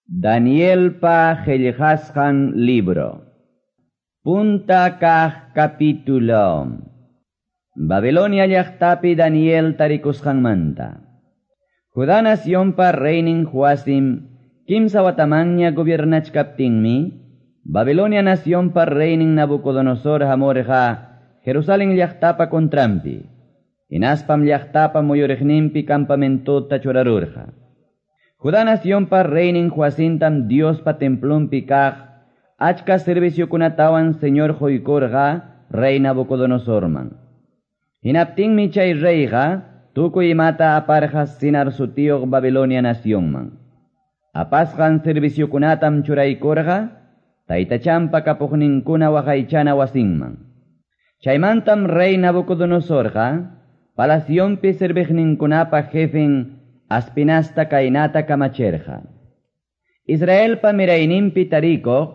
Danielpa qillqasqan libro. Punta kaq capítulo. Babilonia llaqtapi Daniel tarikusqanmanta. Judá nacionpa reynin Joacim kimsa watamanña gobiernachkaptinmi, Babilonia nacionpa reynin Nabucodonosor hamurqa Jerusalén llaqtapa contranpi. Hinaspam llaqtapa muyuriqninpi campamentota churarurqa. Judá nacionpa reynin Joacintam Diospa templonpi kaq achka serviciokunatawan Señor quykurqa rey Nabucodonosorman. Hinaptinmi chay reyqa tukuy imata aparqa Sinar sutiyuq Babilonia nacionman. Apasqan serviciokunatam churaykurqa taytachanpa kapuqninkuna waqaychana wasinman. Chaymantam rey Nabucodonosorqa palacionpi serviqninkunapa jefen Aspinasta kaynata kamacherqa. Israelpa mirayninpi tarikuq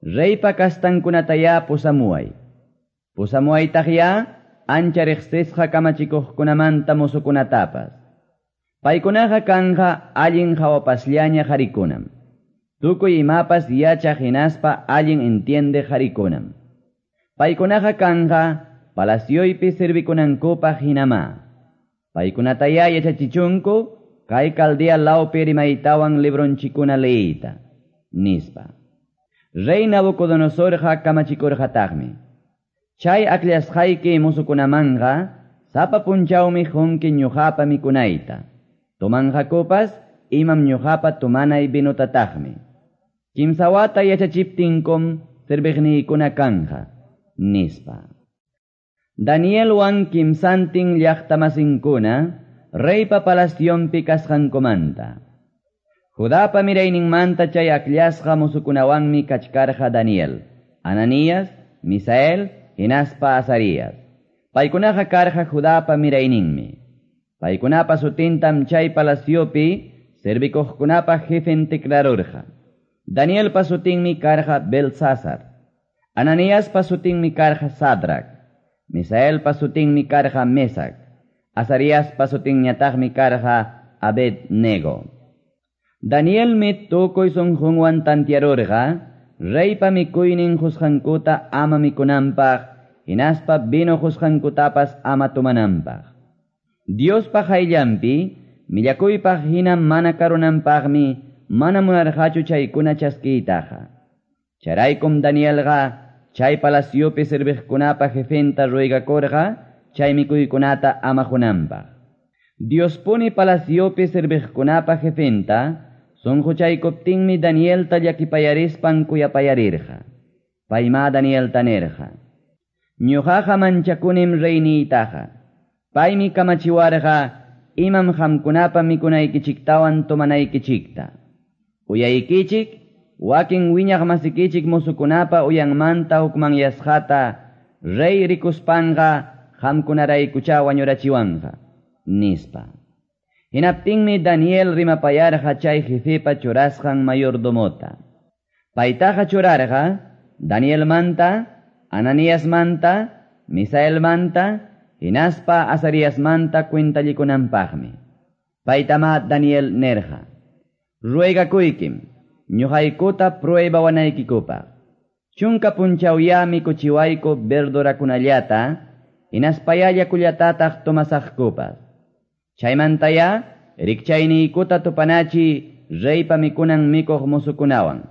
reypa kastankunatayá pusamuway. Pusamuwaytaqyá ancha riqsisqa kamachikuqkunamanta musukunatapas. Paykunaqa kanqa allin hawapasllaña qharikunam. Tukuy imapas yachaq hinaspa allin entiende qharikunam. Paykunaqa kanqa palacioypi servikunankupaq hinamá. Paykunatayá yachachichunku kay Caldea lawpi rimaytawan libronchikuna leyita, nispa. Rey Nabucodonosorqa kamachikurqataqmi. Chay akllashqayki musukunamanqa sapa punchawmi qunki ñuqapa mikunayta. Tomanqakupas imam ñuqapa tomanay vinotataqmi. Kimsa wata yachachiptinkum serviqniykuna kanqa, nispa. Danielwan kimsantin llaqtamasinkuna reypa palacionpi kasqankumanta. Judapa mirayninmanta chay akllashqa musukunawanmi kachkarqa Daniel, Ananías, Misael, hinaspa Azarías. Paykunaqa karqa Judapa mirayninmi. Paykunapa sutintam chay palaciopi servikuqkunapa jefen tikrarurqa. Danielpa sutinmi karqa Belsasar. Ananiaspa sutinmi karqa Sadrac. Misaelpa sutinmi karqa Mesac. Azariaspa sutinñataqmi karqa Abednego. Danielmi tukuy sunqunwan tantiarurqa reypa mikuynin qusqankuta ama mikunanpaq hinaspa vino qusqankutapas ama tomananpaq. Diospa qayllanpi millakuypaq hina mana karunanpaqmi mana munarqachu chaykuna chaskiytaqa. Chayraykum Danielqa chay palaciopi serviqkunapa jefenta ruegakurqa chay mikuykunata ama qunanpaq. Diospuni palaciopi serviqkunapa jefenta sunquchaykuptinmi Danielta llakipayarispan kuyapayarirqa. Payma Danielta nirqa: Ñuqaqa manchakunim reyniytaqa. Paymi kamachiwarqa imam qamkunapa mikunaykichiktawan tomanaykichikta. Uyaykichik wakin wiñaq masikichik musukunapa uyanmanta hukmanyasqata rey rikuspanqa qamkunaraykuchá wañurachiwanqa, nispa. Hinaptinmi Daniel rimapayarqa chay jefepa churasqan mayordomota. Paytaqa churarqa Danielmanta, Ananiasmanta, Misaelmanta, hinaspa Azariasmanta cuentallikunanpaqmi. Paytama Daniel nerqa: Ruegakuykim, ñuqaykuta pruebawanaykikupaq. Chunka punchawyá mikuchiwayku verdurakunallata, hinaspayá yakullatataq tomasaqkupas. Chaymantayá rikchayniykuta tupanachi reypa mikunan mikuq musukunawan.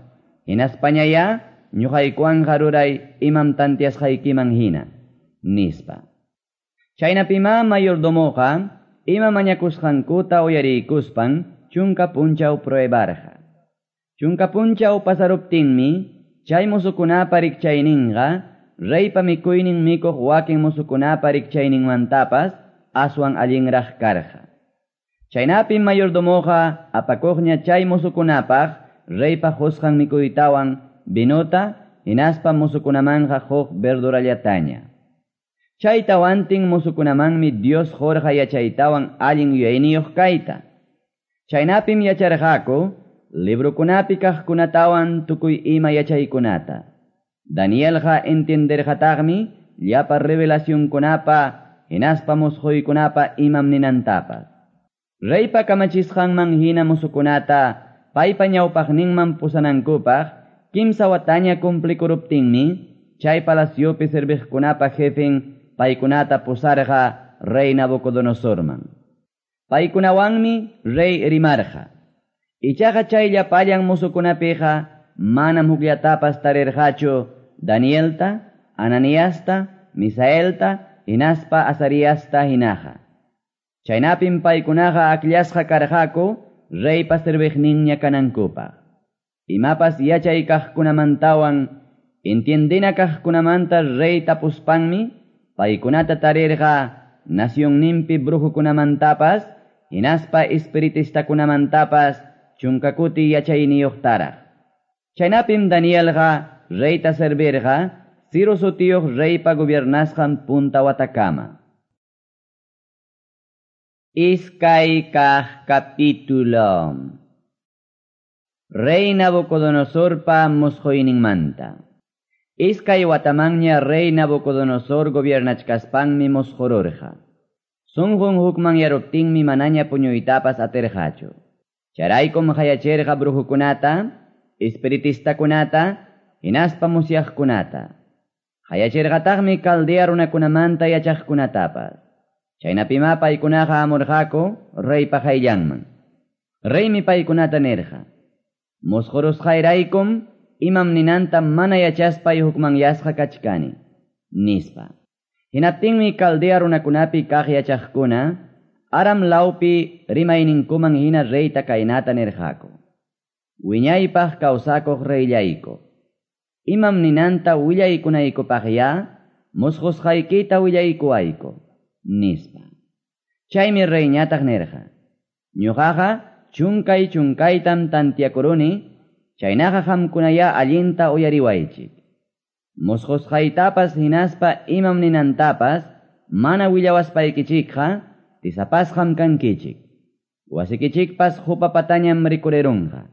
Hinaspañayá ñuqaykuwanqa ruray imam tantiasqaykiman hina, nispa. Chaynapimá mayordomoqa ima mañakusqankuta uyariykuspan chunka punchaw pruebarqa. Chunka punchaw pasaruptinmi chay musukunapa rikchayninqa reypa mikuynin mikuq wakin musukunapa rikchayninmantapas aswan allinraq karqa. Chaynapim mayordomoqa apakuqña chay musukunapaq reypa qusqan mikuytawan vinota hinaspa musukunamanqa huk verdurallataña. Chay tawantin musukunamanmi Dios qurqa yachaytawan allin yuyayniyuq kayta. Chaynapim yacharqaku librokunapi kaqkunatawan tukuy ima yachaykunata. Danielqa entenderqataqmi llapa revelacionkunapa hinaspa musquykunapa imam ninantapas. Reypa kamachisqanman hina musukunata paypa ñawpaqninman pusanankupaq kimsa wataña cumplikuruptinmi, chay palaciopi serviqkunapa jefen paykunata pusarqa rey Nabucodonosorman. Paykunawanmi rey rimarqa. Ichaqa chay llapallan musukunapiqa manam hukllatapas tarirqachu Danielta, Ananiasta, Misaelta, hinaspa Azariasta hinaqa. Chaynapim paykunaqa akllasqa karqaku reypa serviqninña kanankupaq. Imapas yachay kaqkunamantawan entiendina kaqkunamanta rey tapuspanmi paykunata tarirqa nacionninpi brujukunamantapas hinaspa espiritistakunamantapas chunkakuti yachayniyuqtaraq. Chaynapim Danielqa reyta servirqa Ciro sutiyuq reypa gobiernasqan punta watakama. Iskay kaq capítulo. Rey Nabucodonosorpa musquyninmanta. Iskay watamanña rey Nabucodonosor gobiernachkaspanmi musqururqa. Sunqun hukmanyaruptinmi manaña puñuytapas atirqachu. Chayraykum qayachirqa brujukunata, espiritistakunata, hinaspa musyaqkunata. Qayachirqataqmi Caldea runakunamanta yachaqkunatapas. Chaynapima paykunaqa amurqaku reypa qayllanman. Reymi paykunata nirqa: Musqurusqayraykum imam ninanta mana yachaspay hukmanyasqa kachkani, nispa. Hinaptinmi Caldea runakunapi kaq yachaqkuna Aram lawpi rimayninkuman hina reyta kaynata nirqaku: Wiñaypaq kawsakuq reyllayku, imam ninanta willaykunaykupaqya musqusqaykita willaykuwayku, nispa. Chaymi reyñataq nirqa: Ñuqaqa chunkay chunkaytam tantiakuruni, chaynaqa qamkunaya allinta uyariwaychik. Musqusqaytapas hinaspa imam ninantapas mana willawaspaykichikqa tisapasqam kankichik. Wasikichikpas hupapatañam rikurirunqa.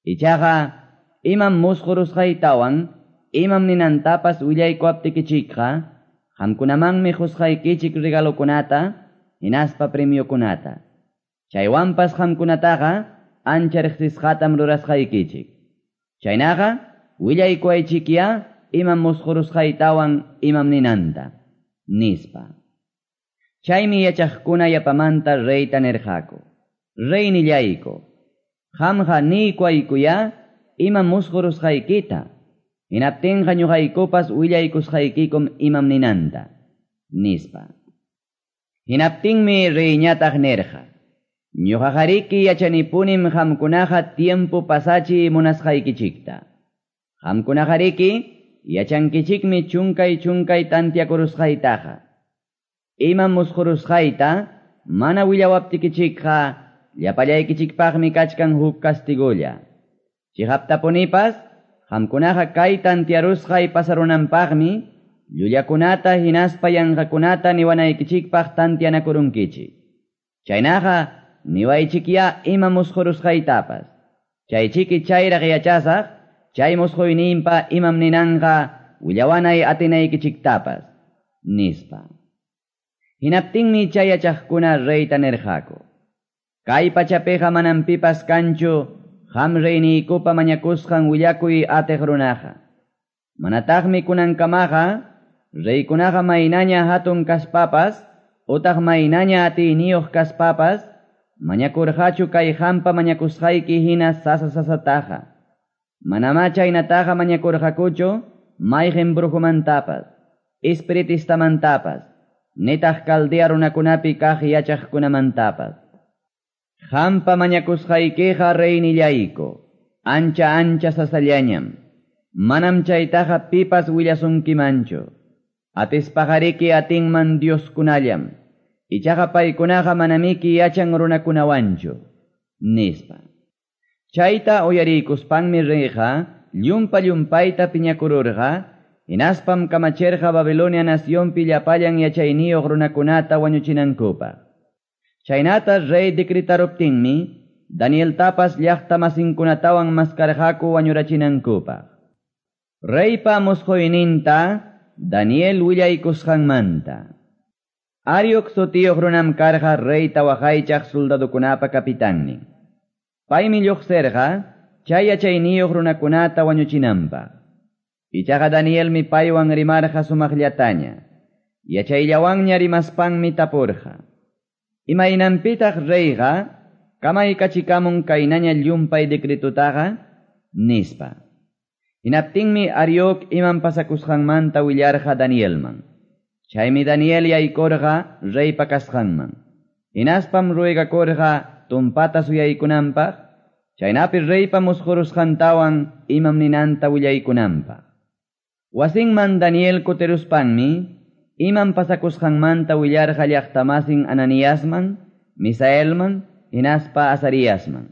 Ichaqa imam musqurusqaytawan imam ninantapas willaykuaptikichikqa qamkunamanmi qusqaykichik regalokunata hinaspa premiokunata. Chaywanpas qamkunataqa ancha riqsisqatam rurasqaykichik. Chaynaqa willaykuwaychikya imam musqurusqaytawan imam ninanta, nispa. Chaymi yachaqkuna yapamanta reyta nirqaku: Reynillayku, qamqa niykuwaykuya imam musqurusqaykita, hinaptinqa ñuqaykupas willaykusqaykikum imam ninanta, nispa. Hinaptinmi reyñataq nirqa: Ñuqaqariki yachanipunim qamkunaqa tiempo pasachiy munasqaykichikta. Qamkunaqariki yachankichikmi chunkay chunkay tantiakurusqaytaqa. Imam musqurusqayta mana willawaptikichikqa llapallaykichikpaqmi kachkan huk castigolla. Chiqaptapunipas qamkunaqa kay tantiarusqay pasarunanpaqmi llullakunata hinaspa yanqakunata niwanaykichikpaq tantianakurunkichik. Chaynaqa niwaychikya ima musqurusqaytapas. Chaychiki chayraq yachasaq chay musquyninpa imam ninanqa willawanay atinaykichiktapas, nispa. Hinaptinmi chay yachaqkuna reyta nirqaku: Kay pachapiqa manam pipas kanchu qam reyniykupa mañakusqan willakuy atiq runaqa. Manataqmi kunankamaqa reykunaqa maynaña hatun kaspapas utaq maynaña atiyniyuq kaspapas mañakurqachu kay qampa mañakusqayki hina sasa sasataqa. Manamá chaynataqa mañakurqakuchu mayqin brujumantapas, espiritistamantapas, nitaq Caldea runakunapi kaq yachaqkunamantapas. Qampa mañakusqaykiqa reynillayku, ancha ancha sasallañam. Manam chaytaqa pipas willasunkimanchu. Atispaqariki atinman Dioskunallam. Ichaqa paykunaqa manamiki yachan runakunawanchu, nispa. Chayta uyariykuspanmi reyqa llumpa llumpayta piñakururqa, hinaspam kamachirqa Babilonia nacionpi llapallan yachayniyuq runakunata wañuchinankupaq. Chaynata rey decretaruptinmi Danieltapas llaqta masinkunatawan maskarqaku wañurachinankupaq. Reypa musquyninta Daniel willaykusqanmanta. Arioc sutiyuq runam karqa reyta waqaychaq soldadukunapa capitannin. Paymi lluqsirqa chay yachayniyuq runakunata wañuchinanpaq. Ichaqa Danielmi paywan rimarqa sumaqllataña. Yachayllawanña rimaspanmi tapurqa. Imaynanpitaq reyqa kamaykachikamun kaynaña llumpay decretutaqa, nispa. Hinaptinmi Arioc imam pasakusqanmanta willarqa Danielman. Chaymi Daniel yaykurqa reypa kasqanman. Hinaspam ruegakurqa tumpata suyaykunanpaq, chaynapi reypa musqurusqantawan imam ninanta willaykunanpaq. Wasinman Daniel kutiruspanmi imam pasakusqanmanta willarqa llaqtamasin Ananiasman, Misaelman, hinaspa Azariasman.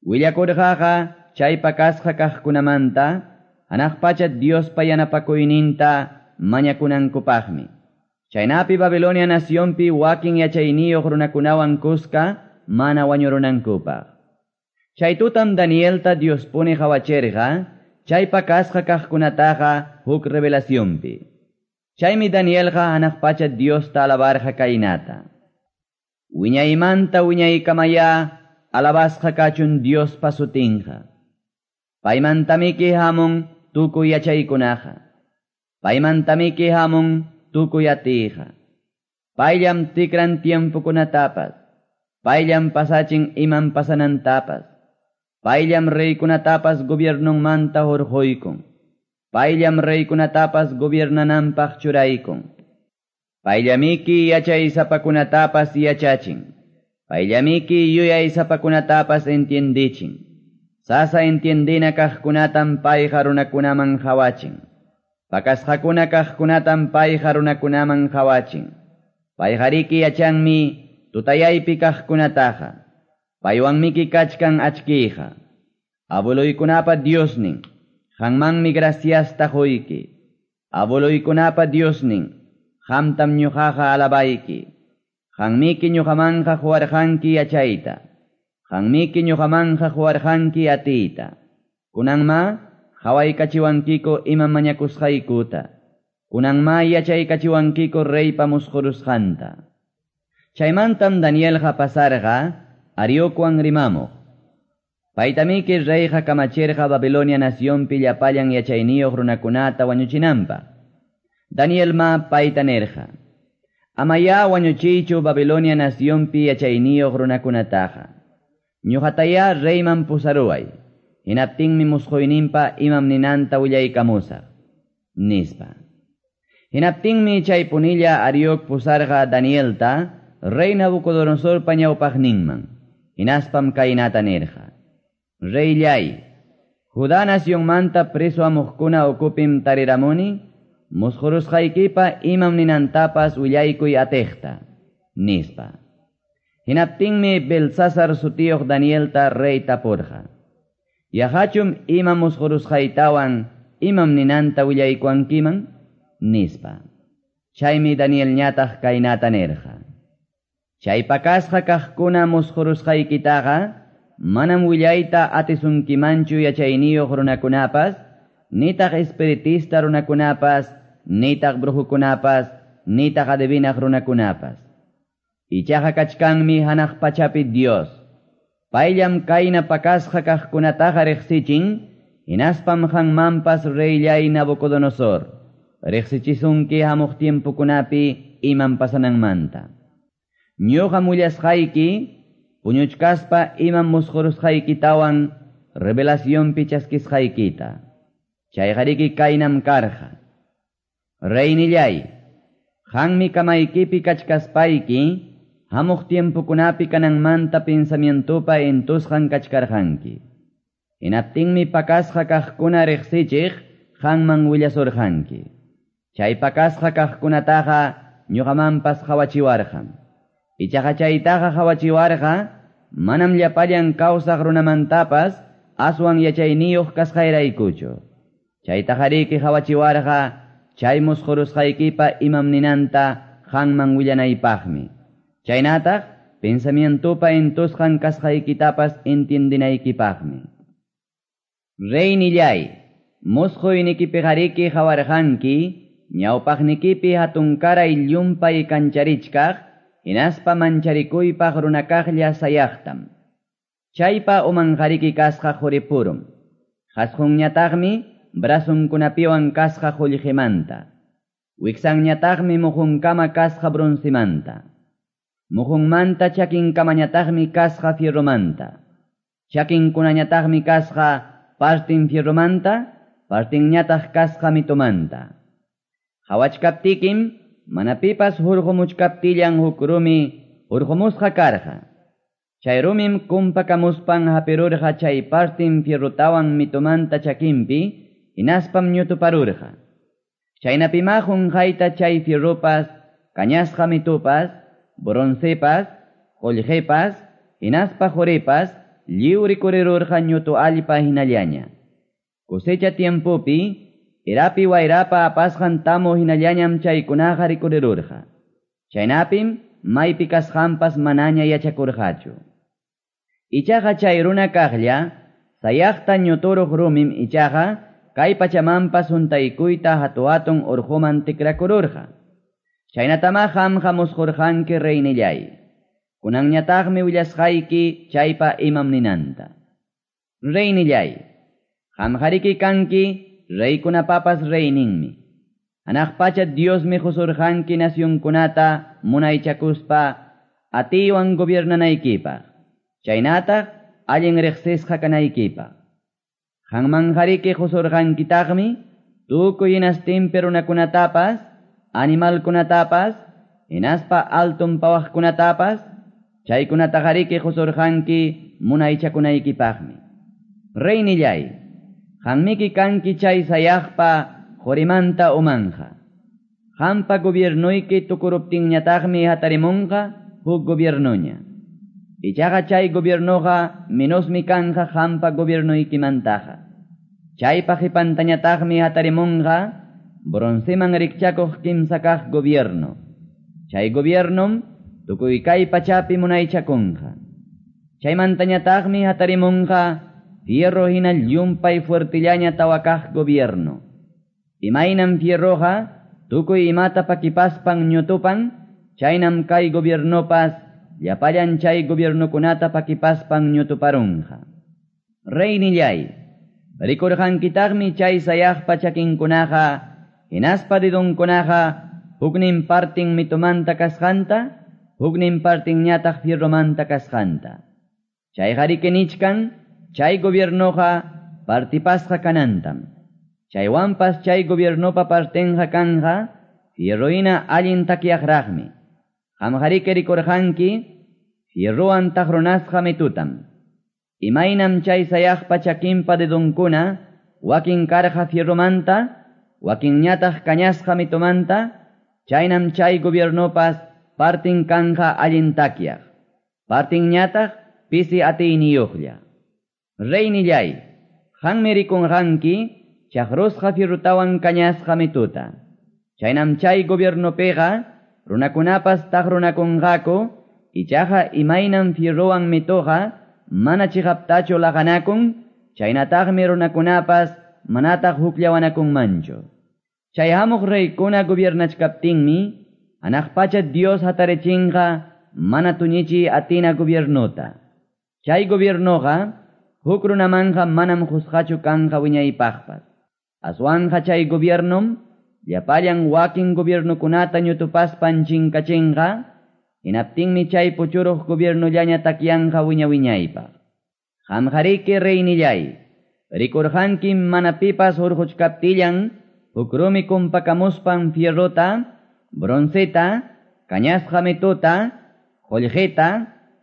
Willakurqaqa chay pakasqa kaqkunamanta, hanaq pacha Diospa yanapakuyninta mañakunankupaqmi. Chaynapi Babilonia nacionpi wakin yachayniyuq runakunawan kuska mana wañurunankupaq. Chay tutam Danielta Diospuni qhawachirqa, chay pakasqa kaqkunataqa huk revelacionpi. Chaymi Danielqa hanaq pacha Diosta alabarqa kaynata. Wiñaymanta wiñaykamaya alabasqa kachun Diospa sutinqa. Paymantamiki hamun tukuy yachaykunaqa. Paymantamiki hamun tukuy atiyqa. Payllam tikran tiempokunatapas. Payllam pasachin imam pasanantapas. Payllam reykunatapas gobiernonmanta hurquykun. Payllam reykunatapas gobiernananpaq churaykun. Payllamiki yachaysapakunatapas yachachin. Payllamiki yuyaysapakunatapas entiendichin. Sasa entiendina kaqkunatam payqa runakunaman qhawachin. Pakasqakuna kaqkunatam payqa runakunaman qhawachin. Payqariki yachanmi tutayaypi kaqkunataqa. Paywanmiki kachkan achkiyqa. Abueluykunapa Diosnin, qanmanmi graciasta quyki. Abueluykunapa Diosnin, qamtam ñuqaqa alabayki. Qanmiki ñuqamanqa quwarqanki yachayta. Qanmiki ñuqamanqa quwarqanki atiyta. Kunanma qhawaykachiwankiku imam mañakusqaykuta. Kunanma yachaykachiwankiku reypa musqurusqanta. Chaymantam Danielqa pasarqa Ariocwan rimamuq. Paytamiki reyqa kamachirqa Babilonia nacionpi llapallan yachayniyuq runakunata wañuchinanpaq. Danielma payta nirqa: Amaya wañuchiychu Babilonia nacionpi yachayniyuq runakunataqa. Ñuqataya reyman pusaruway. Hinaptinmi musquyninpa imam ninanta willaykamusaq, nispa. Hinaptinmi chay punilla Arioc pusarqa Danielta rey Nabucodonosorpa ñawpaqninman. Hinaspam kaynata nirqa: Reyllay, Judá nacionmanta preso amuqkuna ukupim tariramuni, musqurusqaykipa imam ninantapas willaykuy atiqta, nispa. Hinaptinmi Belsasar sutiyuq Danielta rey tapurqa: Yaqachum ima musqurusqaytawan imam ninanta willaykuwankiman, nispa. Chaymi Danielñataq kaynata nirqa: Chay pakasqa kaqkuna musqurusqaykitaqa manam willayta atisunkimanchu yachayniyuq runakunapas, nitaq espiritista runakunapas, nitaq brujukunapas, nitaq adivinaq runakunapas. Ichaqa kachkanmi hanaq pachapi Dios. Payllam kayna pakasqa kaqkunataqa riqsichin, hinaspam qanmanpas reyllay Nabucodonosor riqsichisunki hamuq tiempokunapi imam pasananmanta. Ñuqam willasqayki puñuchkaspa imam musqurusqaykitawan revelacionpi chaskisqaykita. Chayqariki kaynam karqa: Reynillay, qanmi kamaykipi kachkaspayki hamuq tiempokunapi kananmanta pensamientopa entusqan kachkarqanki. Hinaptinmi pakasqa kaqkuna riqsichiq qanman willasurqanki. Chay pakasqa kaqkunataqa ñuqamanpas qhawachiwarqam. Ichaqa chaytaqa qhawachiwarqa manam llapallan kawsaq runamantapas aswan yachayniyuq kasqayraykuchu. Chaytaqariki qhawachiwarqa chay musqurusqaykipa imam ninanta qanman willanaypaqmi. Chaynataq pensamientopa entusqan kasqaykitapas entiendinaykipaqmi. Reynillay, musquynikipiqariki qhawarqanki ñawpaqnikipi hatunkaray llumpay kancharichkaq, hinaspa mancharikuypaq runakaqlla sayaqtam. Chaypa umanqariki kasqa quripurum. Qasqunñataqmi brazonkunapiwan kasqa qullqimanta. Wiksanñataqmi muhunkama kasqa broncemanta. Muhunmanta chakinkamañataqmi kasqa fierromanta. Chakinkunañataqmi kasqa partin fierromanta, partinñataq kasqa mitumanta. Qhawachkaptikim mana pipas hurqumuchkaptillan huk rumi hurqumusqa karqa. Chay rumim kumpakamuspan hapirurqa chay partin fierrotawan mitumanta chakinpi, hinaspam ñutuparurqa. Chaynapima qunqayta chay fierropas, kañasqa mitupas, broncepas, qullqipas, hinaspa quripas, lliw rikurirurqa ñutu allpa hinallaña. Cosecha tiempopi, erapi wayrapa apasqan tamu hinallañam chaykunaqa rikurirurqa. Chaynapim maypi kasqanpas manaña yachakurqachu. Ichaqa chay runa kaqlla, sayaqta ñuturuq rumim ichaqa kay pachamanpas huntaykuyta hatu-hatun urquman tikrakururqa. Chaynatama qamqa musqurqanki reynillay. Kunanñataqmi willasqayki chaypa imam ninanta. Reynillay, qamqariki kanki reykunapapas reyninmi. Hanaq pacha Diosmi qusurqanki nacionkunata munaychakuspa atiywan gobiernanaykipaq. Chaynataq allin riqsisqa kanaykipaq. Qanmanqariki qusurqankitaqmi tukuy hinastinpi runakunatapas, animalkunatapas, hinaspa altun pawaqkunatapas, chaykunataqariki qusurqanki munaychakunaykipaqmi. Reynillay, qanmiki kanki chay sayaqpa qurimanta umanja. Qampa gobiernuyki tukuruptinñataqmi hatarimunqa huk gobiernuña. Ichaqa chay gobiernuqa menosmi kanja qampa gobiernuykimantaqa. Chaypa qipantañataqmi hatarimunqa bronceman rikchakuq kimsa kaq gobierno. Chay gobiernom tukuy kay pachapi munaychakunqa. Chaymantañataqmi hatarimunqa fierro hina llumpay fuertillaña tawa kaq gobierno. Imaynam fierroqa tukuy imata pakipaspan ñutupan, chaynam kay gobiernopas llapallan chay gobiernokunata pakipaspan ñutuparunqa. Reynillay, rikurqankitaqmi chay sayaqpa chakinkunaqa, hinaspa dedonkunaqa huknin partin mitumanta kasqanta, huknin partinñataq fierromanta kasqanta. Chayqariki nichkan, chay gobiernoqa partipasqa kanantam. Chaywanpas chay gobiernopa partinqa kanja, fierrohina allin takyaqraqmi. Qamqariki rikurqanki, fierrowan taqrunasqa mitutam. Imaynam chay sayaqpa chakinpa dedonkuna, wakin karqa fierromanta, wakinñataq kañasqa mitumanta, chaynam chay gobiernopas partin kanja allin takyaq, partinñataq pisi atiyniyuqlla. Reynillay, qanmi rikunqanki chaqrusqa fierrotawan kañasqa mituta. Chaynam chay gobiernopiqa runakunapas taqrunakunqaku, ichaqa imaynam fierrowan mituqa mana chiqaptachu laqanakun, chaynataqmi runakunapas manataq hukllawanakunmanchu. Chay hamuq reykuna gobiernachkaptinmi, hanaq pacha Dios hatarichinqa mana tuñichi atina gobiernota. Chay gobiernoqa huk runamanja manam qusqachu kanja wiñaypaqpas. Aswanja chay gobiernom llapallan wakin gobiernokunata ñutupaspan chinkachinqa, hinaptinmi chay puchuruq gobiernollaña takyanja wiña-wiñaypaq. Qamqariki reynillay, rikurqanki mana pipas hurquchkaptillan huk rumi kumpakamuspan fierrota, bronceta, kañasqa mituta, qullqita,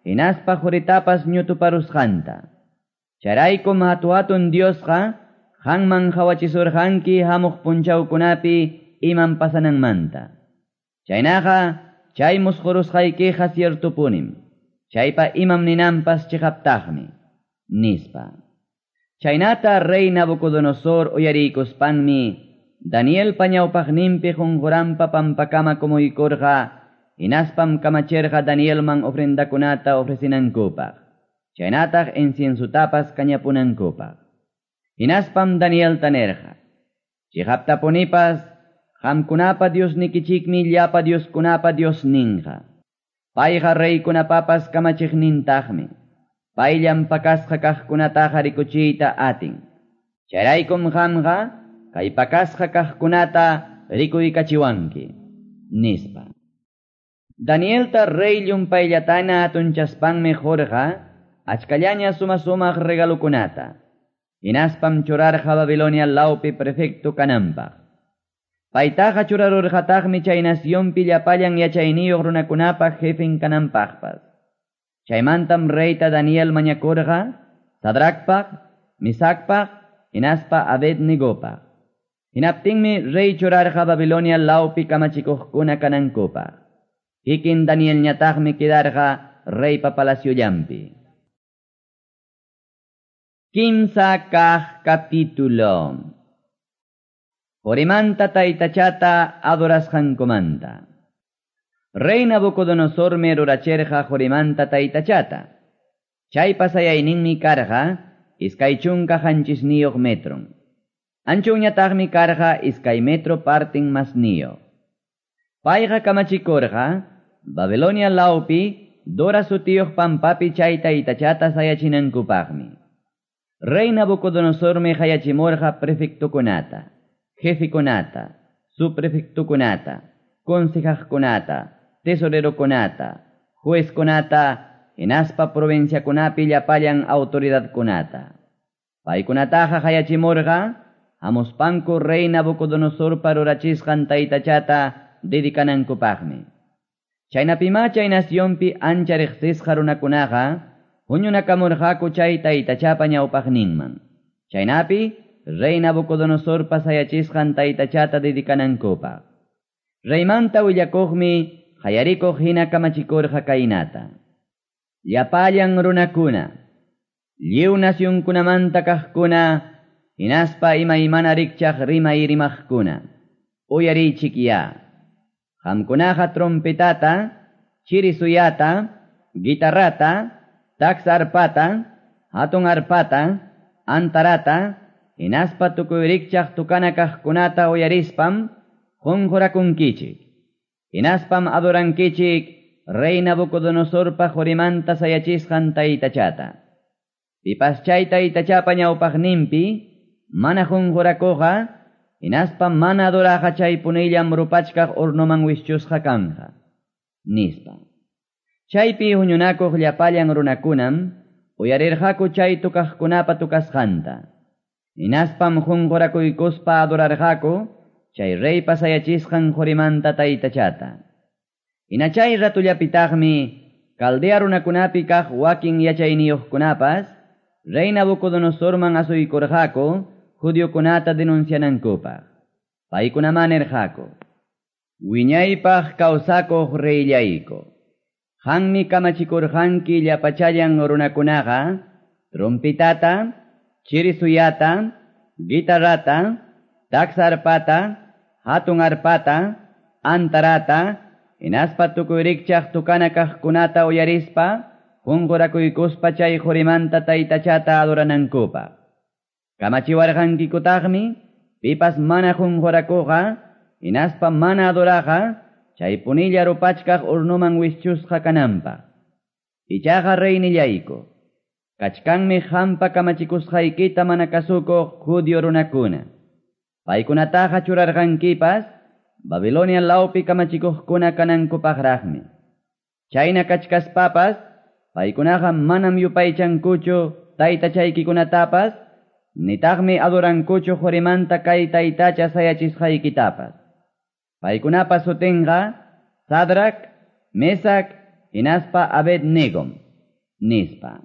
hinaspa quritapas ñutuparusqanta. Chayraykum hatu-hatun Diosqa qanman qawachisurqanki hamuq punchawkunapi imam pasananmanta. Chaynaqa chay musqurusqaykiqa ciertopunim, chaypa imam ninanpas chiqaptaqmi, nispa. Chaynata rey Nabucodonosor uyariykuspanmi Danielpa ñawpaqninpi qunquranpa pampakama kumuykurqa, hinaspam kamachirqa Danielman ofrendakunata ofrecinankupaq, chaynataq inciensutapas kañapunankupaq. Hinaspam Danielta nirqa, chiqaptapunipas qamkunapa Diosnikichikmi llapa Dioskunapa Diosninqa. Payqa reykunapapas kamachiqnintaqmi. Payllam pakasqa kaqkunataqa rikuchiyta atin. Chayraykum qamqa kay pakasqa kaqkunata rikuykachiwanki, nispa. Danielta rey llumpayllataña hatunchaspanmi qurqa achkallaña suma-sumaq regalukunata. Hinaspam churarqa Babilonia lawpi prefecto kananpaq. Paytaqa churarurqataqmi chay nacionpi llapallan yachayniyuq runakunapaq jefen kananpaqpas. Chaymantam reyta Daniel mañakurqa Sadracpaq, Misacpaq, hinaspa Abednegopaq. Hinaptinmi rey churarqa Babilonia lawpi kamachikuqkuna kanankupaq. Kikin Danielñataqmi quedarqa reypa palaciollampi. Kimsa kaq capítulo. Qorimanta taytachata adorasqankumanta. Rey Nabucodonosormi ruracherqa qorimanta taytachata. Chay pasayayninmi karqa 27 metron. Anchunñataqmi karqa 2 metro partin masniyuq. Payqa kamachikurqa Babilonia lawpi Dora sutiyuq pampapi chay taytachata sayachinankupaqmi. Rey Nabucodonosormi hayachimurqa prefectokunata, jefekunata, subprefectokunata, consejaqkunata, tesorerokunata, juezkunata, hinaspa provinciakunapi llapallan autoridadkunata. Paykunataqa hayachimurqa hamuspanku rey Nabucodonosorpa rurachisqan taytachata dedikanankupaqmi. Chaynapima chay nacionpi ancha riqsisqa runakunaqa huñunakamurqaku chay taytachapa ñawpaqninman. Chaynapi rey Nabucodonosorpa sayachisqan taytachata dedikanankupaq. Reymanta willakuqmi hayarikuq hina kamachikurqa kaynata. Llapallan runakuna, lliw nacionkunamanta kaqkuna, hinaspa imaymana rikchaq rimay rimaqkuna, uyariychik ya. Qamkunaqa trompetata, chirisuyata, guitarrata, taksa arpata, hatun arpata, antarata, hinaspa tukuy rikchaq tukana kaqkunata uyarispam qunqurakunkichik. Hinaspam adorankichik rey Nabucodonosorpa qorimanta sayachisqan taytachata. Pipas chay taytachapa ñawpaqninpi mana qunqurakuqqa, hinaspa mana adoraqa chay punillam rupachkaq hornoman wischusqa kanqa, nispa. Chaypi huñunakuq llapallan runakunam uyarirqaku chay tukaqkunapa tukasqanta. Hinaspam qunqurakuykuspa adorarqaku chay reypa sayachisqan qorimanta taytachata. Hina chay ratullapitaqmi Caldea runakunapi kaq wakin yachayniyuqkunapas rey Nabucodonosorman asuykurqaku judiokunata denuncianankupaq. Paykunaman nirqaku: Wiñaypaq kawsakuq reyllayku, qammi kamachikurqanki llapachallan runakunaqa trompetata, chirisuyata, guitarrata, taksa arpata, hatun arpata, antarata, hinaspa tukuy rikchaq tukana kaqkunata uyarispa qunqurakuykuspa chay qorimanta taytachata adoranankupaq. Kamachiwarqankikutaqmi pipas mana qunqurakuqa hinaspa mana adoraqa chay punilla rupachkaq hornoman wischusqa kananpaq. Ichaqa reynillayku, kachkanmi qampa kamachikusqaykita mana kasukuq judío runakuna. Paykunataqa churarqankipas Babilonia lawpi kamachikuqkuna kanankupaqraqmi. Chayna kachkaspapas paykunaqa manam yupaychankuchu taytachaykikunatapas, nitaqmi adorankuchu qorimanta kay taytacha sayachisqaykitapas. Paykunapa sutinqa Sadrac, Mesac, hinaspa Abednegom, nispa.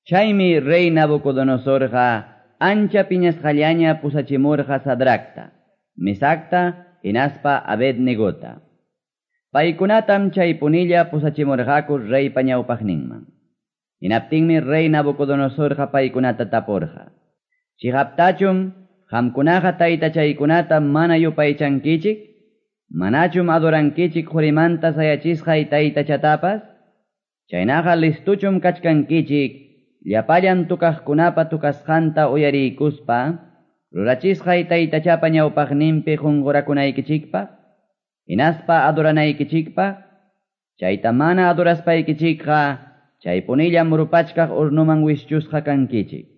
Chaymi rey Nabucodonosorqa ancha piñasqallaña pusachimurqa Sadracta, Mesacta, hinaspa Abednegota. Paykunatam chay punilla pusachimurqaku reypa ñawpaqninman. Hinaptinmi rey Nabucodonosorqa paykunata tapurqa: Chiqaptachum qamkunaqa taytachaykunata mana yupaychankichik? Manachum adorankichik qorimanta sayachisqay taytachatapas? Chaynaqa listuchum kachkankichik llapallan tukaqkunapa tukasqanta uyariykuspa rurachisqay taytachapa ñawpaqninpi qunqurakunaykichikpaq, hinaspa adoranaykichikpaq. Chayta mana adoraspaykichikqa chaypunillam rupachkaq hornoman wischusqa kankichik.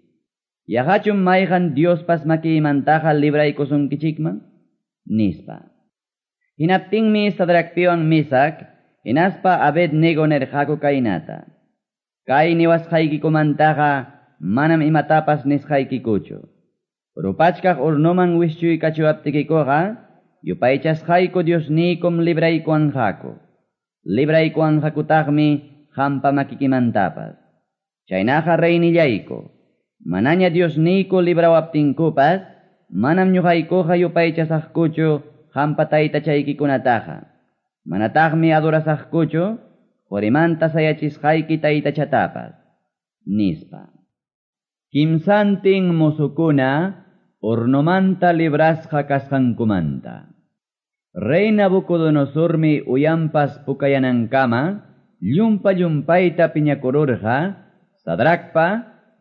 Yaqachum mayqan Diospas makiymantaqa libraykusunkichikman? Nispa. Hinaptinmi Sadracpiwan Misac, hinaspa Abednego nirqaku kaynata. Kay niwasqaykikumantaqa manam imatapas nisqaykikuchu. Rupachkaq hornoman wischuykachiwaptikikuqa, yupaychasqayku Diosniykum libraykuwanqaku. Libraykuwanqakutaqmi qampa makikimantapas. Chaynaqa reynillayku, manaña Diosniyku librawaptinkupas, manam ñuqaykuqa yupaychasaqkuchu qampa taytachaykikunataqa. Manataqmi adorasaqkuchu qorimanta sayachisqayki taytachatapas, nispa. Kimsantin mozukuna hornomanta librasqa kasqankumanta. Rey Nabucodonosormi uyampas pukayanankama llumpa llumpayta piñakururqa Sadracpa,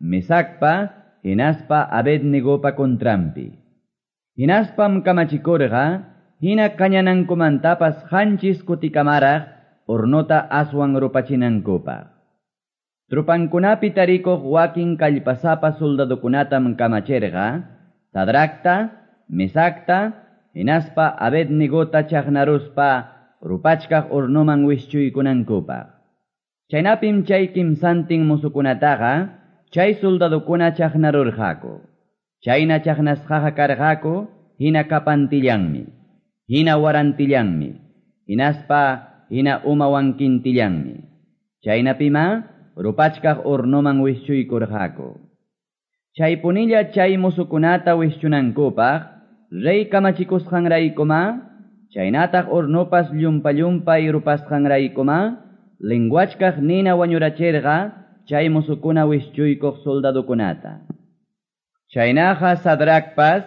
Mesacpa, hinaspa Abednegopa contranpi. Hinaspam kamachikurqa hina kañanankumantapas qanchis kutikamaraq hornota aswan rupachinankupaq. Trupankunapi tarikuq wakin kallpasapa soldadokunatam kamachirqa Sadracta, Mesacta, hinaspa Abednegota chaqnaruspa rupachkaq hornoman wischuykunankupaq. Chaynapim chay kimsantin musukunataqa chay soldadokuna chaqnarurqaku. Chayna chaqnasqaqa karqaku hina kapantillanmi, hina warantillanmi, hinaspa hina umawankintillanmi. Chaynapima rupachkaq hornoman wischuykurqaku. Chaypunilla chay musukunata wischunankupaq rey kamachikusqanraykuma, chaynataq hornopas llumpa llumpay rupasqanraykuma, lenguachkaq nina wañurachirqa chay musukuna wischuykuq soldadokunata. Chaynaqa Sadracpas,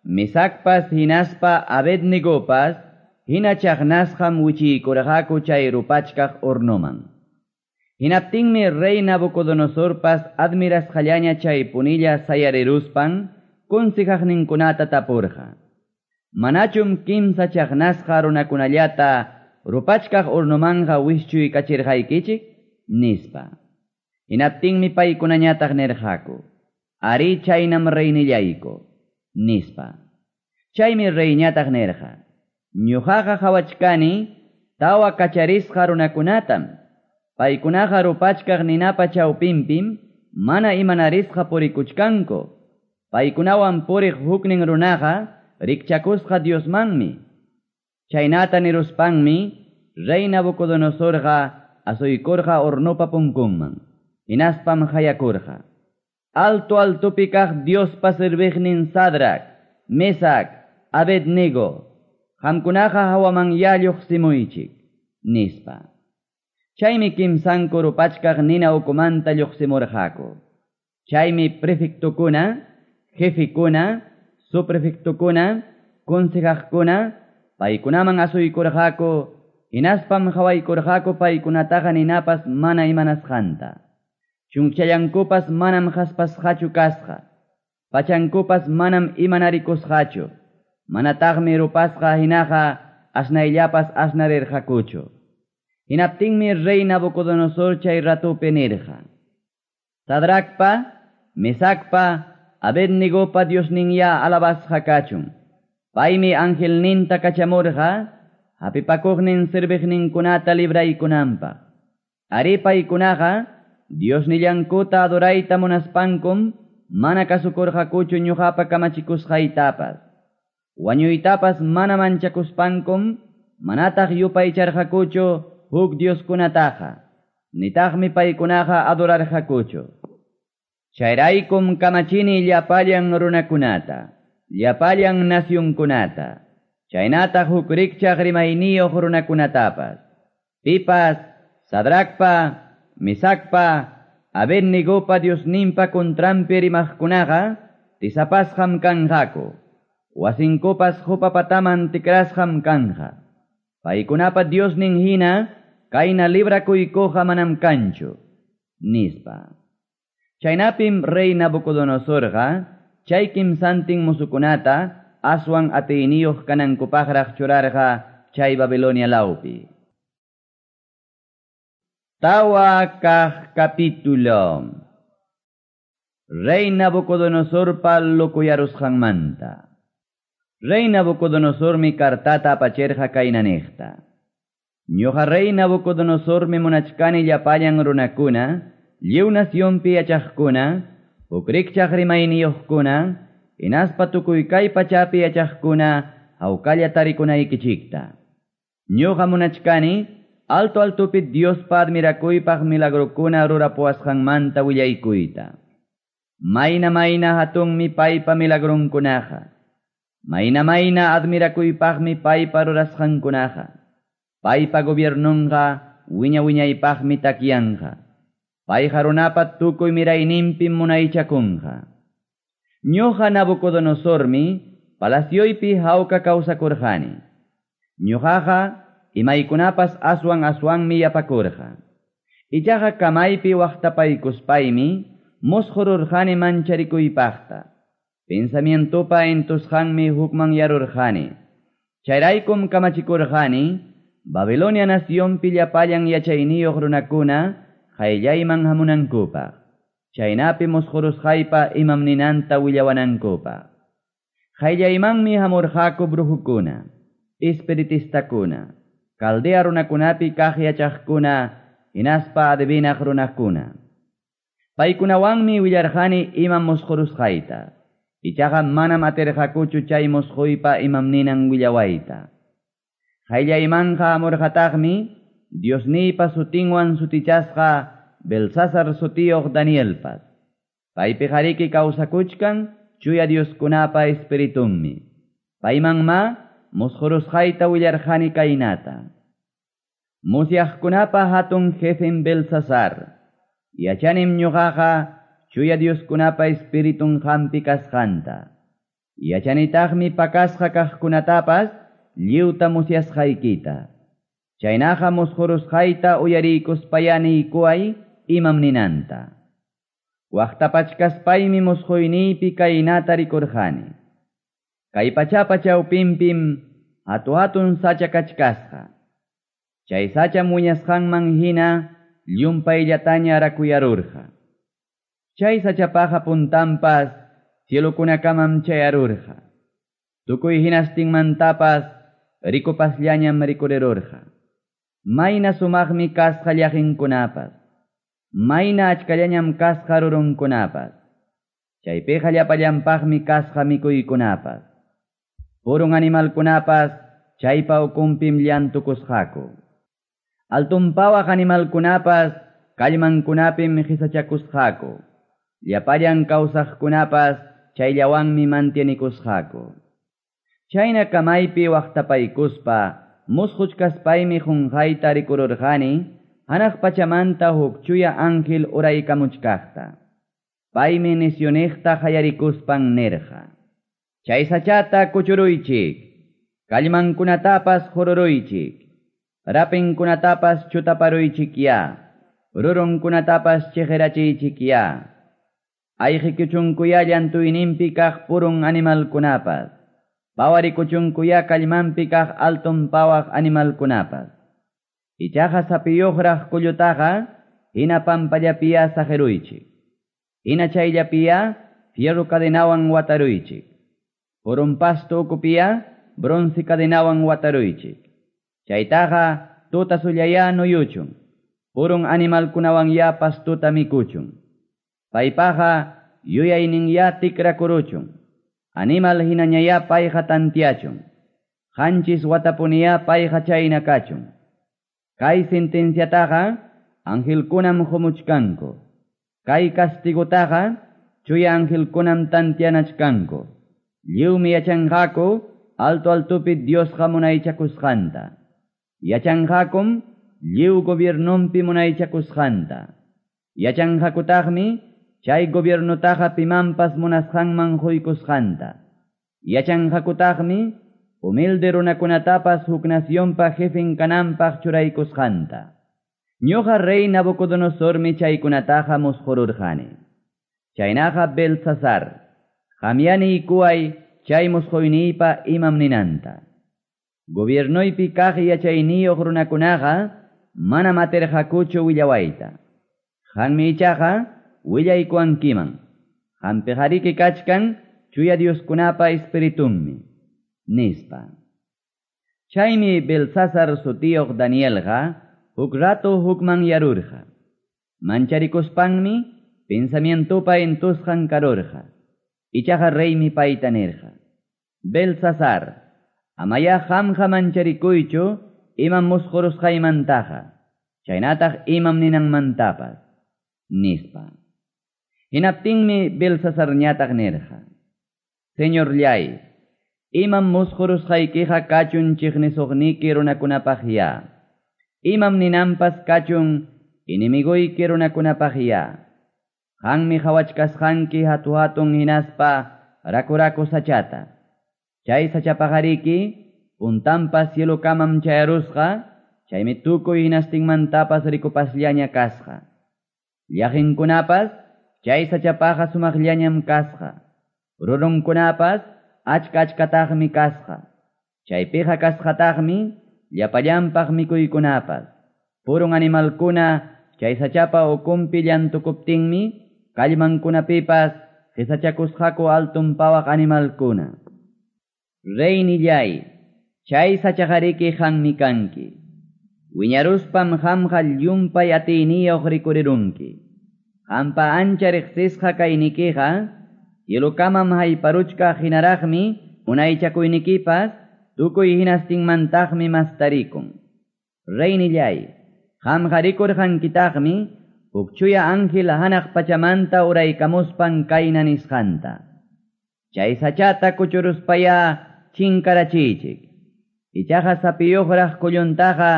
Mesacpas hinaspa Abednegopas hina chaqnasqam wichiykurqaku chay rupachkaq hornoman. Hinaptinmi rey Nabucodonosorpas admirasqallaña chay punilla sayariruspan consejaqninkunata tapurqa. Manachum kimsa chaqnasqa runakunallata rupachkaq hornomanqa wischuykachirqaykichik? Nispa. Hinaptinmi paykunañataq nirqaku. Ari chaynam reynillayku, nispa. Chaymi reyñataq nirqa. Ñuqaqa qhawachkani tawa kacharisqa runakunatam. Paykunaqa rupachkaq ninapa chawpinpim mana imanarisqa purikuchkanku. Paykunawan puriq huknin runaqa rikchakusqa Diosmanmi. Chaynata niruspanmi rey Nabucodonosorqa asuykurqa hornopa punkunman. Hinaspam hayakurqa. Alto altopi kaq Diospa serviqnin Sadrac, Mesac, Abednego, qamkunaqa hawaman lluqsimuychik, nispa. Chaymi kimsanku rupachkaq nina ukumanta lluqsimurqaku. Chaymi prefectukuna, jefikuna, subprefectukuna, consejaqkuna, paykunaman asuykurqaku, hinaspam qhawaykurqaku paykunataqa ninapas mana imanasqanta. Chunqchallankupas manam haspasqachu kasqa, pachankupas manam imanarikusqachu, manataqmi rupasqa hinaqa asnayllapas asnarirqakuchu. Hinaptinmi rey Nabucodonosor chay ratupi nirqa. Sadracpa, Mesacpa, Abednegopa Diosninya alabasqa kachun. Paymi angelninta kachamurqa, hapipakuqnin serviqninkunata libraykunanpaq. Ari paykunaqa Diosnillankuta adorayta munaspankum mana kasukurqakuchu ñuqapa kamachikusqaytapas. Wañuytapas mana manchakuspankum manataq yupaycharqakuchu huk Dioskunataqa, nitaqmi paykunaqa adorarqakuchu. Chayraykum kamachini llapallan runakunata, llapallan nacionkunata, chaynataq huk rikchaq rimayniyuq runakunatapas. Pipas, Sadracpa, Mesacpa, Abednegopa Diosninpa contranpi rimaqkunaqa tisapasqam kanqaku. Wasinkupas qupapataman tikrasqam kanqa. Paykunapa Diosnin hina kayna librakuykuqa manam kanchu, nispa. Chaynapim rey Nabucodonosorqa chay kimsantin musukunata aswan atiyniyuq kanankupaqraq churarqa chay Babilonia lawpi. Tawa kaq capítulo. Rey Nabucodonosorpa lokuyarusqanmanta. Rey Nabucodonosormi kartata apachirqa kayna niqta. Ñuqa Rey Nabucodonosormi munachkani llapallan runakuna, lliw nacionpi yachaqkuna, huk rikchaq rimayniyuqkuna, hinaspa tukuy kay pachapi yachaqkuna hawkalla tarikunaykichikta. Ñuqa munachkani alto altopi Diospa admirakuypaq milagrokuna rurapuwasqanmanta willaykuyta. Mayna mayna hatunmi paypa milagrunkunaqa. Mayna mayna admirakuypaqmi paypa rurasqankunaqa. Paypa gobiernunqa wiña wiñaypaqmi takyanqa. Payqa runapa tukuy mirayninpim munaychakunqa. Ñuqa Nabucodonosormi palacioypi hawka kawsakurqani. Ñuqaqa imaykunapas aswan aswanmi yapakurqa. Ichaqa kamaypi waqtapaykuspaymi musqururqani mancharikuypaqta. Pensamientopa entusqanmi hukmanyarurqani. Chayraykum kamachikurqani Babilonia nacionpi llapallan yachayniyuq runakuna qayllayman hamunankupaq. Chaynapi musqurusqaypa imam ninanta willawanankupaq. Qayllaymanmi hamurqaku brujukuna, espiritistakuna, Caldea runakunapi kaq yachaqkuna, hinaspa adivinaq runakuna. Paykunawanmi willarqani imam musqurusqayta. Ichaqa manam atirqakuchu chay musquypa imam ninan willawayta. Qayllaymanqa hamurqataqmi Diosniypa sutinwan sutichasqa Belsasar sutiyuq Danielpas. Paypi qariki kawsakuchkan chuya Dioskunapa espiritunmi. Paymanma musqurusqayta willarqani kaynata. Musyaqkunapa hatun jefen Belsasar. Yachanim ñuqaqa chuya Dioskunapa espiritun qampi kasqanta. Yachanitaqmi pakasqa kaqkunatapas lliwta musyasqaykita. Chaynaqa musqurusqayta uyariykuspaya niykuway imam ninanta. Waqtapachkaspaymi musquyniypi kaynata rikurqani. Kay pachapa chawpinpim hatu hatun sacha kachkasqa. Chay sacha muñasqanman hina llumpayllataña rakuyarurqa. Chay sachapaqa puntanpas cielokunakamam chayarurqa. Tukuy hinastinmantapas rikupasllañam rikurirurqa. Mayna sumaqmi kasqa llaqinkunapas. Mayna achkallañam kasqa rurunkunapas. Chaypiqa llapallanpaqmi kasqa mikuykunapas. Purun animalkunapas chaypa ukunpim llantukusqaku. Altunpawaq animalkunapas kallmankunapim qisachakusqaku. Llapallan kawsaqkunapas chayllawanmi mantienikusqaku. Chayna kamaypi waqtapaykuspa musquchkaspaymi qunqayta rikururqani hanaq pachamanta huk chuya ángel uraykamuchkaqta. Paymi nisyuniqta qayarikuspan nirqa. Chay sachata kuchuruychik, kallmankunatapas qururuychik, rapinkunatapas chutaparuychikya, rurunkunatapas chiqirachiychikya. Ayqikuchunkuya llantuyninpi kaq purun animalkunapas, pawarikuchunkuya kallmanpi kaq altun pawaq animalkunapas. Ichaqa sapiyuqraq kullutaqa hina pampallapiya saqiruychik. Hina chayllapiya fierro cadenawan wataruychik. Purun pasto ukupiya bronce cadenawan wataruychik. Chaytaqa tuta sullaya nuyuchun. Purun animalkunawan ya pastuta mikuchun. Paypaqa yuyayninya tikrakuruchun. Animal hinañaya payqa tantiachun. Qanchis watapuniya payqa chayna kachun. Kay sentenciataqa angelkunam qumuchkanku. Kay castigutaqa chuya angelkunam tantianachkanku. Lliwmi yachanqaku alto altopi Diosqa munaychakusqanta. Yachanqakum lliw gobiernonpi munaychakusqanta. Yachanqakutaqmi chay gobiernutaqa pimanpas munasqanman quykusqanta. Yachanqakutaqmi humilde runakunatapas huk nacionpa jefen kananpaq churaykusqanta. Ñuqa rey Nabucodonosormi chaykunataqa musqururqani. Chaynaqa Belsasar, qamyaniykuway chay musquyniypa imam ninanta. Gobiernoypi kaq yachayniyuq runakunaqa manam atirqakuchu willawayta. Qanmi ichaqa willaykuwankiman. Qampiqariki kachkan chuya Dioskunapa espiritunmi, nispa. Chaymi Belsasar sutiyuq Danielqa huk rato hukmanyarurqa. Mancharikuspanmi pensamientopa entusqan karurqa. Ichaqa reymi payta nirqa: Belsasar, amaya qamqa mancharikuychu imam musqurusqaymantaqa, chaynataq imam ninanmantapas, nispa. Hinaptinmi Belsasarñataq nirqa: Señorllay, imam musqurusqaykiqa kachun chiqnisuqniki runakunapaqya. Imam ninanpas kachun enemiguyki runakunapaqya. Qanmi qhawachkasqanki hatu-hatun hinaspa raku-raku sachata. Chay sachapaqariki puntanpas cielokamam chayarusqa, chaymi tukuy hinastinmantapas rikupasllaña kasqa. Llaqinkunapas chay sachapaqa sumaqllañam kasqa. Rurunkunapas achka-achkataqmi kasqa. Chaypiqa kasqataqmi llapallanpaq mikuykunapas. Purun animalkuna chay sachapa ukunpi llantukuptinmi kallmankunapipas qisachakusqaku altun pawaq animalkuna. Reynillay, chay sachaqariki qanmi kanki. Wiñaruspam qamqa llumpay atiyniyuq rikurirunki. Qampa ancha riqsisqa kaynikiqa cielokamam hayparuchkaq hinaraqmi munaychakuynikipas tukuy hinastinmantaqmi mastarikun. Reynillay, qamqa rikurqankitaqmi huk chuya ángel hanaq pachamanta uraykamuspan kayna nisqanta: Chay sachata kuchuruspaya chinkarachiychik. Ichaqa sapiyuqraq kulluntaqa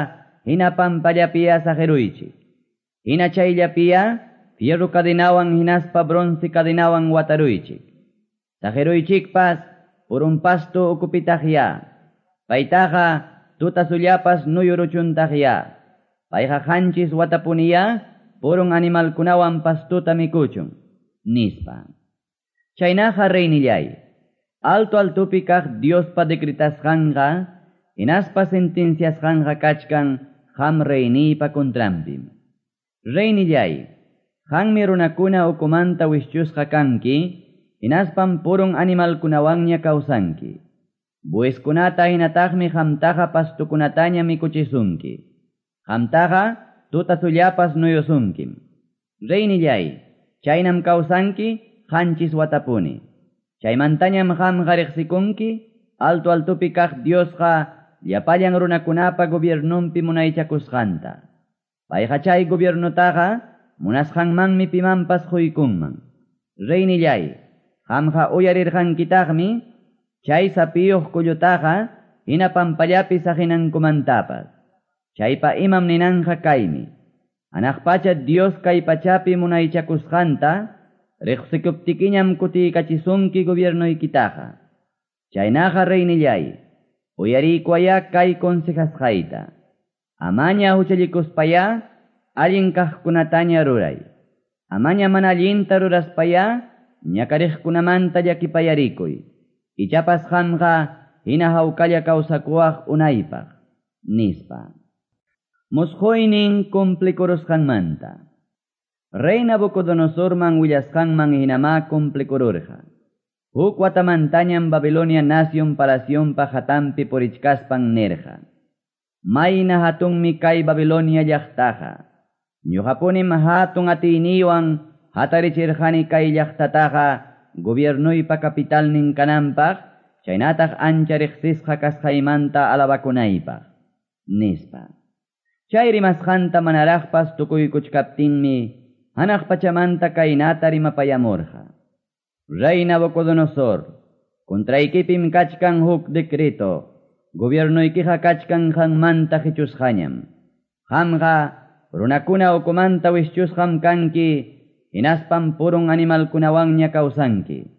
hina pampallapiya saqiruychik. Hina chayllapiya fierro cadenawan hinaspa bronce cadenawan wataruychik. Saqiruychikpas purun pasto ukupitaqya. Paytaqa tutasullapas nuyuruchuntaqya. Payqa qanchis watapuniya purun animalkunawan pastuta mikuchun, nispa. Chaynaqa reynillay, alto altopi kaq Diospa decretasqanqa hinaspa sentenciasqanqa kachkan qam reyniypa contranpim. Reynillay, qanmi runakuna ukumanta wischusqa kanki, hinaspam purun animalkunawanña kawsanki. Bueskunata hinataqmi qamtaqa pastukunataña mikuchisunki. Qamtaqa tutasullapas nuyusunkim. Reynillay, chaynam kawsanki qanchis watapuni. Chaymantañam qamqa riqsikunki alto altopi kaq Diosqa llapallan runakunapa gobiernonpi munaychakusqanta. Payqa chay gobiernutaqa munasqanmanmi pimanpas quykunman. Reynillay, qamqa uyarirqankitaqmi chay sapiyuq kullutaqa hina pampallapi saqinankumantapas. Chaypa imam ninanqa kaymi: Hanaq pacha Dios kay pachapi munaychakusqanta riqsikuptikiñam kutiykachisunki gobiernoykitaqa. Chaynaqa reynillay, uyariykuwaya kay consejasqayta. Amaña huchallikuspaya allin kaqkunataña ruray. Amaña mana allinta ruraspaya ñakariqkunamanta llakipayarikuy. Ichapas qamqa hina hawkalla kawsakuwaq unaypaq, nispa. Musquynin cumplikurusqanmanta. Rey Nabucodonosorman willasqanman hinamá cumplikururqa. Huk watamantañam Babilonia nación palacionpa hatanpi purichkaspan nirqa: Mayna hatunmi kay Babilonia llaqtaqa. Ñuqapunim hatun atiyniywan hatarichirqani kay llaqtataqa gobiernuypa capitalnin kananpaq, chaynataq ancha riqsisqa kasqaymanta alabakunaypaq, nispa. Chay rimasqanta manaraqpas tukuykuchkaptinmi hanaq pachamanta kaynata rimapayamurqa: Rey Nabucodonosor, contraykipim kachkan huk decreto, gobiernuykiqa kachkan qanmanta qichusqañam. Qamqa runakuna ukumanta wischusqam kanki, hinaspam purun animalkunawanña kawsanki.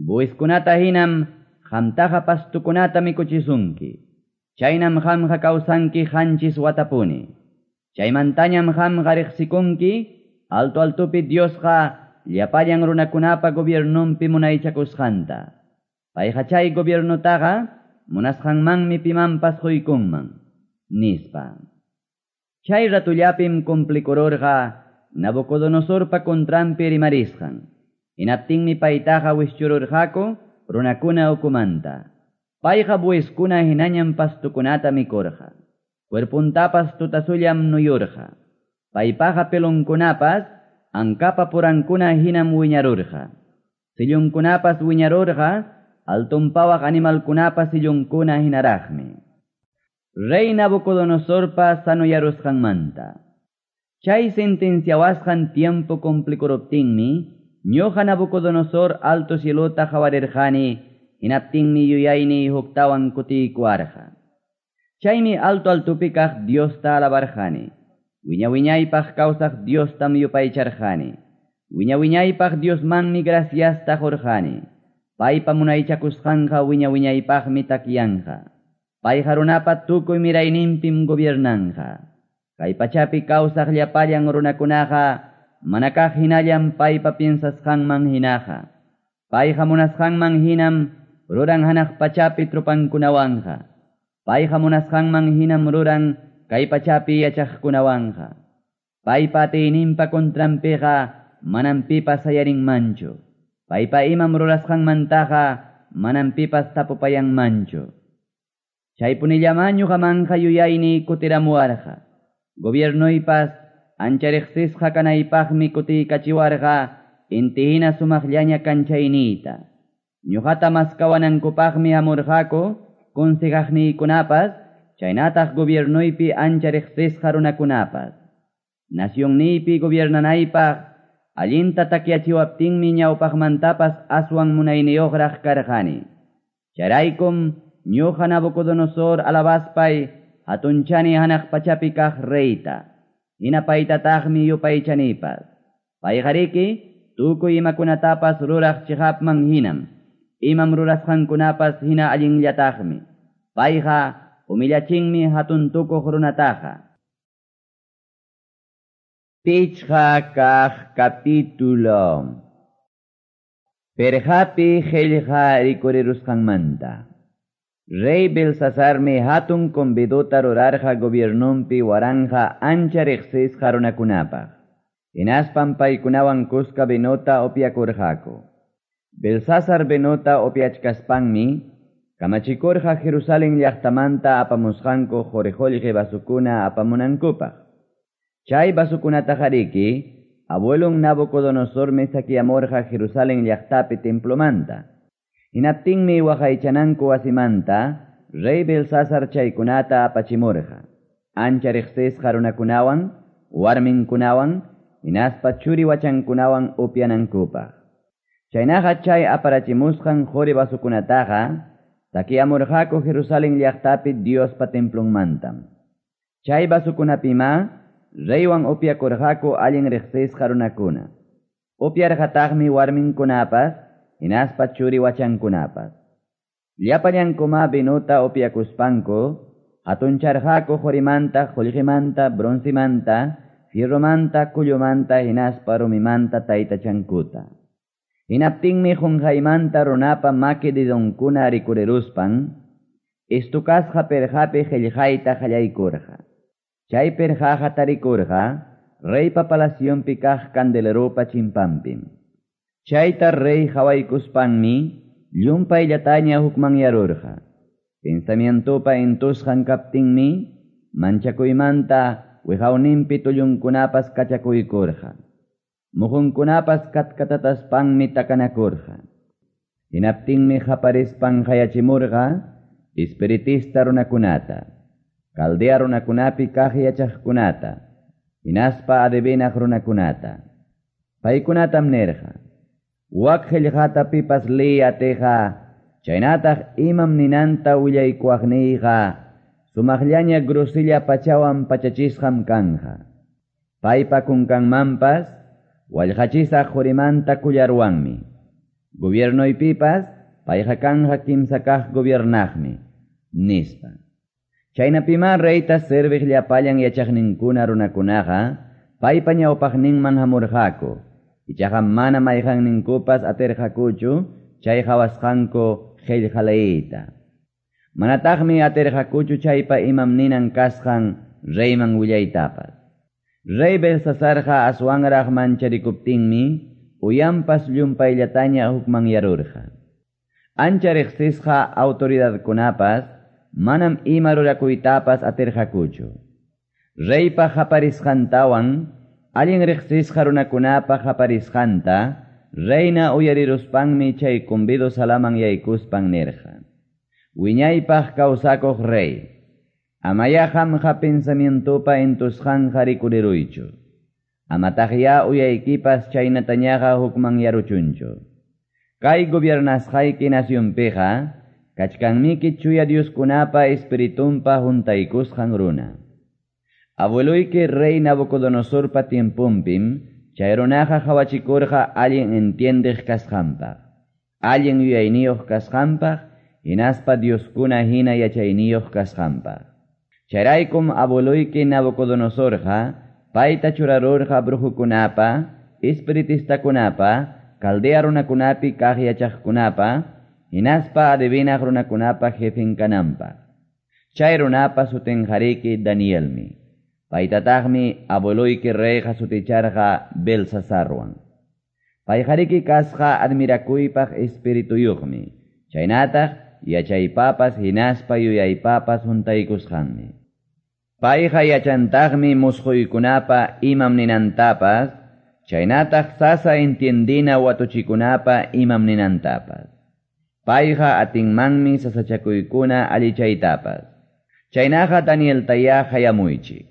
Buiskunata hinam qamtaqa pastukunata mikuchisunki. Chaynam qamqa kawsanki qanchis watapuni. Chaymantañam qamqa riqsikunki alto altopi Diosqa llapallan runakunapa gobiernonpi munaychakusqanta. Payqa chay gobiernutaqa munasqanmanmi pimanpas quykunman, nispa. Chay ratullapim cumplikururqa Nabucodonosorpa contranpi rimarisqan. Hinaptinmi paytaqa wischururqaku runakuna ukumanta. Payqa buiskuna hinañam pastukunata mikurqa. Cuerpuntapas tutasullam nuyurqa. Paypaqa pelonkunapas ankapa purankuna hinam wiñarurqa. Sillunkunapas wiñarurqa altunpawaq animalkunapas sillunkuna hinaraqmi. Rey Nabucodonosorpa sanuyarusqanmanta. Chay sentenciawasqan tiempo cumplikuruptinmi, ñuqa Nabucodonosor alto cielota qawarirqani, hinaptinmi yuyayni huktawan kutiykuwarqa. Chaymi alto altupi kaq Diosta alabarqani. Wiña wiñaypaq kawsaq Diostam yupaycharqani. Wiña wiñaypaq Diosmanmi graciasta qurqani. Paypa munaychakusqanqa wiña wiñaypaqmi takyanqa. Payqa runapa tukuy mirayninpim gobiernanqa. Kay pachapi kawsaq llapallan runakunaqa mana kaq hinallam paypa piensasqanman hinaqa. Payqa munasqanman hinam ruran hanaq pachapi trupankunawanqa. Payqa munasqanman hinam ruran kay pachapi yachaqkunawanqa. Paypa atiyninpa contranpiqa manam pipas sayarinmanchu. Paypa imam rurasqanmantaqa manam pipas tapupayanmanchu. Chaypunillama ñuqamanqa yuyayni kutiramuwarqa. Gobiernoypas ancha riqsisqa kanaypaqmi kutiykachiwarqa inti hina sumaqllaña kanchayniyta. Ñuqata maskawanankupaqmi hamurqaku consejaqniykunapas chaynataq gobiernoypi ancha riqsisqa runakunapas. Nacionniypi gobiernanaypaq allinta takyachiwaptinmi ñawpaqmantapas aswan munayniyuqraq karqani. Chayraykum ñuqa Nabucodonosor alabaspay hatunchani hanaq pachapi kaq reyta. Hina paytataqmi yupaychanipas. Payqariki tukuy imakunatapas ruraq chiqapman hinam. Imam rurasqankunapas hina allinllataqmi. Payqa humillachinmi hatun tukuq runataqa. Pichqa kaq capítulo. Perqapi qillqa rikurirusqanmanta. Rey Belsasarmi hatun convidota rurarqa gobiernonpi waranja ancha riqsisqa runakunapaq. Hinaspan paykunawan kuska vinota upyakurqaku. Belsasar vinota upyachkaspanmi kamachikurqa Jerusalén llaqtamanta apamusqanku quri-qullqi vasukuna apamunankupaq. Chay vasukunataqariki abuelon Nabucodonosormi saqueamurqa Jerusalén llaqtapi templomanta. Hinaptinmi waqaychananku wasimanta rey Belsasar chaykunata apachimurqa. Ancha riqsisqa runakunawan, warminkunawan, hinaspa churi wachankunawan upyanankupaq. Chaynaqa chay aparachimusqan quri vasukunataqa saqueamurqaku Jerusalén llaqtapi Diospa templonmantam. Chay vasukunapima reywan upyakurqaku allin riqsisqa runakuna. Upyarqataqmi warminkunapas hinaspa churi wachankunapas. Llapallankuma vinuta upyakuspanku hatuncharqaku qurimanta, qullqimanta, broncimanta, fierromanta, kullumanta hinaspa rumimanta taytachankuta. Hinaptinmi qunqaymanta runapa maki dedonkuna rikuriruspan istukasqa perqapi qillqayta qallaykurqa. Chay perqaqa tarikurqa reypa palacionpi kaq candeleropa chimpanpim. Chayta rey qawaykuspanmi llumpayllataña hukmanyarurqa. Pensamientopa intusqan kaptinmi manchakuymanta wiqawninpi tullunkunapas kachakuykurqa. Muhunkunapas katkatataspanmi takanakurqa. Hinaptinmi qaparispan qayachimurqa espiritista runakunata, Caldea runakunapi kaq yachaqkunata, hinaspa adivinaq runakunata. Paykunatam nirqa: Wak qillqata pipas liy atiqa, chaynataq imam ninanta willaykuwaqniyqa, sumaqllaña grosilla pachawan pachachisqam kanja. Paypa kunkanmanpas wallqachisaq qurimanta kullarwanmi. Gobiernoypipas payqa kanja kimsa kaq gobiernaqmi, nispa. Chaynapima reyta serviq llapallan yachaqninkuna runakunaqa paypa ñawpaqninman hamurqaku. Ichaqa mana mayqanninkupas atirqakuchu chay qhawasqanku qillqa leyta. Manataqmi atirqakuchu chaypa imam ninan kasqan reyman willaytapas. Rey Belsasarqa aswanraq mancharikuptinmi uyanpas llumpayllataña hukmanyarurqa. Ancha riqsisqa autoridadkunapas manam ima rurakuytapas atirqakuchu. Reypa qaparisqantawan allin riqsisqa runakunapa qaparisqanta reina uyariruspanmi chay convido salaman yaykuspan nirqa: Wiñaypaq kawsakuq rey, amaya qamqa pensamientopa entusqanqa rikuriruychu. Amataqya uyaykipas chaynatañaqa hukmanyaruchunchu. Kay gobiernasqayki nacionpiqa kachkanmiki chuya Dioskunapa espiritunpa juntaykusqan runa. Abueloyki rey Nabucodonosorpa tiemponpim chay runaqa qawachikurqa allin entiendeq kasqanpaq, allin yuyayniyuq kasqanpaq, hinaspa Dioskuna hina yachayniyuq kasqanpaq. Chayraykum abueloyki Nabucodonosorqa payta churarurqa brujukunapa, espiritistakunapa, caldea runakunapi kaq yachaqkunapa, hinaspa adivinaq runakunapa jefen kananpaq. Chay runapa sutinqariki Danielmi. Paytataqmi abueloyki reyqa suticharqa Belsasarwan. Payqariki kasqa admirakuypaq espirituyuqmi, chaynataq yachaypapas hinaspa yuyaypapas juntaykusqanmi. Payqa yachantaqmi musquykunapa imam ninantapas, chaynataq sasa entiendina watuchikunapa imam ninantapas. Payqa atinmanmi sasachakuykuna allichaytapas. Chaynaqa Danieltayá qayamuychik.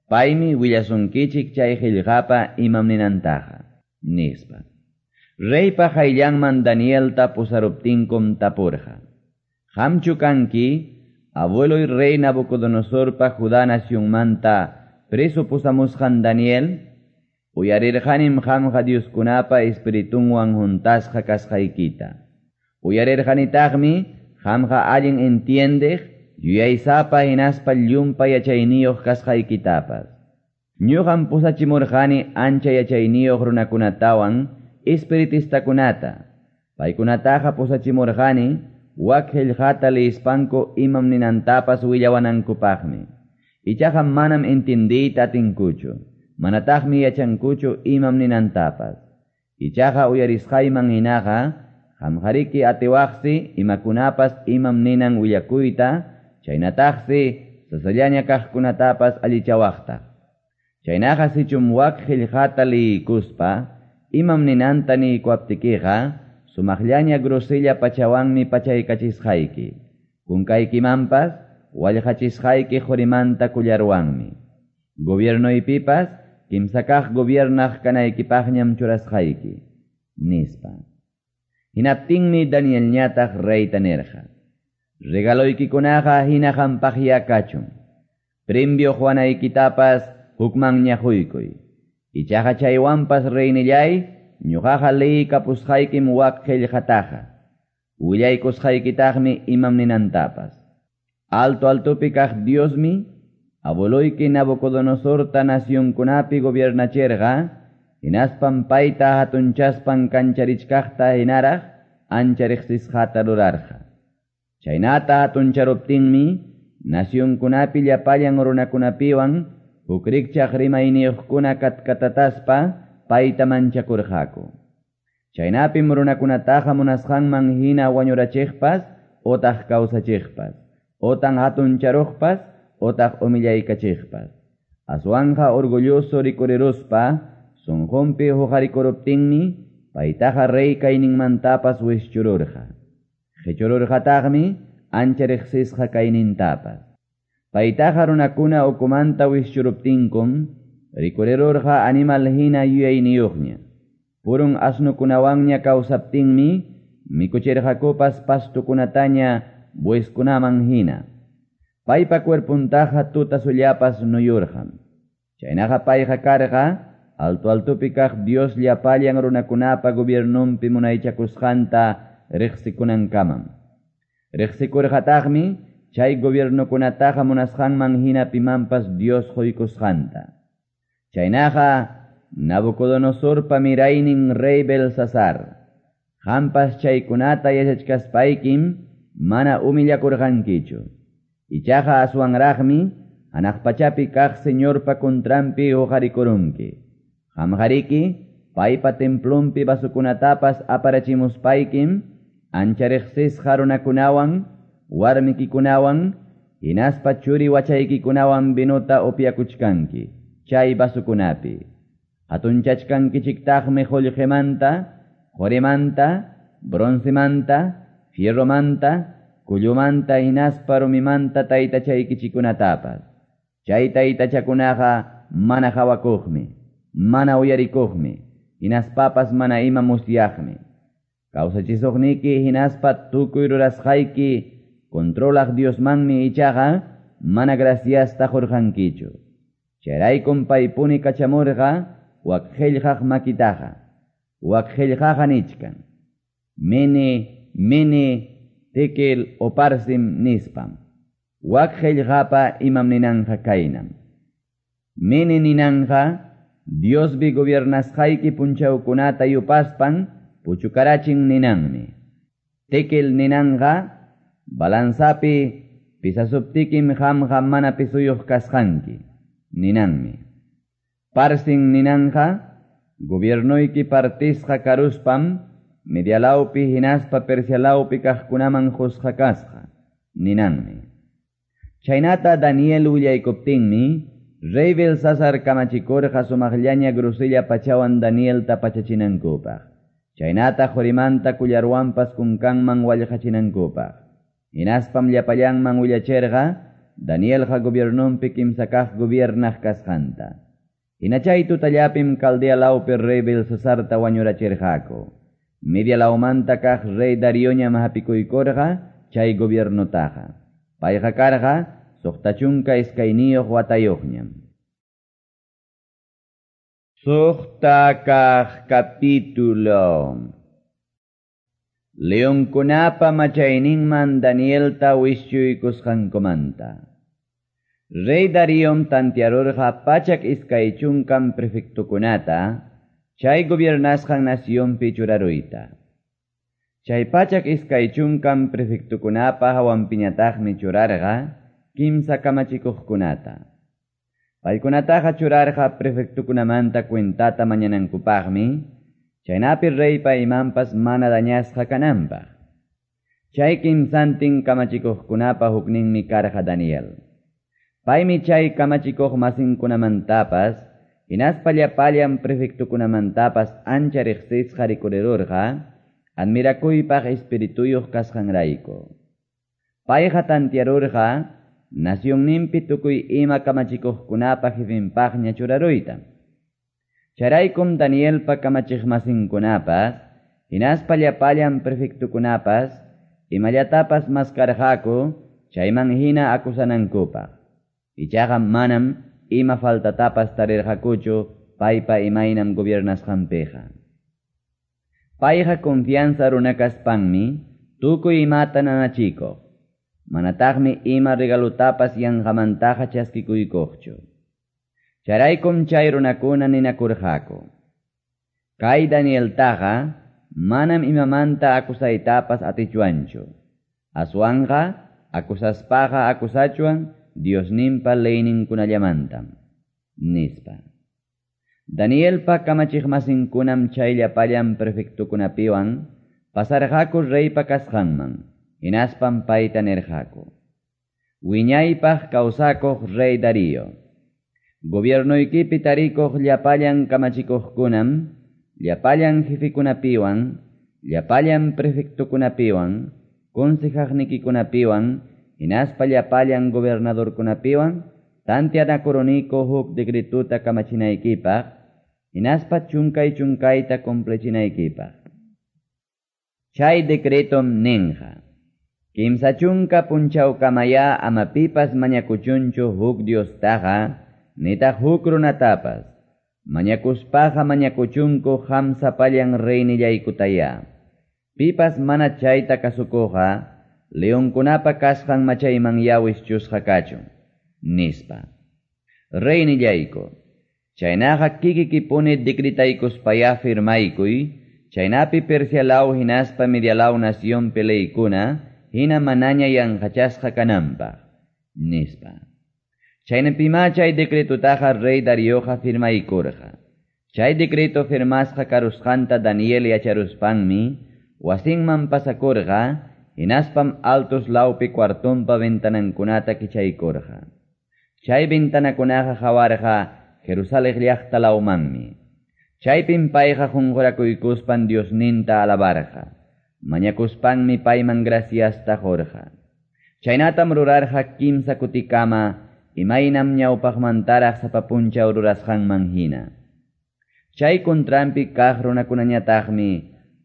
Paymi willasunkichik chay qillqapa imam ninantaqa, nispa. Reypa qayllanman Danielta pusaruptinkum tapurqa: Qamchu kanki abueloy rey Nabucodonosorpa Judá nacionmanta preso pusamusqan Daniel? Uyarirqanim qamqa Dioskunapa espiritunwan juntasqa kasqaykita. Uyarirqanitaqmi qamqa allin entiendeq, yuyaysapa hinaspa llumpa yachayniyuq kasqaykitapas. Ñuqam pusachimurqani ancha yachayniyuq runakunatawan espiritistakunata. Paykunataqa pusachimurqani wak qillqata liyispanku imam ninantapas willawanankupaqmi. Ichaqa manam entendiyta atinkuchu, manataqmi yachankuchu imam ninantapas. Ichaqa uyarisqayman hinaqa qamqariki atiwaqsi imakunapas imam ninan willakuyta, chaynataqsi sasallaña kaqkunatapas allichawaqtaq. Chaynaqa sichum wak qillqata liykuspa imam ninanta niykuaptikiqa sumaqllaña grosella pachawanmi pachaykachisqayki. Kunkaykimanpas wallqachisqayki qurimanta kullarwanmi. Gobiernoypipas kimsa kaq gobiernaq kanaykipaqñam churasqayki, nispa. Hinaptinmi Danielñataq reyta nirqa: Regaloykikunaqa hina qampaqya kachun. Premio quwanaykitapas hukmanña quykuy. Ichaqa chaywanpas reynillay, ñuqaqa liykapusqaykim wak qillqataqa. Willaykusqaykitaqmi imam ninantapas. Alto altopi kaq Diosmi, abueloyki Nabucodonosorta nacionkunapi gobiernachirqa, hinaspan payta hatunchaspan kancharichkaqta hinaraq ancha riqsisqata rurarqa. Chaynata hatuncharuptinmi nacionkunapi llapallan runakunapiwan huk rikchaq rimayniyuqkuna katkatataspa payta manchakurqaku. Chaynapim runakunataqa munasqanman hina wañurachiqpas otaq kawsachiqpas, otan hatuncharuqpas otaq humillaykachiqpas. Aswanja orgulloso rikuriruspa sunqunpi huqarikuruptinmi paytaqa rey kayninmantapas wischururqa. Qichururqataqmi ancha riqsisqa kaynintapas. Paytaqa runakuna ukumanta wischuruptinkum rikurirurqa animal hina yuyayniyuqña. Purun asnukunawanña kawsaptinmi mikuchirqakupas pastukunataña bueskunaman hina. Paypa cuerpuntaqa tuta sullapas nuyurqam. Chaynaqa payqa karqa alto altopi kaq Dios llapallan runakunapa gobiernunpi munaychakusqanta riqsikunankamam. Riqsikurqataqmi chay gobiernokunataqa munasqanman hina pimanpas Dios quykusqanta. Chaynaqa Nabucodonosorpa miraynin rey Belsasar, qampas chaykunata yachachkaspaykim mana humillakurqankichu. Ichaqa aswanraqmi hanaq pachapi kaq Señorpa contranpi hoqarikurunki. Qamqariki paypa templonpi vasokunatapas aparachimuspaykim ancha riqsisqa runakunawan, warmikikunawan, hinaspa churi wachaykikunawan vinota upyakuchkanki chay vasokunapi. Hatunchachkankichiktaqmi qullqimanta, qorimanta, broncemanta, fierromanta, kullumanta hinaspa rumimanta taytachaykichikunatapas. Chay taytachakunaqa mana hawakuqmi, mana uyarikuqmi, hinaspapas mana ima musyaqmi. Kawsachisuqniki hinaspa tukuy rurasqayki controlaq Diosmanmi ichaqa mana graciasta qurqankichu. Chayraykum paypuni kachamurqa wak qillqaq makitaqa. Wak qillqaqa nichkan. Mene, mene, tekel oparsim nispam. Wak qillqapa imam ninanja kaynam. Mene ninanja Diosbi gobiernasqayki punchawkunata yupaspan puchukarachin ninanmi. Tekel ninanja balanzapi pisasuptikim qamqa mana pisuyuq kasqanki ninanmi. Parsin ninanja gobiernoyki partisqa karuspam Medialawpi hinaspa Persialawpi kaqkunaman qusqa kasqa ninanmi. Chaynata Daniel willaykuptinmi rey Belsasar kamachikurqa sumaqllaña grosella pachawan Danielta pachachinankupaq. Chaynata qurimanta kullarwanpas kunkanman wallqachinankupaq. Hinaspam llapallanman willachirqa Danielqa gobiernonpi kimsa kaq gobiernaq kasqanta. Hina chay tutallapim Caldea lawpi rey Belsasarta wañurachirqaku. Media lawmanta kaq rey Darioñam hapikuykurqa chay gobiernotaqa. Payqa karqa 62 watayuqñam. Suqta kaq capítulo. Leonkunapa machayninman Danielta wischuykusqankumanta. Rey Dariom tantiarurqa 120 prefectukunata chay gobiernasqan nacionpi churaruyta. Chay 120 prefectukunapa hawanpiñataqmi churarqa kimsa kamachikuqkunata. Paykunataqa churarqa prefectukunamanta cuentata mañanankupaqmi, chaynapi reypa imanpas mana dañasqa kananpaq. Chay kimsantin kamachikuqkunapa hukninmi karqa Daniel. Paymi chay kamachikuq masinkunamantapas, hinaspa llapallan prefectukunamantapas ancha riqsisqa rikurirurqa, admirakuypaq espirituyuq kasqanrayku. Payqa tantiarurqa nacionninpi tukuy ima kamachikuqkunapa jefinpaqña churaruyta. Chayraykum Danielpa kamachiqmasinkunapas, hinaspa llapallan prefectukunapas, imallatapas maskarqaku chayman hina akusanankupaq. Ichaqa manam ima faltatapas tarirqakuchu paypa imaynam gobiernasqanpiqa. Payqa confianza runa kaspanmi tukuy imata nanachikuq. Manataqmi ima regalutapas yanqamantaqa chaskikuykuqchu. Chayraykum chay runakuna ninakurqaku. Kay Danieltaqa manam imamanta akusaytapas atichwanchu. Aswanqa akusaspaqa akusachuan Diosninpa leyninkunallamantam, nispa. Danielpa kamachiqmasinkunam chay llapallan prefectukunapiwan pasarqaku reypa kasqanman, hinaspam payta nirqaku. Wiñaypaq kawsakuq rey Darío, gobiernoykipi tarikuq llapallan kamachikuqkunam, llapallan jefekunapiwan, llapallan prefectukunapiwan, consejaqnikikunapiwan, hinaspa llapallan gobernadorkunapiwan, tantianakuruniku huk decretuta kamachinaykipaq, hinaspa chunkay chunkayta cumplichinaykipaq. Chay decretom ninqa. 30 punchawkamaya ama pipas mañakuchunchu huk Diostaqa, nitaq huk runatapas. Mañakuspaqa mañakuchunku qam sapallan reynillaykutaya. Pipas mana chayta kasukuqa, leonkunapa kasqan machayman yawischusqa kachun, nispa. Reynillayku, chaynaqa kikikipuni decretaykuspaya firmaykuy, chaynapi Persialaw hinaspa Medialaw nacionpi leykuna, hina manaña yanqachasqa kananpaq, nispa. Chaynapimá chay decretotaqa rey Darioqa firmaykurqa. Chay decreto firmasqa karusqanta Daniel yacharuspanmi wasinman pasakurqa, hinaspam altos lawpi cuartonpa ventanankunata kichaykurqa. Chay ventanakunaqa qawarqa Jerusalén llaqta lawmanmi. Chaypim payqa qunqurakuykuspan Diosninta alabarqa. Mañakuspanmi payman graciasta qurqa. Chaynatam rurarqa kimsa kutikama, imaynam ñawpaqmantaraq sapa punchaw rurasqanman hina. Chay contranpi kaq runakunañataqmi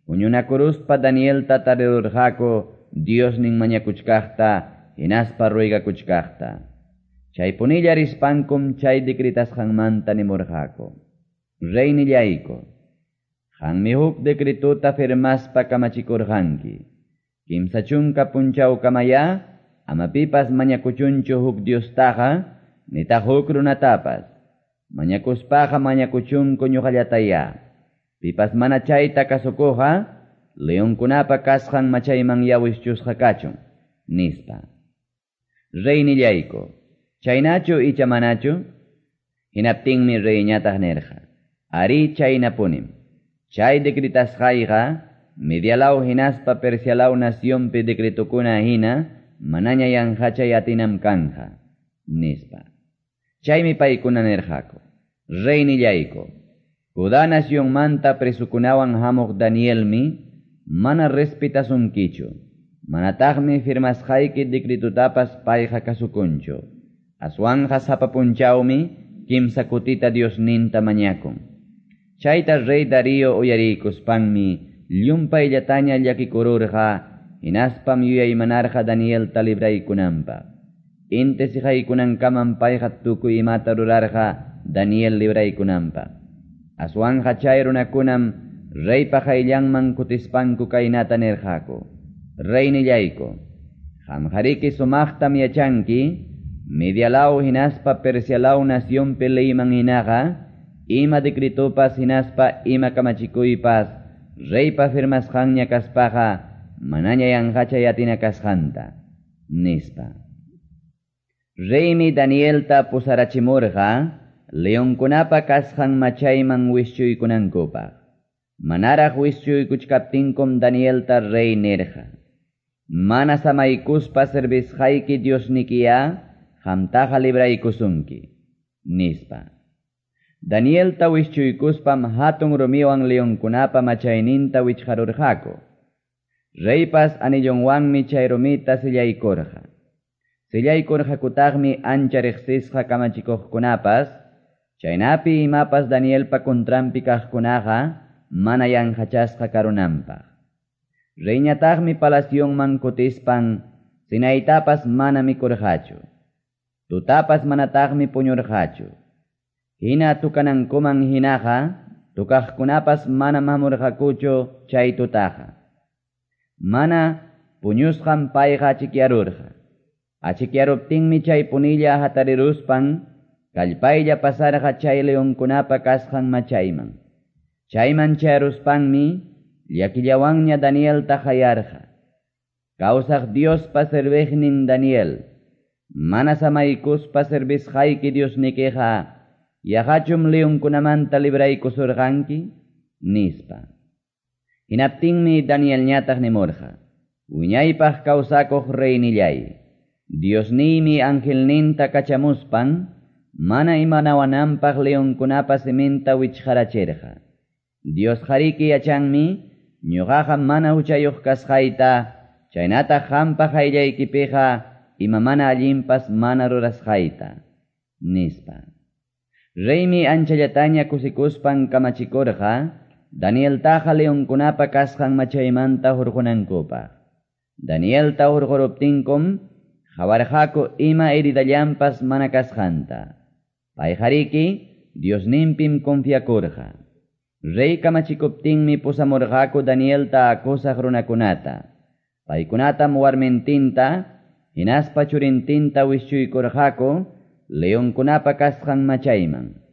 huñunakuruspa Danielta tarirurqaku Diosnin mañakuchkaqta hinaspa ruegakuchkaqta. Chaypunilla rispankum chay decretasqanmanta nimurqaku. Reynillayku, qanmi huk decretota firmaspa kamachikurqanki. 30 punchawkamaya ama pipas mañakuchunchu huk Diostaqa nitaq huk runatapas. Mañakuspaqa mañakuchunku ñuqallataya. Pipas mana chayta kasukuqa leonkunapa kasqan machayman yawischusqa kachun, nispa. Reynillayku, chaynachu icha manachu? Hinaptinmi reyñataq nirqa. Ari chaynapunim. Chay decretasqayqa Medialaw hinaspa Persialaw nacionpi decretokuna hina manaña yanqachay atinam kanja, nispa. Chaymi paykuna nirqaku. Reynillayku, Judá nacionmanta presukunawan hamuq Danielmi mana respetasunkichu, manataqmi firmasqayki decretutapas payqa kasukunchu. Aswanqa sapa punchawmi kimsa kutita Diosninta mañakun. Chayta rey Darío uyariykuspanmi llumpayllataña llakikururqa, hinaspam yuyaymanarqa Danielta libraykunanpaq. Inti siqaykunankamam payqa tukuy imata rurarqa Daniel libraykunanpaq. Aswanqa chay runakunam reypa qayllanman kutispanku kaynata nirqaku. Reynillayku, qamqariki sumaqtam yachanki, Medialaw hinaspa Persialaw nacionpi leyman hinaqa, ima decretopas hinaspa ima kamachikuypas reypa firmasqanña kaspaqa manaña yanqachay atina kasqanta, nispa. Reymi Danielta pusarachimurqa leonkunapa kasqan machayman wischuykunankupaq. Manaraq wischuykuchkaptinkum Danielta rey nirqa. Mana samaykuspa servisqayki Diosnikiya qamtaqa libraykusunki, nispa. Danielta wischuykuspam hatun rumiwan leonkunapa machayninta wichqarurqaku. Reypas anillonwanmi chay rumita sillaykurqa. Sillaykurqakutaqmi ancha riqsisqa kamachikuqkunapas, chaynapi imapas Danielpa contranpi kaqkunaqa mana yanqachasqa karunanpaq. Reyñataqmi palacionman kutispan sinaytapas mana mikurqachu. Tutapas manataqmi puñurqachu. Hina tukanankuman hinaqa, tukaqkunapas mana hamurqakuchu chay tutaqa. Mana puñusqan payqa achikyarurqa. Achikyaruptinmi chay punilla hatariruspan, kallpaylla pasarqa chay leonkunapa kasqan machayman. Chayman chayaruspanmi llakillawanña Danielta qayarqa. Kawsaq Diospa serviqnin Daniel, mana samaykuspa servisqayki Diosnikiqa, yaqachum leonkunamanta libraykusurqanki, nispa. Hinaptinmi Danielñataq nimurqa. Wiñaypaq kawsakuq reynillay, Diosniymi angelninta kachamuspan, mana imanawananpaq leonkunapa siminta wichqarachirqa. Diosqariki yachanmi, ñuqaqa mana huchayuq kasqayta, chaynataq qampa qayllaykipiqa ima mana allinpas mana rurasqayta, nispa. Reymi anchallataña kusikuspan kamachikurqa, Danieltaqa leonkunapa kasqan machaymanta hurqunankupaq. Danielta hurquruptinkum qawarqaku ima heridallanpas mana kasqanta. Payqariki Diosninpim confiakurqa. Rey kamachikuptinmi pusamurqaku Danielta acusaq runakunata. Paykunatam warmintinta, hinaspa churintinta wischuykurqaku leonkunapa kasqan machayman.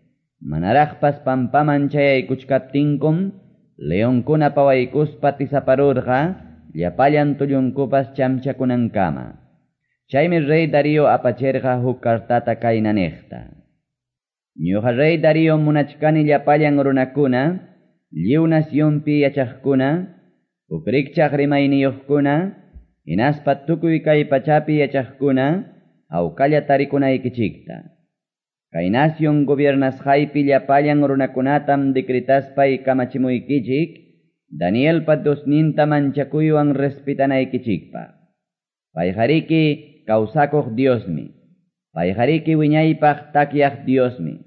Manaraqpas pampaman chayaykuchkaptinkum, leonkuna pawaykuspa tisaparurqa, llapallan tullunkupas chamchakunankama. Chaymi rey Darío apachirqa huk cartata kayna niqta. Ñuqa rey Darío munachkani llapallan runakuna, lliw nacionpi yachaqkuna, huk rikchaq rimayniyuqkuna, hinaspa tukuy kay pachapi yachaqkuna, hawkalla tarikunaykichikta. Kay nación gobiernasqaypi llapallan runakunatam decretaspay kamachimuykichik, Danielpa Diosninta manchakuywan respetanaykichikpaq. Payqariki kawsakuq Diosmi. Payqariki wiñaypaq takyaq Diosmi.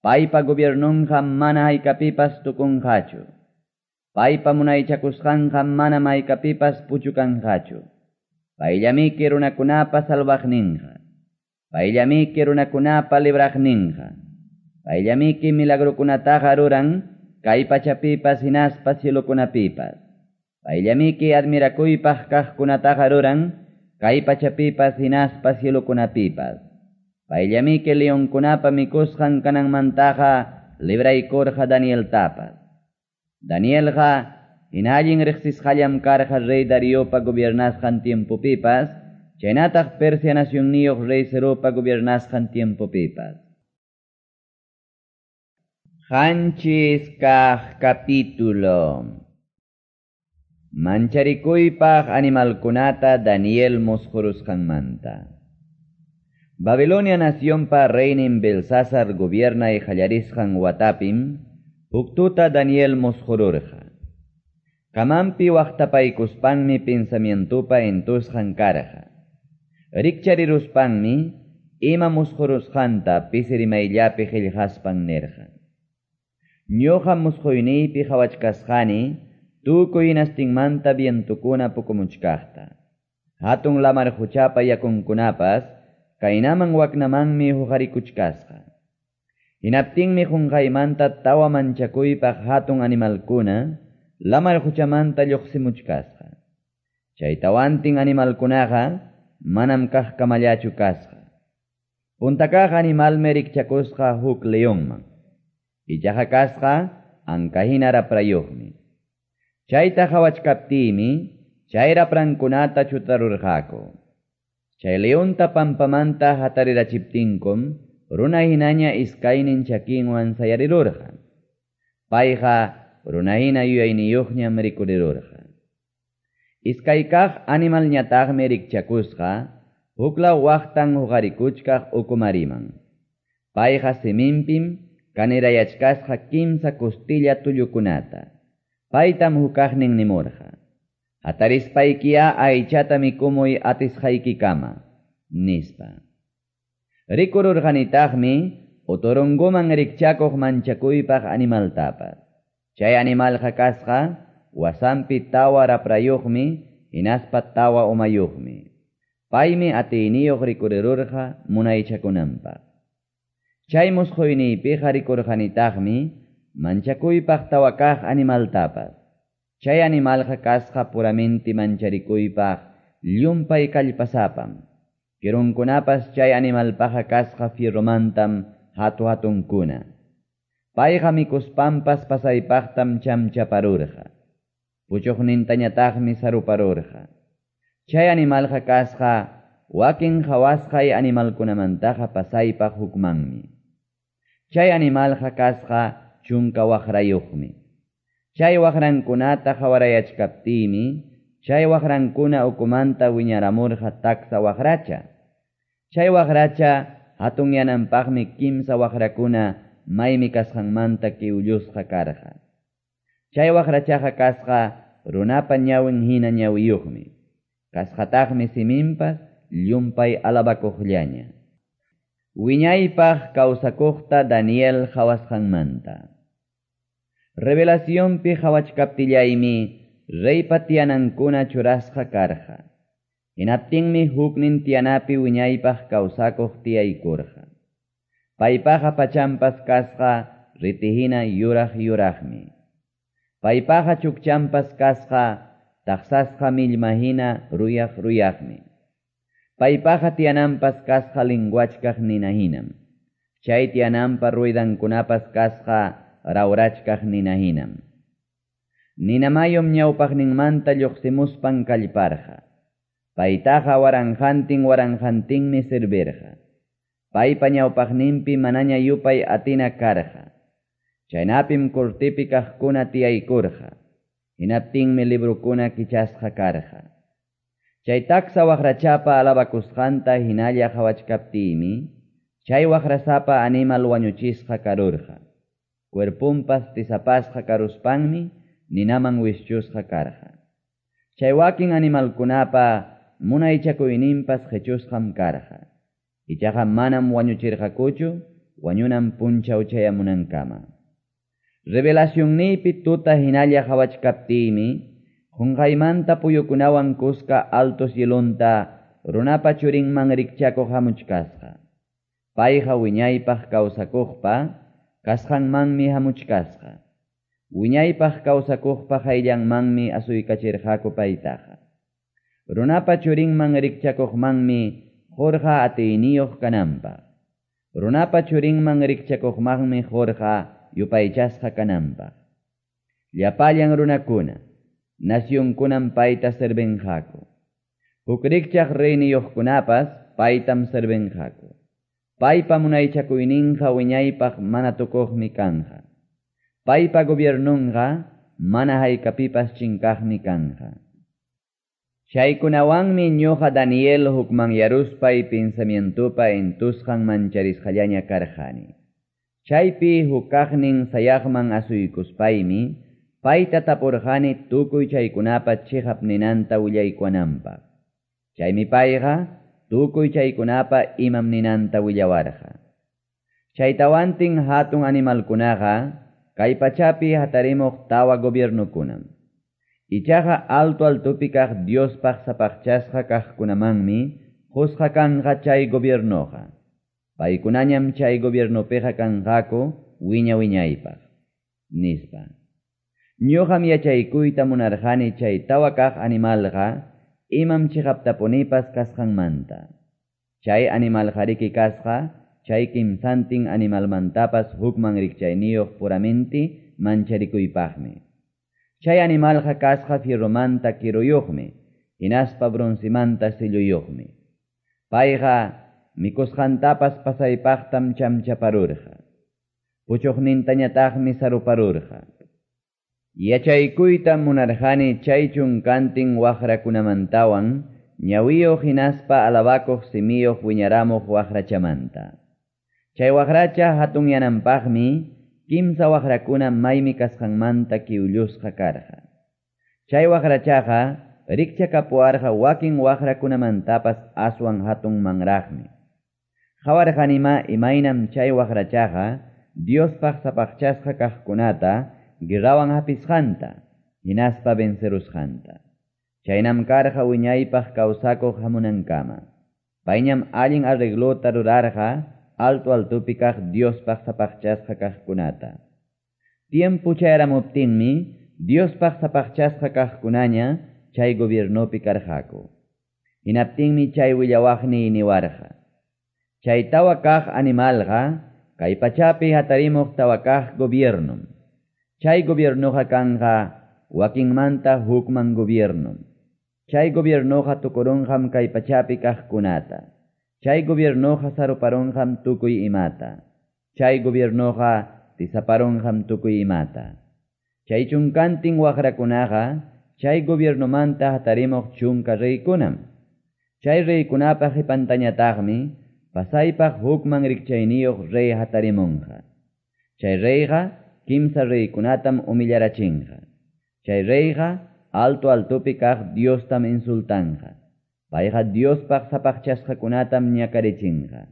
Paypa gobiernunqa mana haykapipas tukunqachu. Paypa munaychakusqanqa mana haykapipas puchukanqachu. Payllamiki runakunapa salvaqninqa. Payllamiki runakunapa libraqninqa. Payllamiki milagrukunataqa ruran kay pachapipas hinaspa cielokunapipas. Payllamiki admirakuypaq kaqkunataqa ruran kay pachapipas hinaspa cielokunapipas. Payllamiki leonkunapa mikusqan kananmantaqa libraykurqa Danieltapas. Danielqa hina allin riqsisqallam karqa rey Dariopa gobiernasqan tiempopipas, chaynataq Persia nacionniyuq rey Ciropa gobiernasqan tiempopipas. Qanchis kaq capítulo. Mancharikuypaq animalkunata Daniel musqurusqanmanta. Babilonia nacionpa reynin Belsasar gobiernay qallarisqan watapim, huk tuta Daniel musqururqa. Kamanpi waqtapaykuspanmi pensamientopa entusqan karqa. Rikchariruspanmi ima musqurusqanta pisi rimayllapi qillqaspan nirqa. Ñuqa musquyniypi qhawachkasqani tukuy hinastinmanta vientukuna pukumuchkaqta. Hatun lamar quchapa yakunkunapas kaynaman waknamanmi huqarikuchkasqa. Hinaptinmi qunqaymanta tawa manchakuypaq hatun animalkuna lamar quchamanta lluqsimuchkasqa. Chay tawantin animalkunaqa manam kaqkamallachu kasqa. Punta kaq animalmi rikchakusqa huk leonman. Ichaqa kasqa ankahina raprayuqmi. Chayta qhawachkaptiymi chay raprankunata chutarurqaku. Chay leonta pampamanta hatarirachiptinkum runa hinaña iskaynin chakinwan sayarirurqa. Payqa runa hina yuyayniyuqñam rikurirurqa. Iskay kaq animalñataqmi rikchakusqa huklaw waqtan huqarikuchkaq ukumariman. Payqa siminpim kanirayachkasqa kimsa costilla tullukunata. Paytam hukaqnin nimurqa. Hatarispaykiya aychata mikumuy atisqaykikama, nispa. Rikururqanitaqmi otorongoman rikchakuq manchakuypaq animaltapas. Chay animalqa kasqa wasanpi tawa raprayuqmi hinaspa tawa umayuqmi. Paymi atiyniyuq rikurirurqa munaychakunanpaq. Chay musquyniypiqa rikurqanitaqmi manchakuypaq tawa kaq animaltapas. Chay animalqa kasqa puramenti mancharikuypaq llumpay kallpasapam. Kirunkunapas chay animalpaqa kasqa fierromantam hatu hatunkuna. Payqa mikuspanpas pasaypaqtam chamchaparurqa. Puchuqnintañataqmi saruparurqa. Chay animalqa kasqa wakin qhawasqay animalkunamantaqa pasaypaq hukmanmi. Chay animalqa kasqa chunka waqrayuqmi. Chay waqrankunata qhawarayachkaptiymi, chay waqrankuna ukumanta wiñaramurqa taksa waqracha. Chay waqracha hatunyananpaqmi kimsa waqrakuna maymi kasqanmanta kiwllusqa karqa. Chay waqrachaqa kasqa runapa ñawin hina ñawiyuqmi. Kasqataqmi siminpas llumpay alabakuqllaña. Wiñaypaq kawsakuqta Daniel qhawasqanmanta. Revelacionpi qhawachkaptillaymi reypa tiyanankuna churasqa karqa. Hinaptinmi huknin tiyanapi wiñaypaq kawsakuq tiyaykurqa. Paypaqa pachampas kasqa ritihina yuraq yuraqmi. Paypaqa chukchampas kasqa taqsasqa millmahina ruyaq ruyaqmi. Paypaqa tiyananpas kasqa linguachkaq ninahinam. Chay tiyananpa ruidankunapas kasqa rawrachkaq ninahinam. Ninamayum ñawpaqninmanta lluqsimuspan kallparqa. Paytaqa waranqantin waranqantinmi servirqa. Paypa ñawpaqninpi manaña yupay atina karqa. Chaynapim cortepi kaqkuna tiyaykurqa. Hinaptinmi librokuna kichasqa karqa. Chay taksa waqrachapa alabakusqanta hinalla qawachkaptiymi, chay waqrasapa animal wañuchisqa karurqa. Cuerponpas tisapasqa karuspanmi ninaman wischusqa karqa. Chay wakin animalkunapa munaychakuyninpas qechusqam karqa. Ichaqa manam wañuchirqakuchu wañunan punchaw chayamunankama. Revelacionniypi tuta hinalla qawachkaptiymi, qonqaymanta puyukunawan kuska alto cielonta runapa churinman rikchakuq hamuchkasqa. Payqa wiñaypaq kawsakuqpa kasqanmanmi hamuchkasqa. Wiñaypaq kawsakuqpa qayllanmanmi asuykachirqaku paytaqa. Runapa churinman rikchakuqmanmi qurqa atiyniyuq kananpaq. Runapa churinman rikchakuqmanmi qurqa yupaychasqa kananpaq. Llapallan runakuna, nacionkunam payta servinqaku. Huk rikchaq reyniyuqkunapas paytam servinqaku. Paypa munaychakuyninqa wiñaypaq mana tukuqmi kanqa. Paypa gobiernunqa mana haykapipas chinkaqmi kanqa. Chaykunawanmi ñuqa Daniel hukmanyaruspay pensamientopa entusqan mancharisqallaña karqani. Chaypi hukaqnin sayaqman asuykuspaymi payta tapurqani tukuy chaykunapa chiqap ninanta willaykuwananpaq. Chaymi payqa tukuy chaykunapa imam ninanta willawarqa. Chaytawantin hatun animalkunaqa kay pachapi hatarimuq tawa gobiernokunam. Ichaqa alto altopi kaq Diospaq sapaqchasqa kaqkunamanmi qusqa kanqa chay gobiernoqa. Paykunañam chay gobiernopiqa kanqaku wiña wiñaypaq, nispa. Ñuqam yachaykuyta munarqani chay tawa kaq animalqa imam chiqaptapunipas kasqanmanta. Chay animalqariki kasqa chay kimsantin animalmantapas hukman rikchayniyuq puramenti mancharikuypaqmi. Chay animalqa kasqa fierromanta kiruyuqmi, hinaspa broncemanta silluyuqmi. Payqa mikusqantapas pasaypaqtam chamchaparurqa. Puchuqnintañataqmi saruparurqa. Yachaykuytam munarqani chay chunkantin waqrakunamantawan ñawiyuq hinaspa alabakuq simiyuq wiñaramuq waqrachamanta. Chay waqracha hatunyananpaqmi kimsa waqrakuna maymi kasqanmanta kiwllusqa karqa. Chay waqrachaqa rikchakapuwarqa wakin waqrakunamantapas aswan hatunmanraqmi. Qawarqanima imaynam chay waqrachaqa Diospaq sapaqchasqa kaqkunata guerrawan hapisqanta, hinaspa vencerusqanta. Chaynam karqa wiñaypaq kawsakuq hamunankama. Payñam allin arreglota rurarqa alto altopi kaq Diospaq sapaqchasqa kaqkunata. Tiempo chayaramuptinmi Diospaq sapaqchasqa kaqkunaña chay gobiernopi karqaku. Hinaptinmi chay willawaqniy niwarqa. Chay tawa kaq animalqa kay pachapi hatarimuq tawa kaq gobiernom. Chay gobiernoqa kanqa wakinmanta hukman gobiernom. Chay gobiernoqa tukurunqam kay pachapi kaqkunata. Chay gobiernoqa saruparunqam tukuy imata. Chay gobiernoqa tisaparunqam tukuy imata. Chay chunkantin waqrakunaqa chay gobiernomanta hatarimuq chunka reykunam. Chay reykunapa qipantañataqmi pasaypaq hukman rikchayniyuq rey hatarimunqa. Chay reyqa kimsa reykunatam humillarachinqa. Chay reyqa alto altopi kaq Diostam insultanqa. Payqa Diospaq sapaqchasqakunatam ñakarichinqa.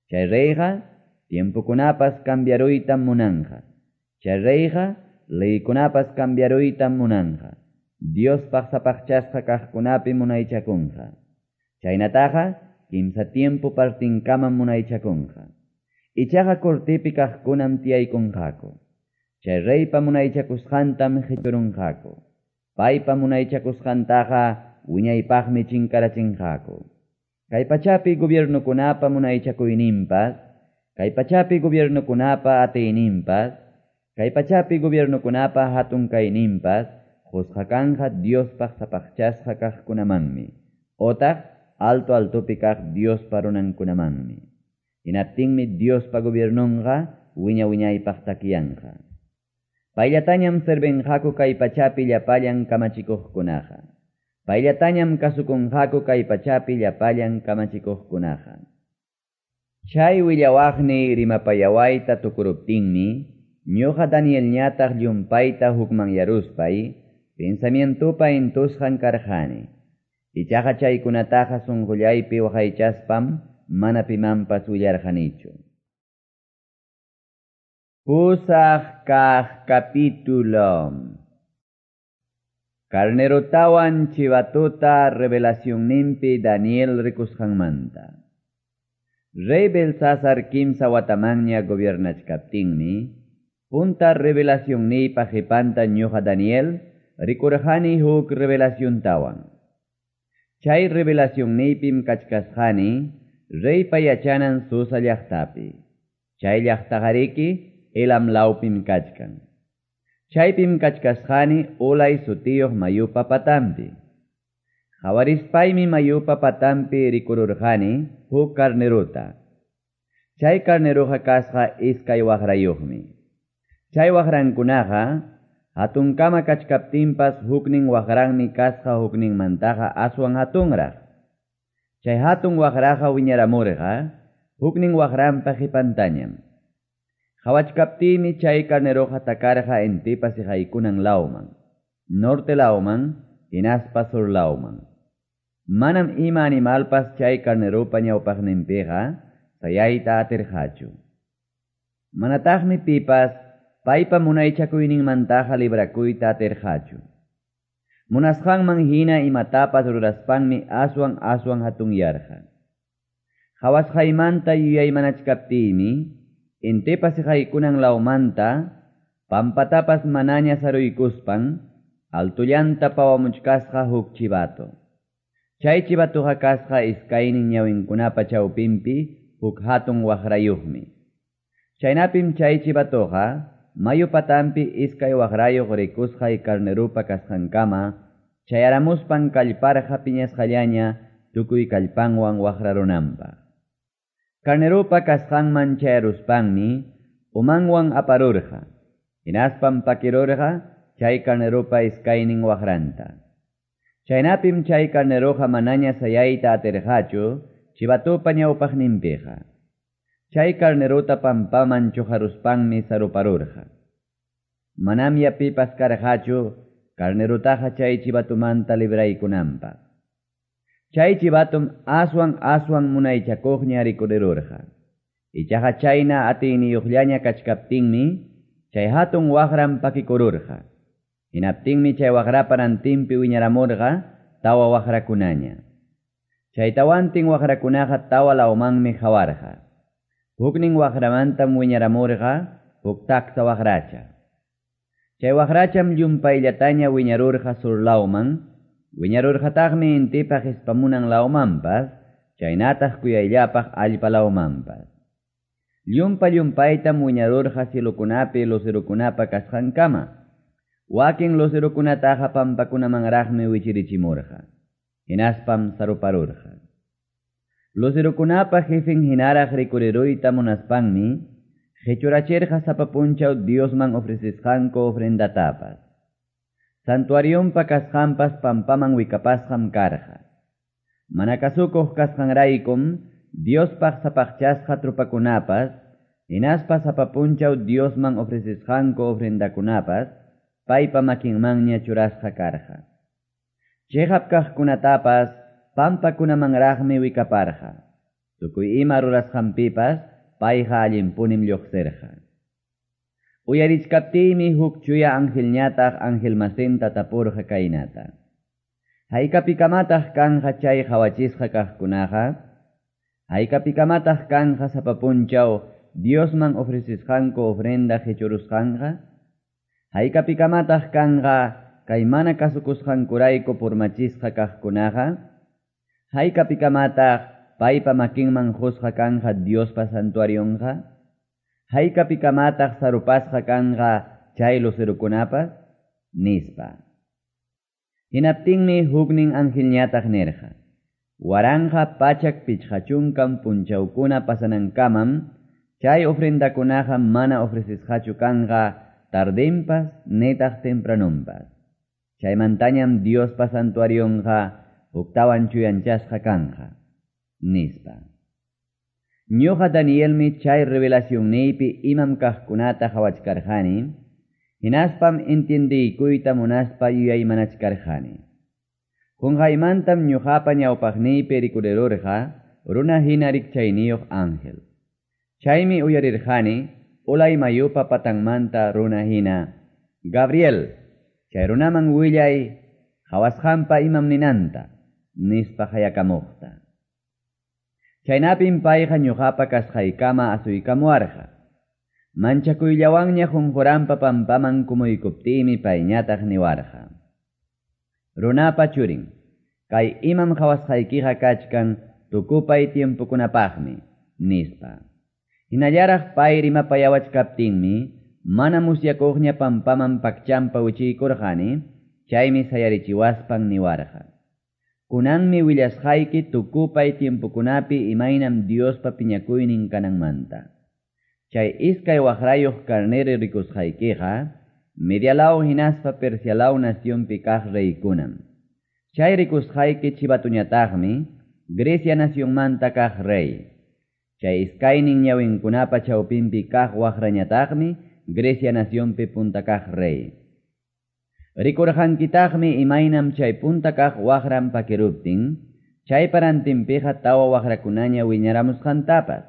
Chay reyqa tiempokunapas cambiaruytam munanqa. Chay reyqa leykunapas cambiaruytam munanqa. Diospaq sapaqchasqa kaqkunapi munaychakunqa. Chaynataqa kimsa tiempo partinkamam munaychakunqa. Ichaqa cortepi kaqkunam tiyaykunqaku. Chay reypa munaychakusqantam qichurunqaku. Paypa munaychakusqantaqa wiñaypaqmi chinkarachinqaku. Kay pachapi gobiernokunapa munaychakuyninpas, kay pachapi gobiernokunapa atiyninpas, kay pachapi gobiernokunapa hatun kayninpas, qusqa kanqa Diospaq sapaqchasqa kaqkunamanmi. otaq alto-altopi kaq Diospa runankunamanmi. Hinaptinmi Diospa gobiernonqa wiña-wiñaypaq takyanqa. Payllatañam servinqaku kay pachapi llapallan kamachikuqkunaqa. Payllatañam kasukunqaku kay pachapi llapallan kamachikuqkunaqa. Chay willawaqniy rimapayawayta tukuruptinmi, ñoqa Danielñataq llumpayta hukmanyaruspay, pensamientopa intusqan karqani. Ichaqa chaykunataqa sunqullaypi waqaychaspam mana pimanpas willarqanichu. Pusaq kaq capítulo. Carnerotawan chivatota revelacionninpi Daniel rikusqanmanta. Rey Belsasar kimsa watamanña gobiernachkaptinmi, punta revelacionniypa qipanta ñuqa Daniel rikurqani huk revelaciontawan. Chay revelacionniypim kachkasqani reypa yachanan Susa llaqtapi. Chay llaqtaqariki Elam lawpim kachkan. Chaypim kachkasqani Ulay sutiyuq mayupa patampi. Qhawarispaymi mayupa patampi rikururqani huk carnerota. Chay carneroqa kasqa iskay waqrayuqmi. Chay waqrankunaqa hatunkama kachkaptinpas huknin waqranmi kasqa hukninmantaqa aswan hatunraq. Chay hatun waqraqa wiñaramurqa huknin waqranpa qipantañam. Qhawachkaptiymi chay carneroqa takarqa intipa siqaykunan lawman, norte lawman, hinaspa sur lawman. Manam ima animalpas chay carneropa ñawpaqninpiqa sayayta atirqachu. Manataqmi pipas paypa munaychakuyninmantaqa librakuyta atirqachu. Munasqanman hina imatapas ruraspanmi aswan aswan hatunyarqa. Qhawasqaymanta yuyaymanachkaptiymi, intipa siqaykunan lawmanta, pampatapas manaña saruykuspan, altullanta pawamuchkasqa huk chivato. Chay chivatuqa kasqa iskaynin ñawinkunapa chawpinpi huk hatun waqrayuqmi. Chaynapim chay chivatuqa mayu patampi iskay waqrayuq rikusqay carnerupa kasqankama chayaramuspan kallparqa piñasqallaña tukuy kallpanwan waqrarunanpaq. Carnerupa kasqanman chayaruspanmi umanwan aparurqa, hinaspam pakirurqa chay carnerupa iskaynin waqranta. Chaynapim chay carneroqa manaña sayayta atirqachu chivatupa ñawpaqninpiqa. Chay carnerota pampaman chuqaruspanmi saruparurqa. Manamya pipas karqachu carnerotaqa chay chivatumanta libraykunanpaq. Chay chivatum aswan aswan munaychakuqña rikurirurqa. Ichaqa chayna atiyniyuqllaña kachkaptinmi chay hatun waqran pakikururqa. Hinaptinmi chay waqrapa rantinpi wiñaramurqa tawa waqrakunaña. Chay tawantin waqrakunaqa tawa lawmanmi qawarqa. Huknin waqramantam wiñaramurqa huk taksa waqracha. Chay waqracham llumpayllataña wiñarurqa sur lawman, wiñarurqataqmi intipa qispamunan lawmanpas, chaynataq kuyayllapaq allpa lawmanpas. Llumpa llumpaytam wiñarurqa cielokunapi lucerokunapa kasqankama. Wakin lucerokunataqa pampakunamanraqmi wichirichimurqa. Hinaspam saruparurqa. Lucerokunapa jefen hinaraq rikuriruyta munaspanmi, qichurachirqa sapa punchaw Diosman ofrecesqanku ofrendatapas. Santuarionpa kasqanpas pampaman wikapasqam karqa. Mana kasukuq kasqanraykum Diospaq sapaqchasqa trupakunapas, hinaspa sapa punchaw Diosman ofrecesqanku ofrendakunapas, paypa makinmanña churasqa karqa. Chiqap kaqkunatapas pampakunamanraqmi wikaparqa. Tukuy ima rurasqanpipas payqa allinpunim lluqsirqa. Uyarichkaptiymi huk chuya angelñataq angelmasinta tapurqa kaynata. Haykapikamataq kanqa chay qhawachisqa kaqkunaqa? Haykapikamataq kanqa sapa punchaw Diosman ofrecesqanku ofrenda qichurusqanqa? Haykapikamataq kanqa kay mana kasukusqankurayku purmachisqa kaqkunaqa? Haykapikamataq paypa makinman qusqa kanqa Diospa santuarionqa? Haykapikamataq sarupasqa kanqa chay lucerokunapas? Nispa. Hinaptinmi huknin angelñataq nirqa. 1150 punchawkuna pasanankamam chay ofrendakunaqa mana ofrecesqachu kanqa tardenpas nitaq tempranonpas. Chaymantañam Diospa santuarionqa huktawan chuyanchasqa kanqa, nispa. Ñuqa Danielmi chay revelacionniypi imam kaqkunata qawachkarqani, hinaspam entiendeykuyta munaspa yuyaymanachkarqani. Qunqaymantam ñuqapa ñawpaqniypi rikurirurqa runa hina rikchayniyuq ángel. Chaymi uyarirqani Ulay mayupa patanmanta runa hina, Gabriel, chay runaman willay qawasqanpa imam ninanta, nispa qayakamuqta. Chaynapim payqa ñuqapa kasqaykama asuykamuwarqa. Manchakuyllawanña qunquranpa pampaman kumuykuptiymi payñataq niwarqa: Runapa churin, kay imam qawasqaykiqa kachkan tukupay tiempokunapaqmi, nispa. Hinallaraq pay rimapayawachkaptinmi mana musyakuqña pampaman pakchampa wichiykurqani, chaymi sayarichiwaspan niwarqa: Kunanmi willasqayki tukupay tiempokunapi imaynam Diospa piñakuynin kananmanta. Chay iskay waqrayuq carnero rikusqaykiqa Medialaw hinaspa Persialaw nacionpi kaq reykunam. Chay rikusqayki chivatuñataqmi Grecia nacionmanta kaq rey. Chay iskaynin ñawinkunapa chawpinpi kaq waqrañataqmi Grecia nacionpi punta kaq rey. Rikurqankitaqmi imaynam chay punta kaq waqran pakiruptin, chay parantinpiqa tawa waqrakunaña wiñaramusqantapas.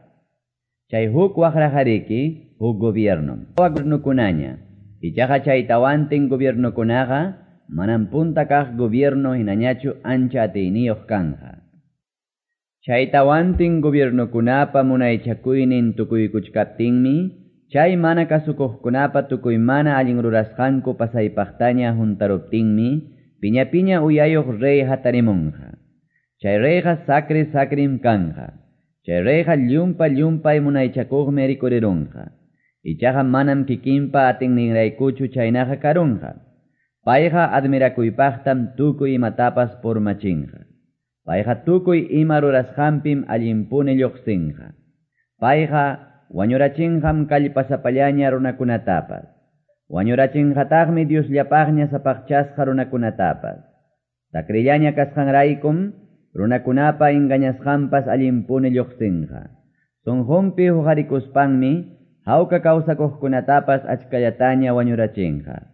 Chay huk waqraqariki huk gobiernom. Tawa gobiernokunaña. Ichaqa chay tawantin gobiernokunaqa manam punta kaq gobierno hinañachu ancha atiyniyuq kanja. Chay tawantin gobiernokunapa munaychakuynin tukuykuchkaptinmi, chay mana kasukuqkunapa tukuy mana allin rurasqanku pasaypaqtaña huntaruptinmi, piña piña uyayuq rey hatarimunqa. Chay reyqa sacri sacrim kanja. Chay reyqa llumpa llumpay munaychakuqmi rikurirunqa. Ichaqa manam kikinpa atinninraykuchu chaynaqa karunqa. Payqa admirakuypaqtam tukuy imatapas purmachinqa. Payqa tukuy ima rurasqanpim allinpuni lluqsinqa. Payqa wañurachinqam kallpasapallaña runakunatapas. Wañurachinqataqmi Diosllapaqña sapaqchasqa runakunatapas. Takrillaña kasqanraykum runakunapa engañasqanpas allinpuni lluqsinqa. Sunqunpi huqarikuspanmi hawka kawsakuqkunatapas achkallataña wañurachinqa.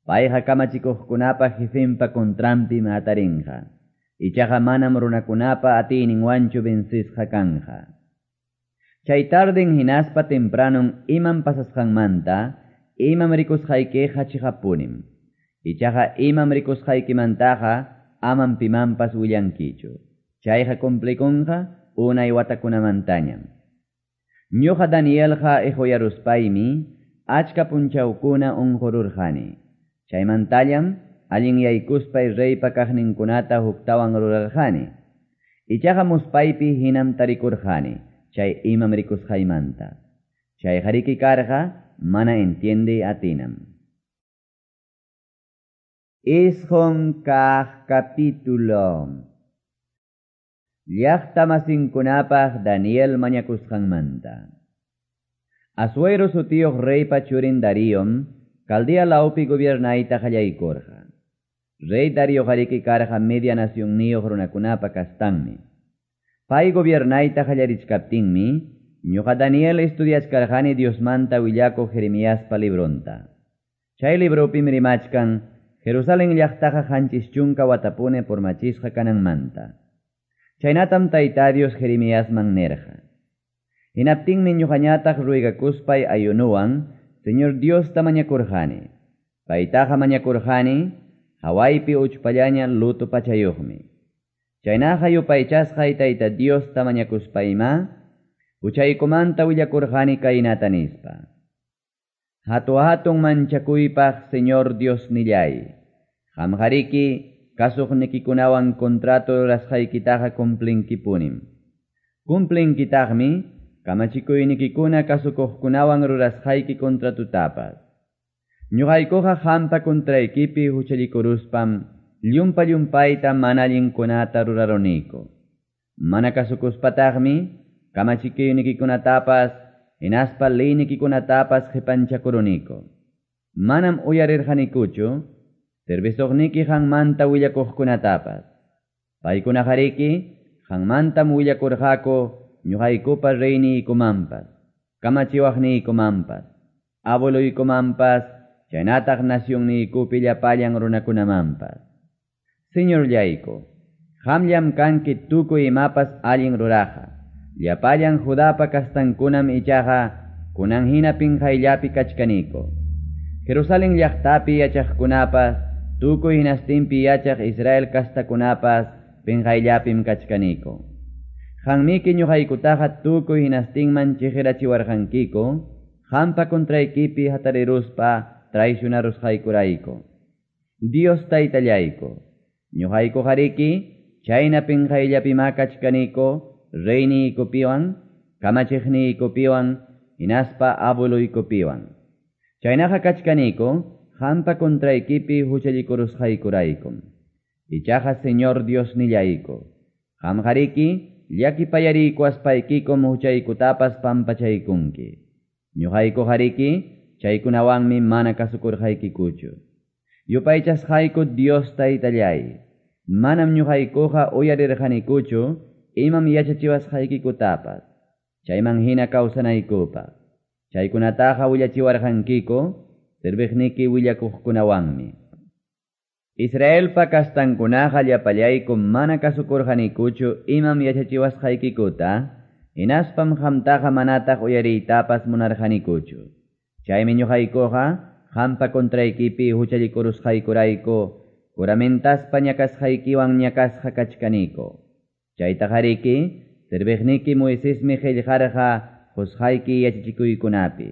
Payqa kamachikuqkunapa jefenpa contranpim hatarinqa. Ichaqa manam runakunapa atiyninwanchu vencisqa kanja. Chay tarden hinaspa tempranon imam pasasqanmanta, imam rikusqaykiqa chiqapunim. Ichaqa imam rikusqaykimantaqa amam pimanpas willankichu. Chayqa cumplikunqa unay watakunamantañam. Ñuqa Danielqa ihuyaruspaymi achka punchawkuna unqururqani. Chaymantallam allinyaykuspay reypa kaqninkunata huktawan rurarqani. Ichaqa muspaypi hinam tarikurqani chay imam rikusqaymanta. Chay hariki karqa mana entiende atinam. Isqun kaq capítulo. Llaqta masinkunapaq Daniel mañakusqanmanta. Asuero sutiyuq reypa churin Daríom Caldea lawpi gobiernayta qallaykurqa. Rey Darío hariki karqa media nacionniyuq runakunapa kastanmi. Pay gobiernayta qallarichkaptinmi, ñuqa Daniel estudiachkarqani Diosmanta willakuq Jeremiaspa libronta. Chay libropim rimachkan Jerusalén llaqtaqa 70 watapuni purmachisqa kananmanta. Chaynatam Tayta Dios Jeremiasman nerqa. Hinaptinmi ñuqañataq ruegakuspay ayunuwan Señor Diosta mañakurqani. Paytaqa mañakurqani hawaypi uchpallaña luto pachayuqmi. Chaynaqa yupaychasqay Tayta Diosta mañakuspayma, huchaykumanta willakurqani kaynata nispa: Hatu hatun manchakuypaq Señor Dios nillay, qamqariki kasuqnikikunawan contrato rurasqaykitaqa cumplinkipunim. Cumplinkitaqmi kamachikuynikikuna kasukuqkunawan rurasqayki contratutapas. Ñuqaykuqa qampa contraykipi huchallikuruspam llumpa llumpayta mana allinkunata ruraruniku. Mana kasukuspataqmi kamachikuynikikunatapas hinaspa leynikikunatapas qepanchakuruniku. Manam uyarirqanikuchu servisuqniki qanmanta willakuqkunatapas. Paykunaqariki qanmantam willakurqaku ñuqaykupa reyniykumanpas, kamachiwaqniykumanpas, abueluykumanpas, chaynataq nacionniykupi llapallan runakunamanpas. Señorllayku, qamllam kanki tukuy imapas allin ruraqa. Llapallan Judapa kastankunam ichaqa kunan hina pinqayllapi kachkaniku. Jerusalén llaqtapi yachaqkunapas, tukuy hinastinpi yachaq Israel kastakunapas pinqayllapim kachkaniku. Qanmiki ñuqaykutaqa tukuy hinastinman chiqirachiwarqankiku, qampa contraykipi hatariruspa traicionarusqaykurayku. Dios taytallayku, ñuqaykuqariki chayna pinqayllapimá kachkaniku reyniykupiwan, kamachiqniykupiwan, hinaspa abueluykupiwan. Chaynaqa kachkaniku qampa contraykipi huchallikurusqaykuraykum. Ichaqa Señor Diosnillayku, qamqariki llakipayariykuwaspaykikum huchaykutapas pampachaykunki. Ñuqaykuqariki chaykunawanmi mana kasukurqaykikuchu. Yupaychasqayku Dios taytallay, manam ñuqaykuqa uyarirqanikuchu imam yachachiwasqaykikutapas, chayman hina kawsanaykupaq. Chaykunataqa willachiwarqankiku serviqniki willakuqkunawanmi. Israelpa kastankunaqa llapallayku mana kasukurqanikuchu imam yachachiwasqaykikuta, hinaspam qamtaqa manataq uyariytapas munarqanikuchu. Chaymi ñuqaykuqa qampa contraykipi huchallikurusqaykurayku juramentaspa ñakasqaykiwan ñakasqa kachkaniku. Chaytaqariki serviqniki Moisesmi qillqarqa qusqayki yachachikuykunapi.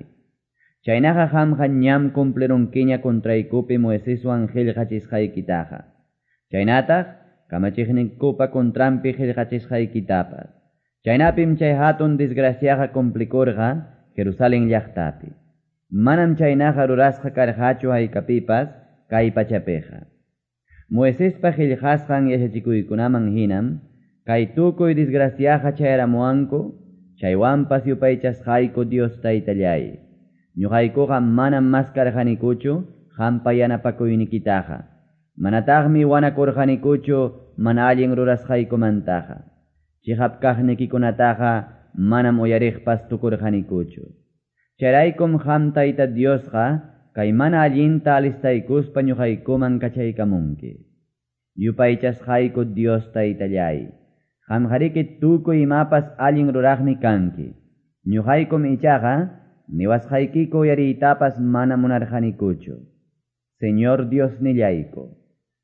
Chaynaqa qamqa ñam cumplirunkiña contraykupi Moiseswan qillqachisqaykitaqa. Chaynataq kamachiqninkupa contranpi qillqachisqaykitapas. Chaynapim chay hatun desgraciaqa cumplikurqa Jerusalén llaqtapi. Manam chaynaqa rurasqa karqachu haykapipas kay pachapiqa. Moisespa qillqasqan yachachikuykunaman hinam kay tukuy desgraciaqa chayaramuwanku, chaywanpas yupaychasqayku Dios taytallay. Ñuqaykuqa manam maskarqanikuchu qampa yanapakuynikitaqa. Manataqmi wanakurqanikuchu mana allin rurasqaykumantaqa. Chiqap kaqnikikunataqa manam uyariqpas tukurqanikuchu. Chayraykum qam Tayta Diosqa kay mana allinta alistaykuspa ñuqaykuman kachaykamunki. Yupaychasqayku Dios taytallay, qamqariki tukuy imapas allin ruraqmi kanki. Ñuqaykum ichaqa niwasqaykiku uyariytapas mana munarqanikuchu. Señor Diosnillayku,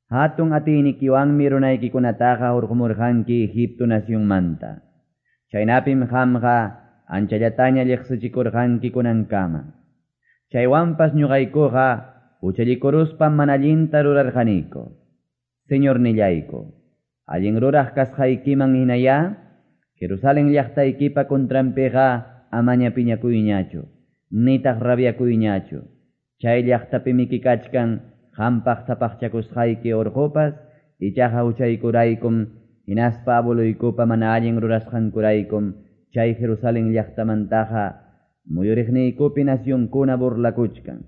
hatun atiynikiwanmi runaykikunataqa hurqumurqanki Egipto nacionmanta. Chaynapim qamqa anchallataña lliqsichikurqanki kunankama. Chaywanpas ñuqaykuqa huchallikuruspa mana allinta rurarqaniku. Señornillayku, allin ruraq kasqaykiman hinayá, Jerusalén llaqtaykipa contranpiqa amaña piñakuyñachu, nitaq rabiakuyñachu. Chay llaqtapimiki kachkan qampaq sapaqchakusqayki urqupas, ichaqa huchaykuraykum, hinaspa abueluykupa mana allin rurasqankuraykum, chay Jerusalén llaqtamantaqa muyuriqniykupi nacionkuna burlakuchkan.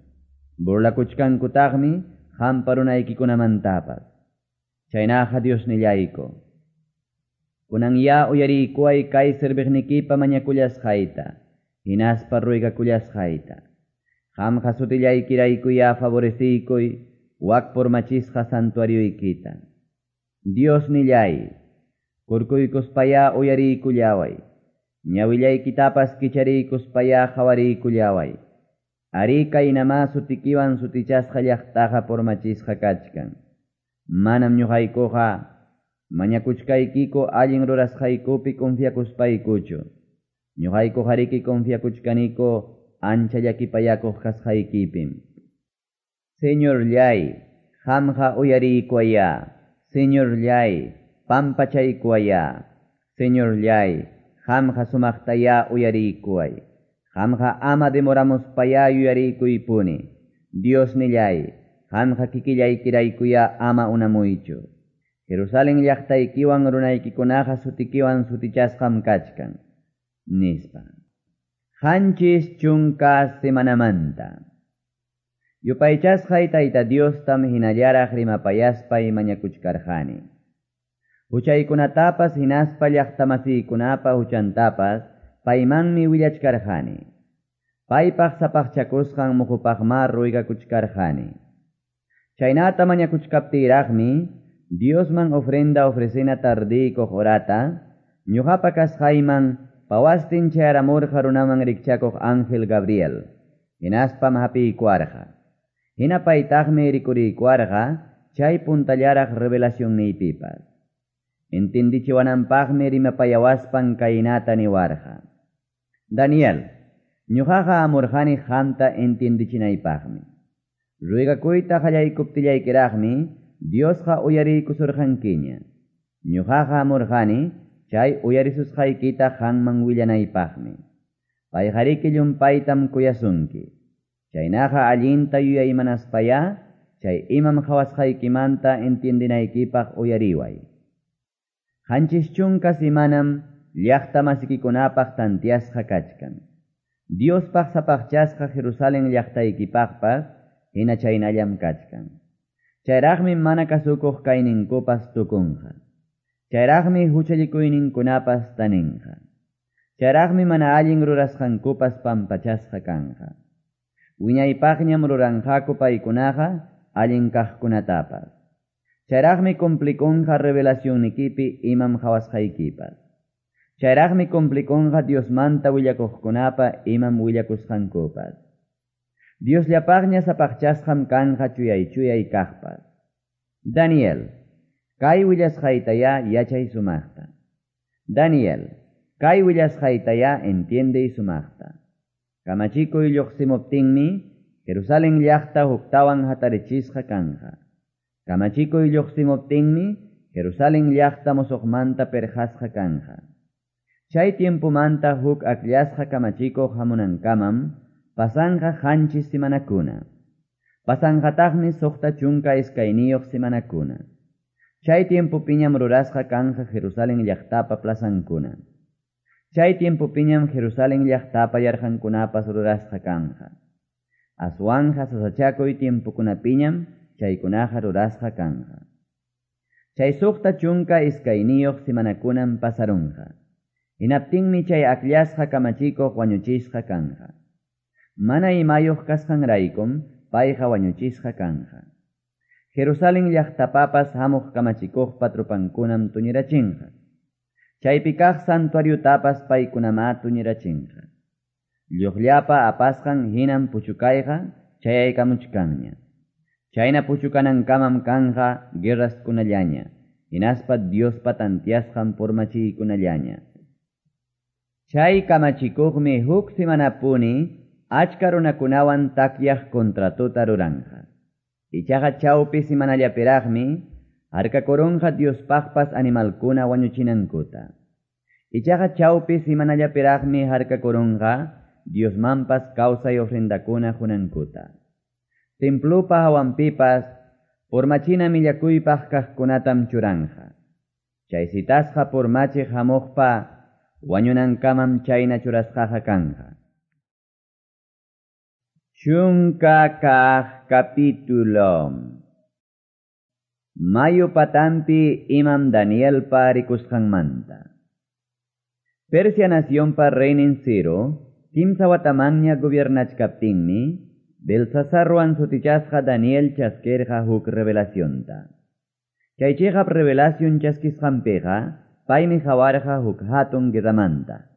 Burlakuchkankutaqmi qampa runaykikunamantapas. Chaynaqa Diosnillayku, kunan ya uyariykuway kay serviqnikipa mañakullasqayta, hinaspa ruegakullasqayta. Qamqa sutillaykiraykuya favoreciykuy wak purmachisqa santuarioykita. Diosnillay, kurkuykuspaya uyariykullaway, ñawillaykitapas kichariykuspaya qhawariykullaway. Ari kaynama sutikiwan sutichasqa llaqtaqa purmachisqa kachkan. Manam ñuqaykuqa mañakuchkaykiku allin rurasqaykupi confiakuspaykuchu. Ñuqaykuqariki confiakuchkaniku ancha llakipayakuq kasqaykipim. Señorllay, qamqa uyariykuwaya. Señorllay, pampachaykuwaya. Señorllay, qamqa sumaqtaya uyariykuway. Qamqa ama demoramuspaya yuyariykuypuni. Diosnillay, qamqa kikillaykiraykuya ama unamuychu. Jerusalen llaqtaykiwan runaykikunaqa sutikiwan sutichasqam kachkan, nispa. 70 semanamanta. Yupaychasqay Tayta Diostam hinallaraq rimapayaspay mañakuchkarqani. Huchaykunatapas hinaspa llaqtamasiykunapa huchantapas paymanmi willachkarqani. Paypaq sapaqchakusqan muqupaqma ruegakuchkarqani. Chaynata mañakuchkaptiyraqmi Diosman ofrenda ofrecena tardiykuq horata, ñuqapa kasqayman pawastin chayaramurqa runaman rikchakuq ángel Gabriel, hinaspam hapiykuarqa. Hina paytaqmi rikuriykuarqa chay puntallaraq revelacionniypipas. Entendichiwananpaqmi rimapayawaspan kaynata niwarqa. Daniel, ñuqaqa amurqani qamta entendichinaypaqmi. Ruegakuyta qallaykuptillaykiraqmi Diosqa uyariykusurqankiña. Ñuqaqa amurqani chay uyarisusqaykita qamman willanaypaqmi. Payqariki llumpaytam kuyasunki. Chaynaqa allinta yuyaymanaspaya chay imam qhawasqaykimanta entiendinaykipaq uyariway. 70 semanam llaqta masikikunapaq tantiasqa kachkan. Diospaq sapaqchasqa Jerusalen llaqtaykipaqpas hina chaynallam kachkan. Chayraqmi mana kasukuq kayninkupas tukunqa. Chayraqmi huchallikuyninkunapas taninqa. Chayraqmi mana allin rurasqankupas pampachasqa kanqa. Wiñaypaqñam ruranqaku paykunaqa allin kaqkunatapas. Chayraqmi cumplikunqa revelacionnikipi imam qhawasqaykipas. Chayraqmi cumplikunqa Diosmanta willakuqkunapa imam willakusqankupas. Diosllapaqña sapaqchasqam kanqa chuyay-chuyay kaqpas. Daniel, kay willasqaytaya yachay sumaqta. Daniel, kay willasqaytaya entiendey sumaqta. Kamachikuy lluqsimuptinmi Jerusalen llaqta huktawan hatarichisqa kanqa. Kamachikuy lluqsimuptinmi Jerusalen llaqta musuqmanta perqasqa kanqa. Chay tiempomanta huk akllasqa kamachikuq hamunankamam pasanqa 7 semanakuna. Pasanqataqmi 62 semanakuna. Chay tiempopiñam rurasqa kanqa Jerusalen llaqtapa plazankuna. Chay tiempopiñam Jerusalen llaqtapa yarqankunapas rurasqa kanqa. Aswanja sasachakuy tiempokunapiñam chaykunaqa rurasqa kanqa. Chay 62 semanakunam pasarunqa. Hinaptinmi chay akllasqa kamachikuq wañuchisqa kanqa. Mana imayuq kasqanraykum payqa wañuchisqa kanqa. Jerusalen llaqtapapas hamuq kamachikuqpa trupankunam tuñirachinqa. Chaypi kaq santuariotapas paykunamá tuñirachinqa. Lluqllapa apasqan hinam puchukayqa chayaykamuchkanña. Chayna puchukanankamam kanqa guerraskunallaña, hinaspa Diospa tantiasqan purmachiykunallaña. Chay kamachikuqmi huk semanapuni achka runakunawan takyaq contratota ruranqa. Ichaqa chawpi semanallapiraqmi harkakurunqa Diospaqpas animalkuna wañuchinankuta. Ichaqa chawpi semanallapiraqmi harkakurunqa Diosmanpas kawsay ofrendakuna qunankuta. Templupa hawanpipas purmachina millakuypaq kaqkunatam churanqa. Chay citasqa purmachiq hamuqpa wañunankamam chayna churasqaqa kanqa. 10 kaq capítulo. Mayu patampi imam Danielpa rikusqanmanta. Persia nacionpa reynin Ciro, 3 watamanña gobiernachkaptinmi, Belsasarwan sutichasqa Daniel chaskerqa huk revelacionta. Chay chiqap revelación chaskisqanpiqa, paymi qawarqa huk hatun guerramanta.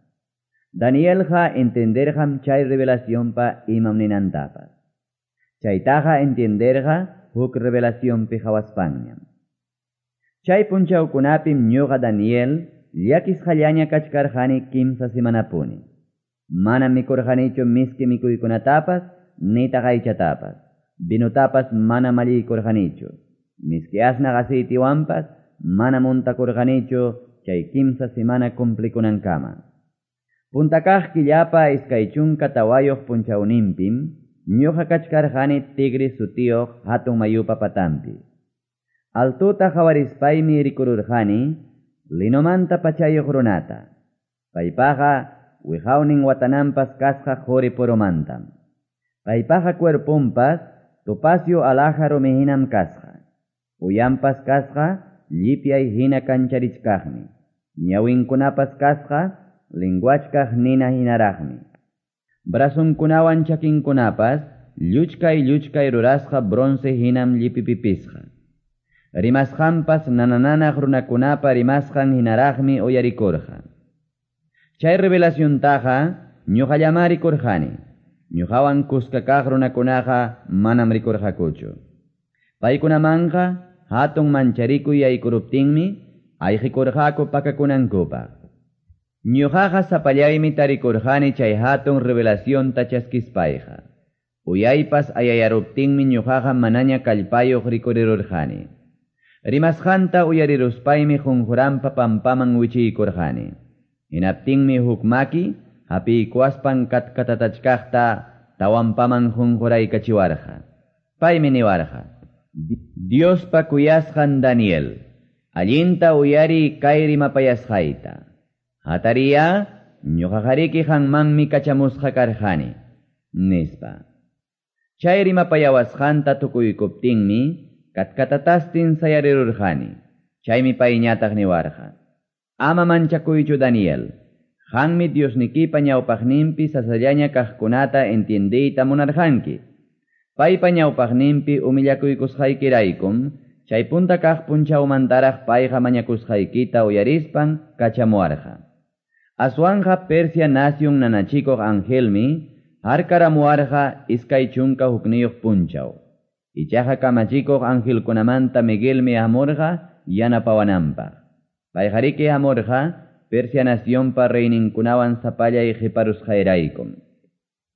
Danielqa entenderqam chay revelacionpa imam ninantapas. Chaytaqa entenderqa huk revelacionpi qhawaspanñam. Chay punchawkunapim ñuqa Daniel llakisqallaña kachkarqani 3 semanapuni. Manam mikurqanichu miski mikuykunatapas nitaq aychatapas. Vinutapas mana malliykurqanichu. Miski asnaq aceitiwanpas mana muntakurqanichu chay 3 semana cumplikunankama. Puntakaq killapa 24 punchawninpim ñuqa kachkarqani Tigris sutiyuq hatun mayupa patampi. Altota qawarispaymi rikururqani linomanta pachayuq runata. Paypaqa wiqawnin watananpas kasqa qori-puromantam. Paypaqa cuerponpas topacio alhaja rumi hinam kasqa. Uyanpas kasqa llipyay hina kancharichkaqmi. Ñawinkunapas kasqa lenguachkaq nina hinaraqmi. Brazonkunawan chakinkunapas lluchkay-lluchkay rurasqa bronce hinam llipipipisqa. Rimasqanpas nana-nanaq runakunapa rimasqan hinaraqmi uyarikurqa. Chay revelaciontaqa ñuqallamá rikurqani. Ñuqawan kuska kaq runakunaqa manam rikurqakuchu. Paykunamanqa hatun mancharikuy yaykuruptinmi ayqikurqaku pakakunankupaq. Ñuqaqa sapallaymi tarikurqani chay hatun revelacionta chaskispayqa. Uyaypas ayayaruptinmi ñuqaqa manaña kallpayuq rikurirurqani. Rimasqanta uyariruspaymi qunquranpa pampaman wichiykurqani. Hinaptinmi huk maki hapiykuwaspan katkatatachkaqta tawanpaman qunquraykachiwarqa. Paymi niwarqa: Diospa kuyasqan Daniel, allinta uyariy kay rimapayasqayta. Hatariya, ñuqaqariki qanmanmi kachamusqa karqani, nispa. Chay rimapayawasqanta tukuykuptinmi katkatatastin sayarirurqani. Chaymi payñataq niwarqa: Ama manchakuychu, Daniel. Qanmi Diosnikipa ñawpaqninpi sasallaña kaqkunata entiendeyta munarqanki. Paypa ñawpaqninpi humillakuykusqaykiraykum chay punta kaq punchawmantaraq payqa mañakusqaykita uyarispan kachamuwarqa. Aswanqa Persia nación nanachikuq angelmi harkaramuwarqa 21 punchaw. Ichaqa kamachikuq angelkunamanta Miguelmi hamurqa yanapawananpaq. Payqariki hamurqa Persia nacionpa reyninkunawan sapallay qiparusqayraykum.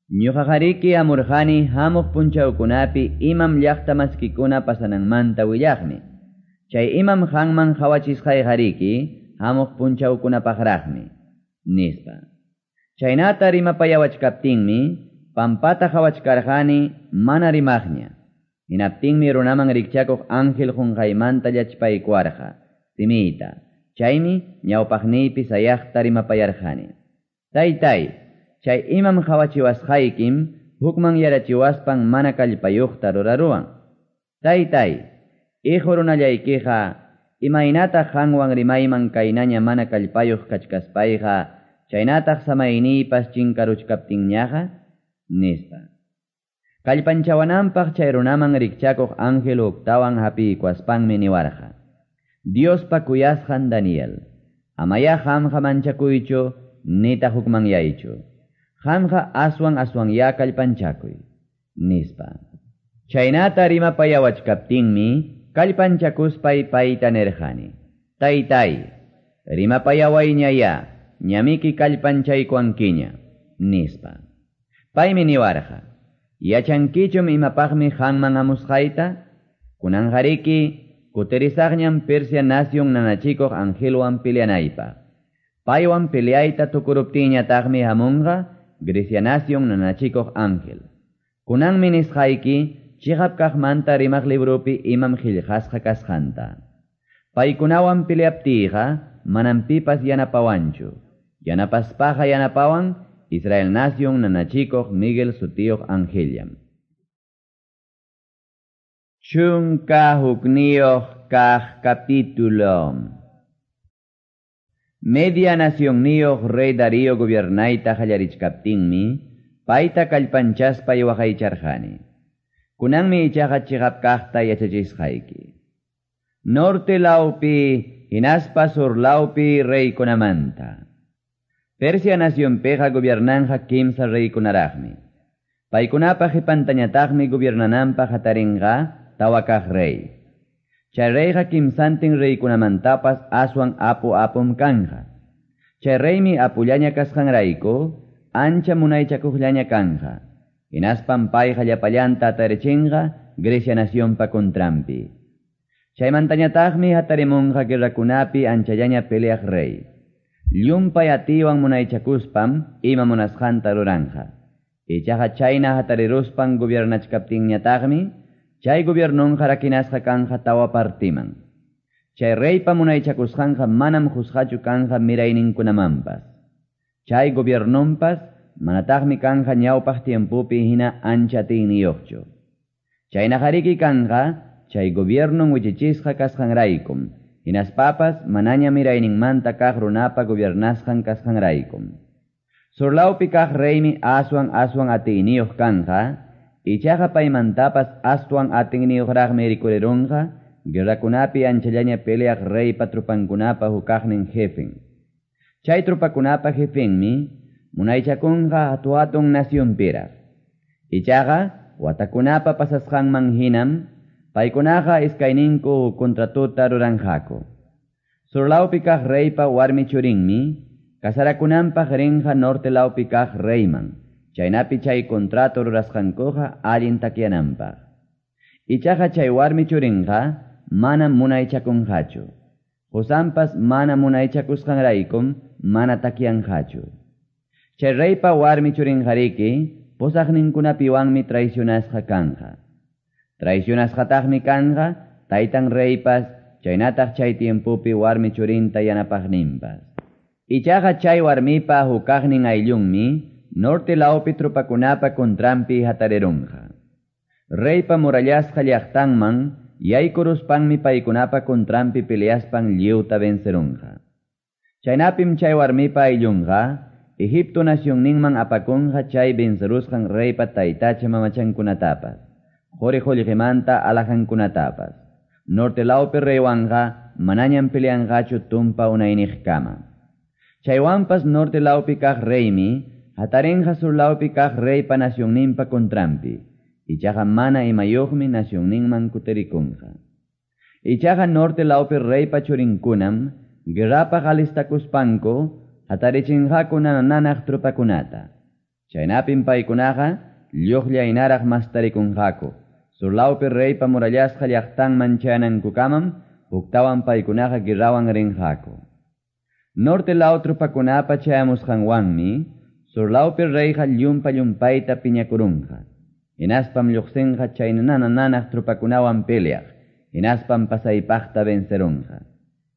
Ñuqaqariki hamurqani hamuq punchawkunapi imam llaqta maskikuna pasananmanta willaqmi. Chay imam qanman qawachisqayqariki hamuq punchawkunapaqraqmi, nispa. Chaynata rimapayawachkaptinmi pampata qawachkarqani mana rimaqña. Hinaptinmi runaman rikchakuq ángel qunqaymanta llachpaykuwarqa simiyta. Chaymi ñawpaqniypi sayaqta rimapayarqani: Taytay, chay imam qawachiwasqaykim hukman yarachiwaspan mana kallpayuqta ruraruwan. Taytay, hijo runallaykiqa imaynataq qanwan rimayman kaynaña mana kallpayuq kachkaspayqa, chaynataq samayniypas chinkaruchkaptinñaqa, nispa. Kallpanchawananpaq chay runaman rikchakuq ángel huktawan hapiykuwaspanmi niwarqa: Diospa kuyasqan Daniel, amaya qamqa manchakuychu nitaq hukmanyaychu. Qamqa aswan aswanya kallpanchakuy, nispa. Chaynata rimapayawachkaptinmi kallpanchakuspay payta nirqani: Taytay, rimapayawayñaya, ñamiki kallpanchaykuwankiña, nispa. Paymi niwarqa: Yachankichum imapaqmi qanman hamusqayta? Kunanqariki kutirisaqñam Persia nación nanachikuq angelwan peleanaypaq. Paywan peleayta tukuruptinñataqmi hamunqa Grecia nación nanachikuq ángel. Kunanmi nisqayki chiqap kaqmanta rimaq libropi imam qillqasqa kasqanta. Paykunawan peleaptiyqa manam pipas yanapawanchu. Yanapaspaqa yanapawan Israel nación nanachikuq Miguel sutiyuq angellam. 11 kaq capítulo. Media nacionniyuq rey Darío gobiernayta qallarichkaptinmi payta kallpanchaspay waqaycharqani. Kunanmi ichaqa chiqap kaqta yachachisqayki. Norte lawpi hinaspa sur lawpi reykunamanta. Persia nacionpiqa gobiernanqa kimsa reykunaraqmi. Paykunapa qipantañataqmi gobiernananpaq hatarinqa tawa kaq rey. Chay reyqa kimsantin reykunamantapas aswan apu apum kanja. Chay reymi apullaña kasqanrayku ancha munaychakuqllaña kanja. Hinaspan payqa llapallanta atarichinqa Grecia nacionpa contranpi. Chaymantañataqmi hatarimunqa guerrakunapi anchallaña peleaq rey. Llumpay atiwan munaychakuspam ima munasqanta ruranja. Ichaqa chayna hatariruspan gobiernachkaptinñataqmi Chay gobiernonqa rakinasqa kanqa tawa partiman. Chay reypa munaychakusqanqa manam qusqachu kanqa mirayninkunamanpas. Chay gobiernonpas manataqmi kanqa ñawpaq tiempopi hina ancha atiyniyuqchu. Chaynaqariki kanqa chay gobiernon wichichisqa kasqanraykum, hinaspapas manaña mirayninmanta kaq runapa gobiernasqan kasqanraykum. Surlawpi kaq reymi aswan aswan atiyniyuq kanqa, ichaqa paymantapas aswan atiyniyuqraqmi rikurirunqa, guerrakunapi anchallaña peleaq reypa tropankunapa hukaqnin jefen. Chay tropakunapa jefenmi munaychakunqa hatu-hatun nacionpiraq. Ichaqa watakunapa pasasqanman hinam paykunaqa iskayninku contratota ruranqaku. Surlawpi kaq reypa warmi churinmi casarakunanpaq rinqa norte lawpi kaq reyman, chaynapi chay contrato rurasqankuqa allin takyananpaq. Ichaqa chay warmi churinqa manam munaychakunqachu. Qosanpas mana munaychakusqanraykum mana takyanqachu. Chay reypa warmi churinqariki posaqninkunapiwanmi traicionasqa kanqa. Traicionasqataqmi kanqa taytan reypas chaynataq chay tiempopi warmi churinta yanapaqninpas. Ichaqa chay warmipa hukaqnin ayllunmi norte lawpi tropakunapa contranpi hatarirunqa. Reypa murallasqa llaqtanman yaykuruspanmi paykunapa contranpi peleaspan lliwta vencerunqa. Chaynapim chay warmipa ayllunqa Egipto nacionninman apakunqa chay vencerusqan reypa taytacha mamachankunatapas, quri qullqimanta alajankunatapas. Norte lawpi reywanqa manañam peleanqachu tumpa unayniqkama. Chaywanpas norte lawpi kaq reymi hatarinqa sur lawpi kaq reypa nacionninpa contranpi. Ichaqa mana imayuqmi nacionninman kutirikunqa. Ichaqa norte lawpi reypa churinkunam guerrapaq alistakuspanku hatarichinqaku nananaq tropakunata. Chaynapim paykunaqa lluqllaynaraq mastarikunqaku. Sur lawpi reypa murallasqa llaqtanman chayanankukamam huktawan paykunaqa guerrawan rinqaku. Norte law tropakunapa chayamusqanwanmi sur lawpi reyqa llumpa llumpayta piñakurunqa. Hinaspam lluqsinqa chay nananaq tropakunawan peleaq, hinaspam pasaypaqta vencerunqa.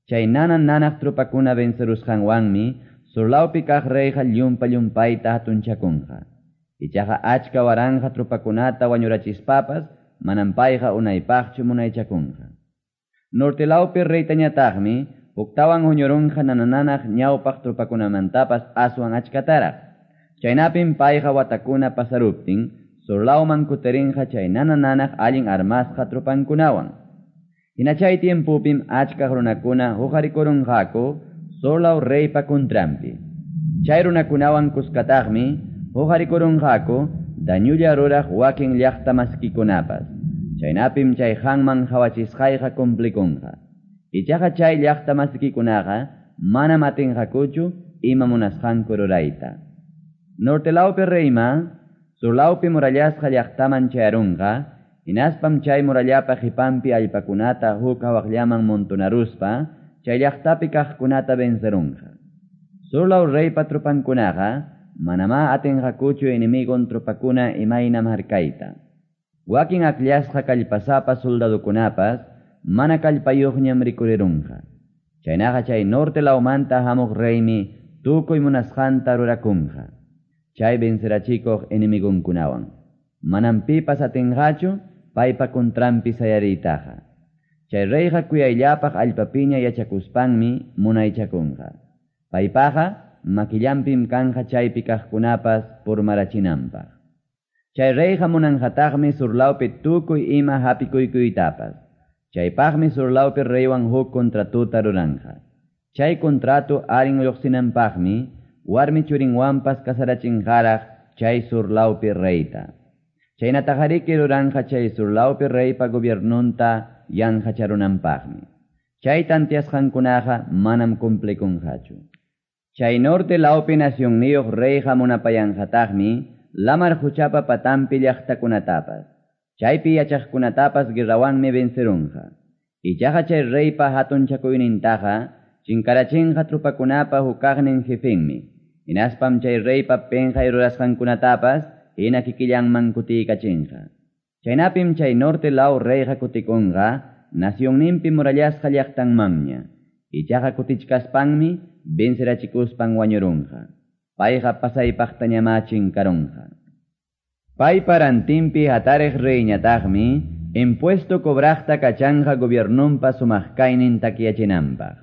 Chay nananaq tropakuna vencerusqanwanmi sur lawpi kaq reyqa llumpa llumpayta hatunchakunqa. Ichaqa achka waranqa tropakunata wañurachispapas manam payqa unaypaqchu munaychakunqa. Norte lawpi reytañataqmi huktawan huñurunqa nananaq ñawpaq tropakunamantapas aswan achkataraq. Chaynapim payqa watakuna pasaruptin sur lawman kutirinqa chay nananaq allin armasqa tropankunawan. Hina chay tiempopim achka runakuna huqarikurunqaku sur law reypa contranpi. Chay runakunawan kuskataqmi huqarikurunqaku dañulla ruraq wakin llaqta maskikunapas. Chaynapim chay hanman qhawachisqayqa cumplikunqa. Ichaqa chay llaqta maskikunaqa manam atinqakuchu ima munasqanku rurayta. Norte lawpi reyma sur lawpi murallasqa llaqtaman chayarunqa, hinaspam chay murallapa qipanpi allpakunata huk hawaqllaman montonaruspa chay llaqtapi kaqkunata vencerunqa. Sur law reypa tropankunaqa manamá atinqakuchu enemigon tropakuna imaynam harkayta. Wakin akllasqa kallpasapa soldadukunapas mana kallpayuqñam rikurirunqa. Chaynaqa chay norte lawmanta hamuq reymi tukuy munasqanta rurakunqa. Chay vencerachikuq enemigonkunawan. Manam pipas atinqachu paypa contranpi sayariytaqa. Chay reyqa kuyayllapaq allpapiña yachakuspanmi munaychakunqa. Paypaqa makillanpim kanqa chaypi kaqkunapas purmarachinanpaq. Chay reyqa munanqataqmi sur lawpi tukuy ima hapikuykuytapas. Chaypaqmi sur lawpi reywan huk contratuta ruranqa. Chay contrato allin lluqsinanpaqmi warmi churinwanpas casarachinqaraq chay sur lawpi reyta. Chaynataqariki ruranqa chay sur lawpi reypa gobiernonta yanqacharunanpaqmi. Chay tantiasqankunaqa manam cumplikunqachu. Chay norte lawpi nacionniyuq reyqa munapayanqataqmi lamar quchapa patanpi llaqtakunatapas. Chaypi yachaqkunatapas guerrawanmi vencerunqa. Ichaqa chay reypa hatunchakuynintaqa chinkarachinqa tropakunapa hukaqnin jefenmi. Hinaspam chay reypa penqay rurasqankunatapas hina kikillanman kutiykachinqa. Chaynapim chay norte law reyqa kutikunqa nacionninpi murallasqa llaqtanmanña. Ichaqa kutichkaspanmi vencerachikuspan wañurunqa. Payqa pasaypaqtañamá chinkarunqa. Paypa rantinpi hatariq reyñataqmi impuesto cobraqta kachanqa gobiernonpa sumaq kaynin takyachinanpaq.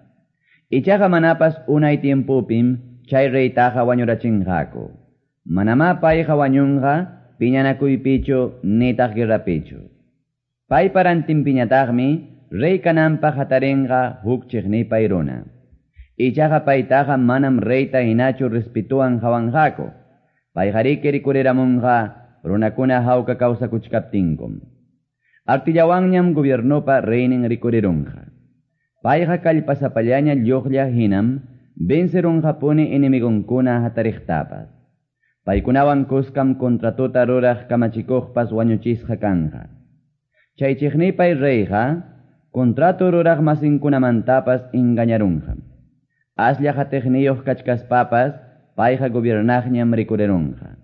Ichaqa manapas unay tiempopim chay reytaqa wañurachinqaku. Manamá payqa wañunqa piñanakuypichu nitaq guerrapichu. Paypa rantinpiñataqmi rey kananpaq hatarinqa huk chiqnipay runa. Ichaqa paytaqa manam reyta hinachu respetuwan qawanqaku. Payqariki rikuriramunqa runakuna hawka kawsakuchkaptinkum. Artillawanñam gobiernopa reynin rikurirunqa. Payqa kallpasapallaña lluqlla hinam vencerunqapuni enemigonkuna hatariqtapas. Paykunawan kuskam contratota ruraq kamachikuqpas wañuchisqa kanqa. Chay chiqnipay reyqa contrato ruraq masinkunamantapas engañarunqam. Aslla hatiqniyuq kachkaspapas payqa gobiernaqñam rikurirunqa.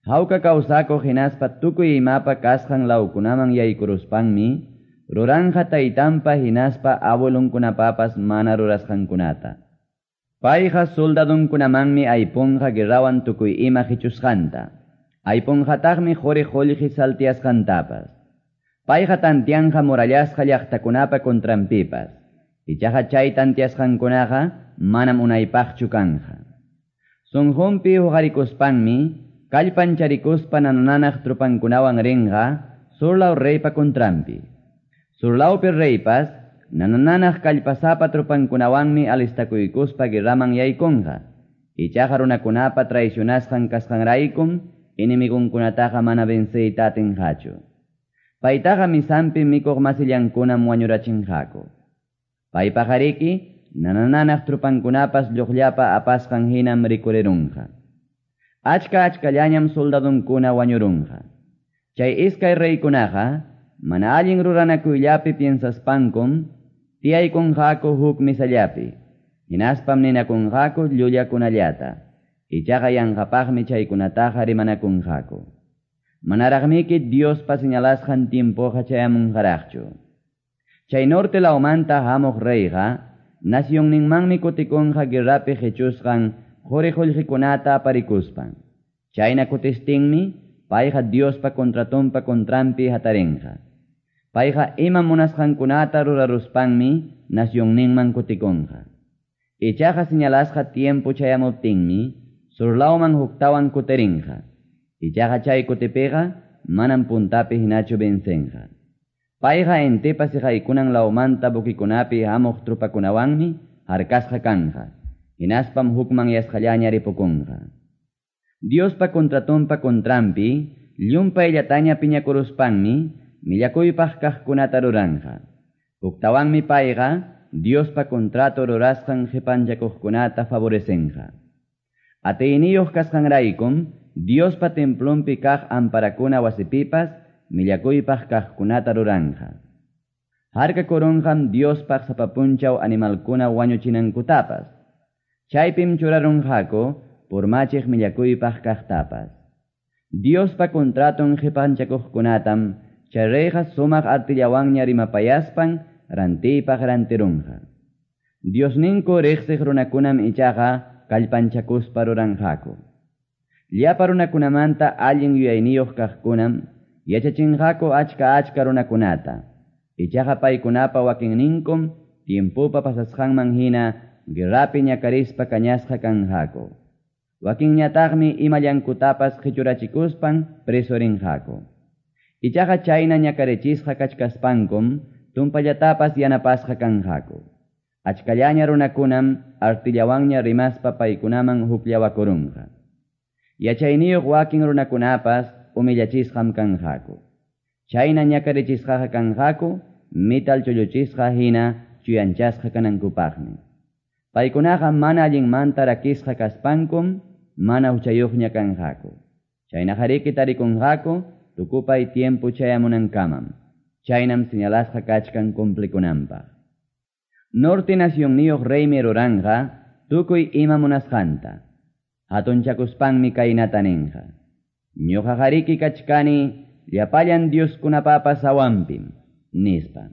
Hawka kawsakuq hinaspa tukuy imapa kasqan lawkunaman yaykuruspanmi ruranqa taytanpa hinaspa abuelunkunapapas mana rurasqankunata. Payqa soldadunkunamanmi aypunqa guerrawan tukuy ima qichusqanta. Aypunqataqmi quri qullqi saltiasqantapas. Payqa tantianqa murallasqa llaqtakunapa contranpipas. Ichaqa chay tantiasqankunaqa manam unaypaqchu kanqa. Sunqunpi huqarikuspanmi kallpancharikuspa nananaq trupankunawan rinqa surlaw reypa contranpi. Surlawpi reypas nananaq kallpasapa trupankunawanmi alistakuykuspa guerraman yaykunqa. Ichaqa runakunapa traicionasqan kasqanraykum enemigunkunataqa mana venceyta atinqachu. Paytaqa misanpi mikuq masillankunam wañurachinqaku. Paypaqariki nananaq trupankunapas lluqllapa apasqan hinam rikurirunqa. Achka achkallañam soldadunkuna wañurunqa. Chay iskay reykunaqa mana allin ruranakuyllapi piensaspankum tiyaykunqaku huk misallapi. Hinaspam ninakunqaku llullakunallata. Ichaqa yanqapaqmi chaykunataqa rimanakunqaku. Manaraqmiki Diospa señalasqan tiempoqa chayamunqaraqchu. Chay norte lawmanta hamuq reyqa nacionninmanmi kutikunqa guerrapi qichusqan quri qullqikunata aparikuspan. Chayna kutistinmi payqa Diospa contratonpa contranpi hatarinqa. Payqa ima munasqankunata ruraruspanmi nacionninman kutikunqa. Ichaqa señalasqa tiempo chayamuptinmi surlawman huktawan kutirinqa. Ichaqa chay kutipiqa manam puntapi hinachu vencenqa. Payqa intipa siqaykunan lawmanta buquikunapi hamuq trupakunawanmi harkasqa kanqa. Hinaspam hukmanyasqallaña ripukunqa. Diospa contratonpa contranpi llumpayllataña piñakuruspanmi millakuypaq kaqkunata ruranqa. Huktawanmi payqa Diospa contrato rurasqan qipanchakuqkunata favorecenqa. Atiyniyuq kasqanraykum Diospa templonpi kaq amparakuna wasipipas millakuypaq kaqkunata ruranqa. Harkakurunqam Diospaq sapa punchaw animalkuna wañuchinankutapas. Chaypim churarunqaku purmachiq millakuypaq kaqtapas. Diospa contraton qipanchakuqkunatam chay reyqa sumaq artillawanña rimapayaspan rantiypaq rantirunqa. Diosninku riqsiq runakunam ichaqa kallpanchakuspa ruranqaku. Llapa runakunamanta allin yuyayniyuq kaqkunam yachachinqaku achka achka runakunata. Ichaqa paykunapa wakinninkum tiempopa pasasqanman hina guerrapi ñakarispa kañasqa kanqaku. Wakinñataqmi imallankutapas qichurachikuspan preso rinqaku. Ichaqa chayna ñakarichisqa kachkaspankum tumpallatapas yanapasqa kanqaku. Achkallaña runakunam artillawanña rimaspa paykunaman hukllawakurunqa. Yachayniyuq wakin runakunapas humillachisqam kanqaku. Chayna ñakarichisqaqa kanqaku metal chulluchisqa hina chuyanchasqa kanankupaqmi. Paykunaqa mana allinmanta rakisqa kaspankum mana huchayuqña kanqaku. Chaynaqariki tarikunqaku tukupay tiempo chayamunankamam. Chaynam señalasqa kachkan cumplikunanpaq. Norte nacionniyuq reymi ruranqa tukuy ima munasqanta. Hatunchakuspanmi kaynata ninqa. Ñuqaqariki kachkani llapallan dioskunapapas hawanpim, nispa.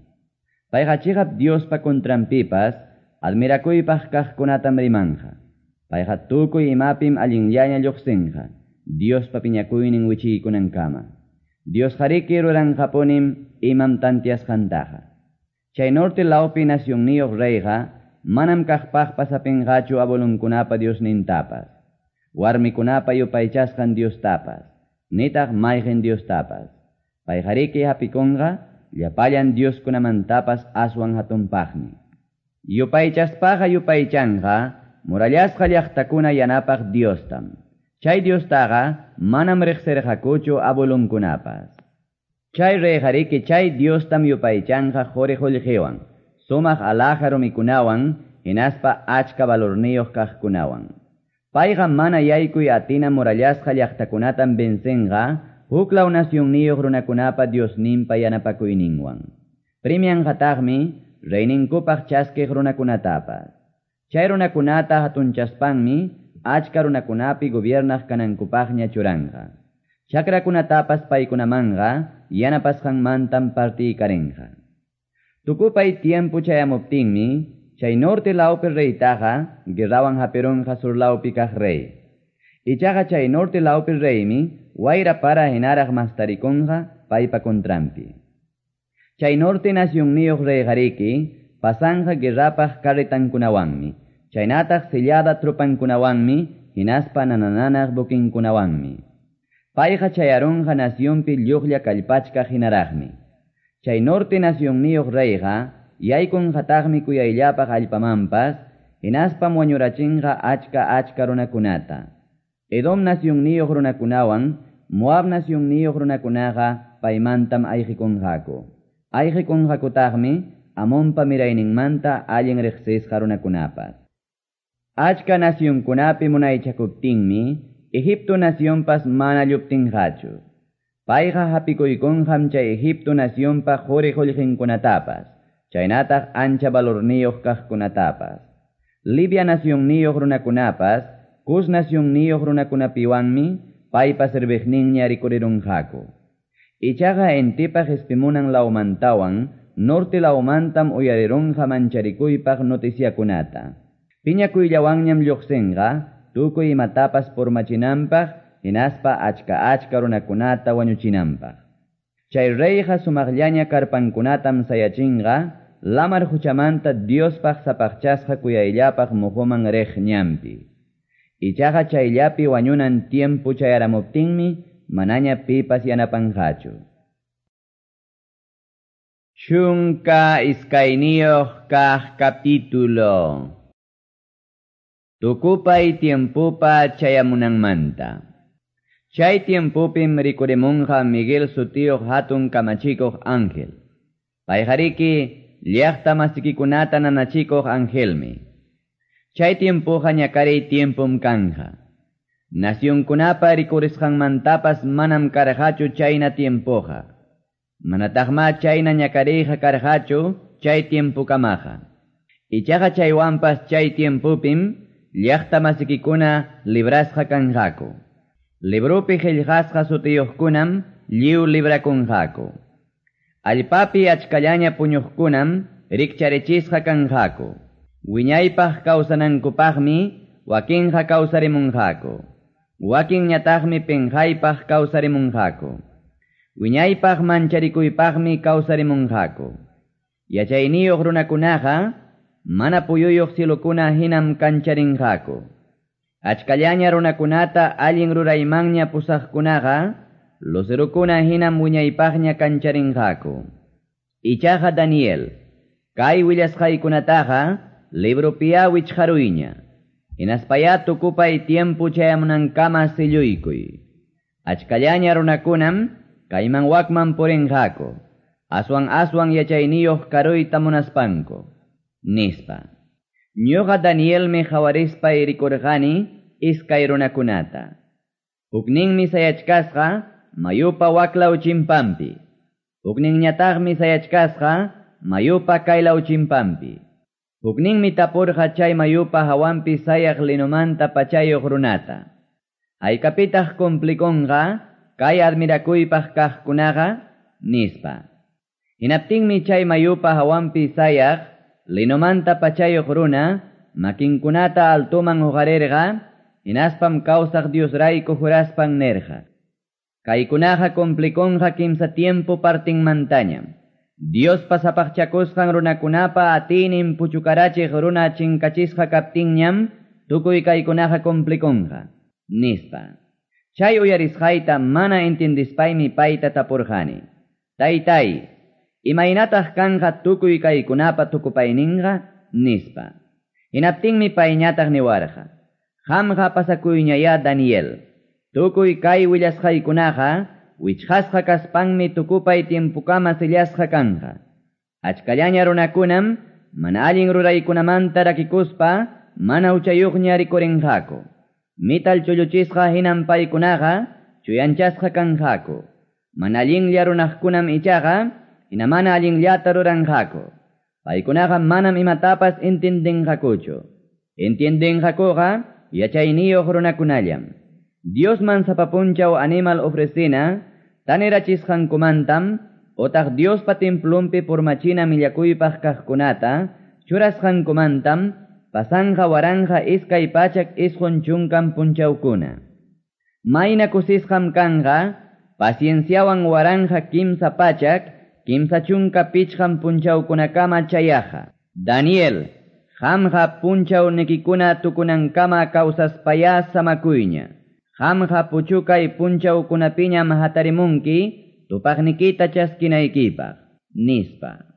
Payqa chiqap Diospa contranpipas admirakuypaq kaqkunatam rimanqa. Payqa tukuy imapim allinllaña lluqsinqa, Diospa piñakuynin wichiykunankama. Diosqariki ruranqapunim imam tantiasqantaqa. Chay norte lawpi nacionniyuq reyqa manam kaqpaqpas hapinqachu abuelunkunapa Diosnintapas, warmikunapa yupaychasqan Diostapas, nitaq mayqin Diostapas. Payqariki hapikunqa llapallan Dioskunamantapas aswan hatunpaqmi. Yupaychaspaqa yupaychanqa murallasqa llaqtakuna yanapaq Diostam. Chay Diostaqa manam riqsirqakuchu abuelunkunapas. Chay reyqariki chay Diostam yupaychanqa quri qullqiwan, sumaq alhaja rumikunawan, hinaspa achka valorniyuq kaqkunawan. Payqa mana yaykuy atina murallasqa llaqtakunatam vencenqa huklaw nacionniyuq runakunapa Diosninpa yanapakuyninwan. Premianqataqmi reyninkupaq chaskiq runakunatapas. Chay runakunata hatunchaspanmi achka runakunapi gobiernaq kanankupaqña churanqa. Chakrakunatapas paykunamanqa yanapasqanmantam partiykarinqa. Tukupay tiempo chayamuptinmi, chay norte lawpi reytaqa guerrawan hapirunqa sur lawpi kaq rey. Ichaqa chay norte lawpi reymi wayra para hinaraq mastarikunqa paypa contranpi. Chay norte nacionniyuq reyqariki pasanqa guerrapaq carretankunawanmi, chaynataq sellada tropankunawanmi, hinaspa nanananaq buquinkunawanmi. Payqa chayarunqa nacionpi lluqlla kallpachkaq hinaraqmi. Chay norte nacionniyuq reyqa yaykunqataqmi kuyayllapaq allpamanpas, hinaspam wañurachinqa achka achka runakunata. Edom nacionniyuq runakunawan, Moab nacionniyuq runakunaqa paymantam ayqikunqaku. Ayqikunqakutaqmi Amonpa mirayninmanta allin riqsisqa runakunapas. Achka nacionkunapi munaychakuptinmi, Egipto nacionpas mana lluptinqachu. Payqa hapikuykunqam chay Egipto nacionpa quri qullqinkunatapas, chaynataq ancha valorniyuq kaqkunatapas. Libia nacionniyuq runakunapas, Cus nacionniyuq runakunapiwanmi paypa serviqninña rikurirunqaku. Ichaqa intipa qispimunan lawmantawan norte lawmantam uyarirunqa mancharikuypaq noticiakunata. Piñakuyllawanñam lluqsinqa tukuy imatapas purmachinanpaq, hinaspa achka achka runakunata wañuchinanpaq. Chay reyqa sumaqllaña karpankunatam sayachinqa, lamar huchamanta Diospaq sapaqchasqa kuyayllapaq muhuman riq ñanpi. Ichaqa chayllapi wañunan tiempo chayaramuptinmi manaña pipas yanapanqachu. 12 kaq capítulo. Tukupay tiempopa chayamunanmanta. Chay tiempopim rikurimunqa Miguel sutiyuq hatun kamachikuq ángel. Payqariki llaqta masikikunata nanachikuq angelmi. Chay tiempoqa ñakariy tiempom kanja. Nacionkunapa rikurisqanmantapas manam karqachu chayna tiempoqa. Manataqma chayna ñakariyqa karqachu chay tiempokamaqa. Ichaqa chaywanpas chay tiempopim llaqta masikikuna librasqa kanqaku. Librupi qillqasqa sutiyuqkunam lliw librakunqaku. Allpapi achkallaña puñuqkunam rikcharichisqa kanqaku. Wiñaypaq kawsanankupaqmi wakinqa kawsarimunqaku. Wakinñataqmi pinqaypaq kawsarimunqaku. Wiñaypaq mancharikuypaqmi kawsarimunqaku. Yachayniyuq runakunaqa mana puyuyuq cielokuna hinam kancharinqaku. Achkallaña runakunata allin ruraymanña pusaqkunaqa lucerukuna hinam wiñaypaqña kancharinqaku. Ichaqa Daniel, kay willasqaykunataqa libropiya wichqaruyña. Hinaspaya tukupay tiempo chayamunankama silluykuy. Achkallaña runakunam kayman wakman purinqaku, aswan aswan yachayniyuq karuyta munaspanku, nispa. Ñuqa Danielmi qhawarispa rikurqani iskay runakunata. Hukninmi sayachkasqa mayupa waklaw chimpanpi. Hukninñataqmi sayachkasqa mayupa kaylaw chimpanpi. Hukninmi tapurqa chay mayupa hawanpi sayaq linomanta pachayuq runata. Haykapitaq cumplikunqa kay admirakuypaq kaqkunaqa? Nispa. Hinaptinmi chay mayupa hawanpi sayaq linomanta pachayuq runa makinkunata altoman huqarirqa, hinaspam kawsaq Diosrayku juraspan nirqa: Kaykunaqa cumplikunqa kimsa tiempo partinmantañam. Diospa sapaqchakusqan runakunapa atiynin puchukarachiq runa chinkachisqa kaptinñam tukuy kaykunaqa cumplikunqa, nispa. Chay uyarisqayta mana entendispaymi payta tapurqani: Taytay, imaynataq kanqa tukuy kaykunapa tukupayninqa? Nispa. Hinaptinmi payñataq niwarqa: Qamqa pasakuyñayá Daniel. Tukuy kay willasqaykunaqa wichqasqa kaspanmi tukupay tiempukama sellasqa kanqa. Achkallaña runakunam mana allin ruraykunamanta rakikuspa mana huchayuqña rikurinqaku. Mital chulluchisqa hinam paykunaqa chuyanchasqa kanqaku. Mana allinlla runaqkunam ichaqa hina mana allinllata ruranqaku. Paykunaqa manam imatapas entiendenqakuchu. Entiendenqakuqa yachayniyuq runakunallam. Diosman sapapunchaw animal ofrecina tanirachisqankumantam otaq Diospa templonpi purmachina millakuypaq kaqkunata churasqankumantam pasanqa 1290 punchawkuna. Mayna kusisqam kanqa pacienciawan 1335 punchawkunakama chayaqa. Daniel, qamqa punchawnikikuna tukunankama kawsaspayá samakuyña. Qamqa puchukay punchawkunapiñam hatarimunki tupaqnikita chaskinaykipaq, nispa.